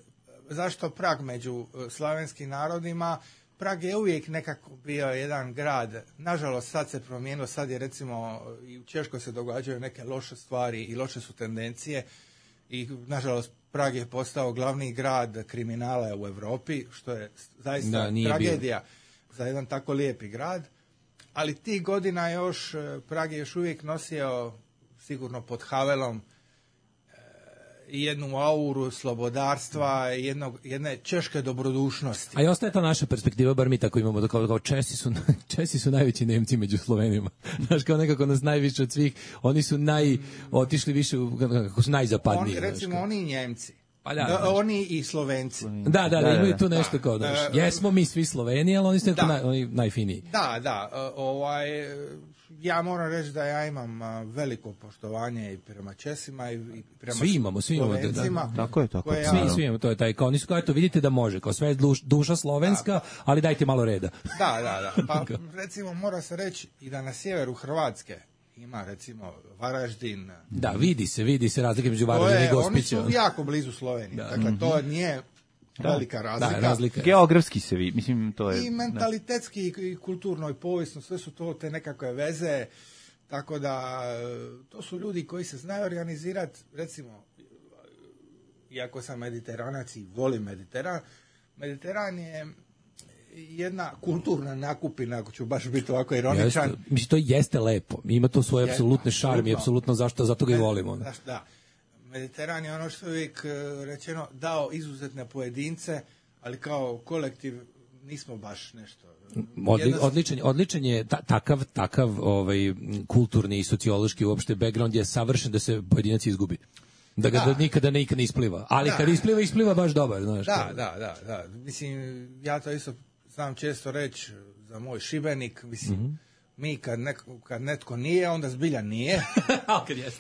zašto Prag među slavenskim narodima? Prag je uvijek nekako bio jedan grad, nažalost sad se promijenilo, sad je recimo i u Češkoj se događaju neke loše stvari i loše su tendencije i nažalost Prag je postao glavni grad kriminala u Europi, što je zaista tragedija za jedan tako lijepi grad. Ali tih godina još, Prag je još uvijek nosio, sigurno pod Havelom, jednu auru slobodarstva, jedne češke dobrodušnosti. A i ostaje ta naša perspektiva, bar mi tako imamo, da kao Česi su najveći Nemci među Slovenima. Znaš, kao nekako nas najviše od svih, oni su otišli više, kako su najzapadniji. Recimo, oni i Njemci. Oni i Slovenci. Da, imaju tu nešto kao da. Jesmo mi svi Sloveni, ali oni su oni najfiniji. Da, ja moram reći da ja imam veliko poštovanje i prema Česima i prema Slovencima. Tako je. Svi imamo, to je taj, kao nisu kao, eto vidite da može, kao sve je duša slovenska, ali dajte malo reda. Da. Pa recimo mora se reći i da na sjeveru Hrvatske ima recimo Varaždin. Da, vidi se razlike među Varaždin i Gospića. Oni su jako blizu Slovenije. Dakle, to nije velika razlika. Da, razlika. Geografski se vidi, mislim to je. I mentalitetski i kulturno i povijesno, sve su to te nekakve veze, tako da to su ljudi koji se znaju organizirati, recimo, iako sam mediteranac i volim Mediteran je jedna kulturna nakupina, ako ću baš biti ovako ironičan. Mislim, to jeste lepo. Ima to svoje apsolutne šarme i apsolutno zato ga i volimo. Da. Mediteran je ono što je uvijek rečeno dao izuzetne pojedince, ali kao kolektiv nismo baš nešto. Odličan je takav kulturni i sociološki uopšte background je savršen da se pojedinac izgubi. Da ga nikada ne ispliva. Ali kad ispliva baš dobar. Znaš, da. Mislim, ja to isto znam često reći za moj Šibenik, mislim, mi kad netko nije, onda zbilja nije.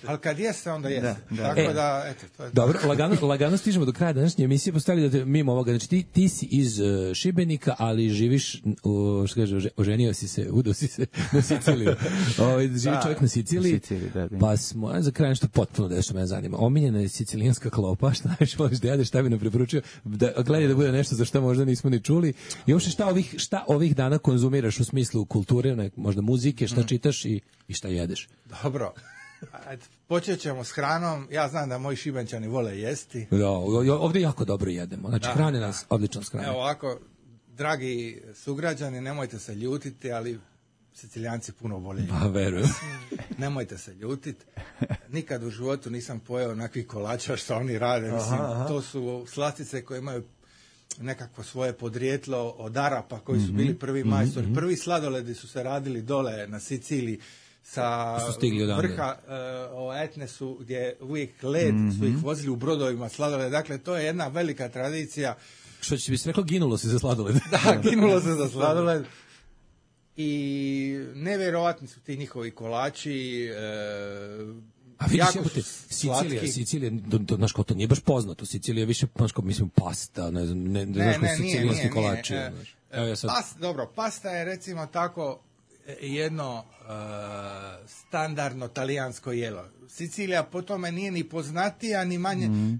Ali kad jeste, onda jeste. Tako da, eto, to je dobro, lagano stižemo do kraja današnje emisije. Postavili da mimo ovoga, znači ti si iz Šibenika, ali živiš, što kaže, oženio si se, udao si se na Siciliju. Živi čovjek na Siciliji. Pa smo, za kraj nešto potpuno da što me zanima. Omiljena je sicilijanska klopa, šta najviše voliš da jedeš, šta bi nam preporučio, gledaj da bude nešto za što možda nismo ni čuli. I uopšte šta ovih dana konzumiraš u smislu kulture, možda muzike, šta čitaš i šta jedeš? Dobro. Počet ćemo s hranom. Ja znam da moji Šibenčani vole jesti. Da, ovdje jako dobro jedemo. Znači, hrane nas odlično s hranom. Evo ovako, dragi sugrađani, nemojte se ljutiti, ali Sicilijanci puno vole. Pa, verujem. Nemojte se ljutiti. Nikad u životu nisam pojeo onakvih kolača što oni rade. Mislim, to su slastice koje imaju nekakvo svoje podrijetlo od Arapa koji su bili prvi majstori. Prvi sladoledi su se radili dole na Siciliji sa vrha Etne su gdje uvijek led su ih vozili u brodovima sladoled. Dakle, to je jedna velika tradicija. Što će bi se reklo, ginulo se za sladoled. Da, ginulo se za sladoled. I nevjerovatni su ti njihovi kolači. A vidiš, Sicilija, znaš kao to nije baš poznato. Sicilija je više, znaš kao, mislim, pasta, ne znam, ne znaš kao sicilijanski kolači. Dobro, pasta je recimo tako jedno standardno talijansko jelo. Sicilija po tome nije ni poznatija,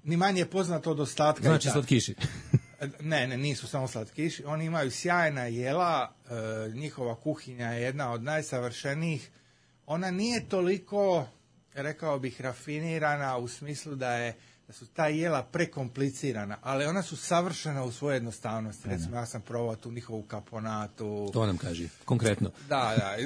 ni manje poznato od ostatka. Znači slatkiši. Ne, nisu samo slatkiši. Oni imaju sjajna jela, njihova kuhinja je jedna od najsavršenijih. Ona nije toliko, rekao bih, rafinirana u smislu da su ta jela prekomplicirana, ali ona su savršena u svojoj jednostavnosti. Recimo, ja sam probao tu njihovu kaponatu. To nam kaži, konkretno. Da,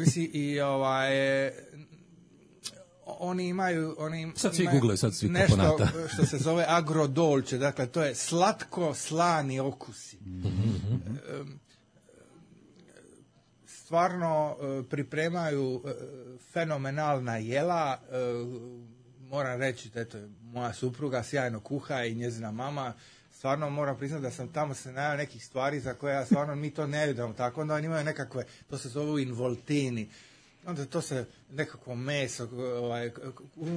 oni imaju sad svi google, sad svi nešto kaponata. Što se zove agrodolce, dakle to je slatko slani okusi. Stvarno pripremaju fenomenalna jela. Moram reći da je moja supruga sjajno kuha i njezina mama. Stvarno moram priznati da sam tamo se najao nekih stvari za koje stvarno mi to ne vidimo. Tako onda oni imaju nekakve, to se zove involtini. Onda to se nekakvo meso,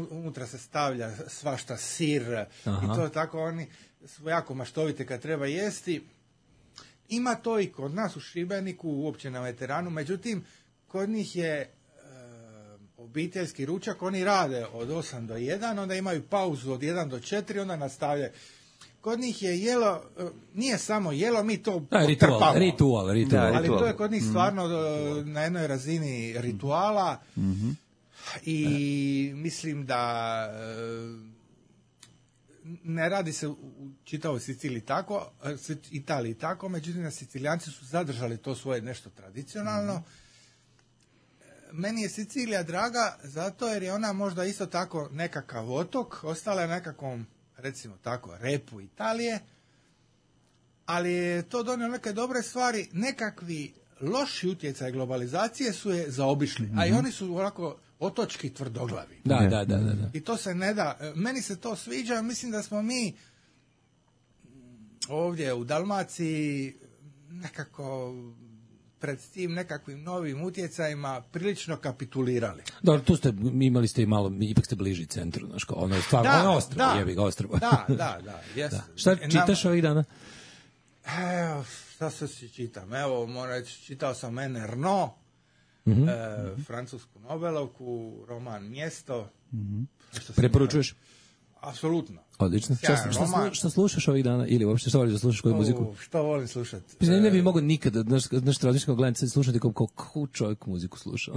unutra se stavlja svašta sir. Aha. I to tako oni su jako maštovite kad treba jesti. Ima to i kod nas u Šibeniku, uopće na Veteranu, međutim, kod njih je obiteljski ručak, oni rade od 8 do 1, onda imaju pauzu od 1 do 4, onda nastavljaju. Kod njih je jelo, nije samo jelo, mi to trpamo. Ritual. Ali to je kod njih stvarno na jednoj razini rituala i mislim da ne radi se u čitavoj Italiji tako, međutim Sicilijanci su zadržali to svoje nešto tradicionalno. Meni je Sicilija draga zato jer je ona možda isto tako nekakav otok, ostala je nekakvom, recimo tako, repu Italije, ali je to donio neke dobre stvari, nekakvi loši utjecaj globalizacije su je zaobišli, a i oni su ovako otočki tvrdoglavi. Da. I to se ne da, meni se to sviđa, mislim da smo mi ovdje u Dalmaciji nekako pred tim nekakvim novim utjecajima prilično kapitulirali. Dobro, tu ste, imali ste i malo, ipak ste bliži centru, znaš, ono je stvarno, ono je ostrvo, jebi ga ostrvo. Da. Šta čitaš ovih dana? Evo, šta se čitam? Evo, moram reći, čitao sam Anne Ernaux, francusku Nobelovku, roman Mjesto. Preporučuješ? Apsolutno. Odlično. Šta slušaš ovih dana? Ili uopšte što voliš da slušaš koju muziku? Što volim slušati? Ne bi mogao nikada, znaš, tradičnog gledanja slušati kako čovjek muziku sluša.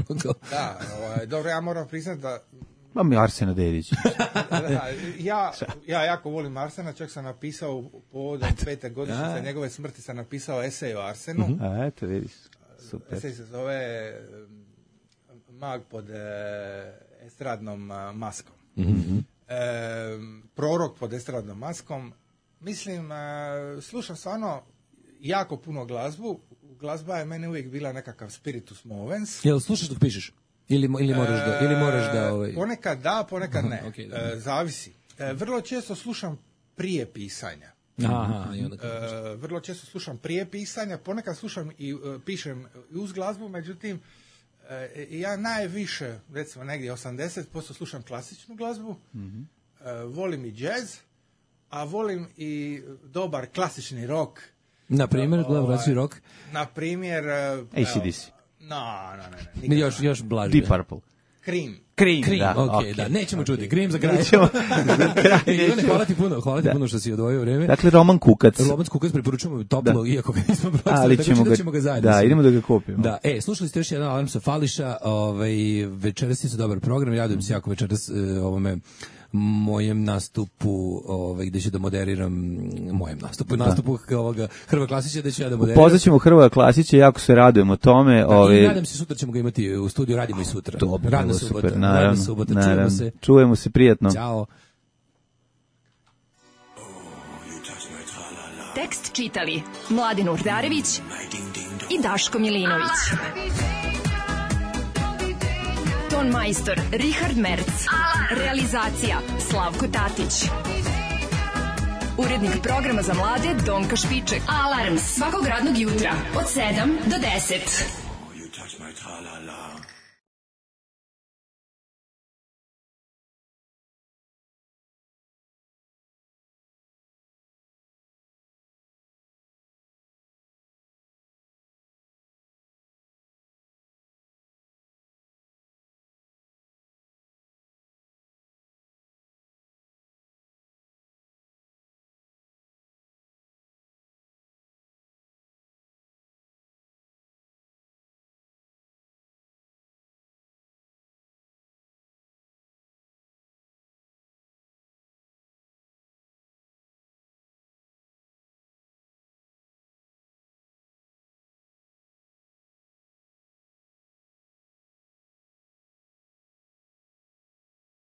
Da, dobro, ja moram priznati da... Mam i Arsena Dedić. Ja jako volim Arsena, čak sam napisao povodom 5. godišnjice njegove smrti, sam napisao esej o Arsenu. A eto, vidiš. Super. Esej se zove Mag pod estradnom maskom. Prorok pod estradnom maskom. Mislim, slušam stvarno jako puno glazbu. Glazba je meni uvijek bila nekakav spiritus movens. Jel slušaš dok pišeš? Ili moraš da Ponekad da, ponekad ne. Okay, zavisi. Vrlo često slušam prije pisanja. Vrlo često slušam prije pisanja, ponekad slušam i pišem uz glazbu, međutim Ja najviše, recimo negdje 80% slušam klasičnu glazbu, volim i džez, a volim i dobar klasični rock. Na primjer, klasični rock? Na primjer... AC/DC. Ne. Još blaže. Deep Purple. Cream, da. Okay. Da, nećemo čuti. Cream za kraj. Hvala ti puno što si odvojio vreme. Dakle, Roman Kukac. Roman Kukac preporučujemo toplo, iako ga nismo pročitali, ali ćemo ga zajedno. Da, idemo da ga kupimo. Da, slušali ste još jedan alarm sa Fališa, večeras je dobar program, radujem se jako večeras ovome mojem nastupu, gde ću da moderiram nastupu ovoga Hrvoja Klasića, da ću ja da moderiram. Upoznaćemo Hrvoja Klasića, jako se radujemo tome. I nadam se, sutra ćemo ga imati u studiju, radimo i sutra. Dobro, radna subota, naravno. Čujemo se prijatno. Ćao. Tekst čitali Mladen Urdarević i Daško Milinović. Ton majstor Richard Merc. Realizacija Slavko Tatić. Urednik programa za mlade Donka Špiček. Alarms svakog radnog jutra od 7 do 10.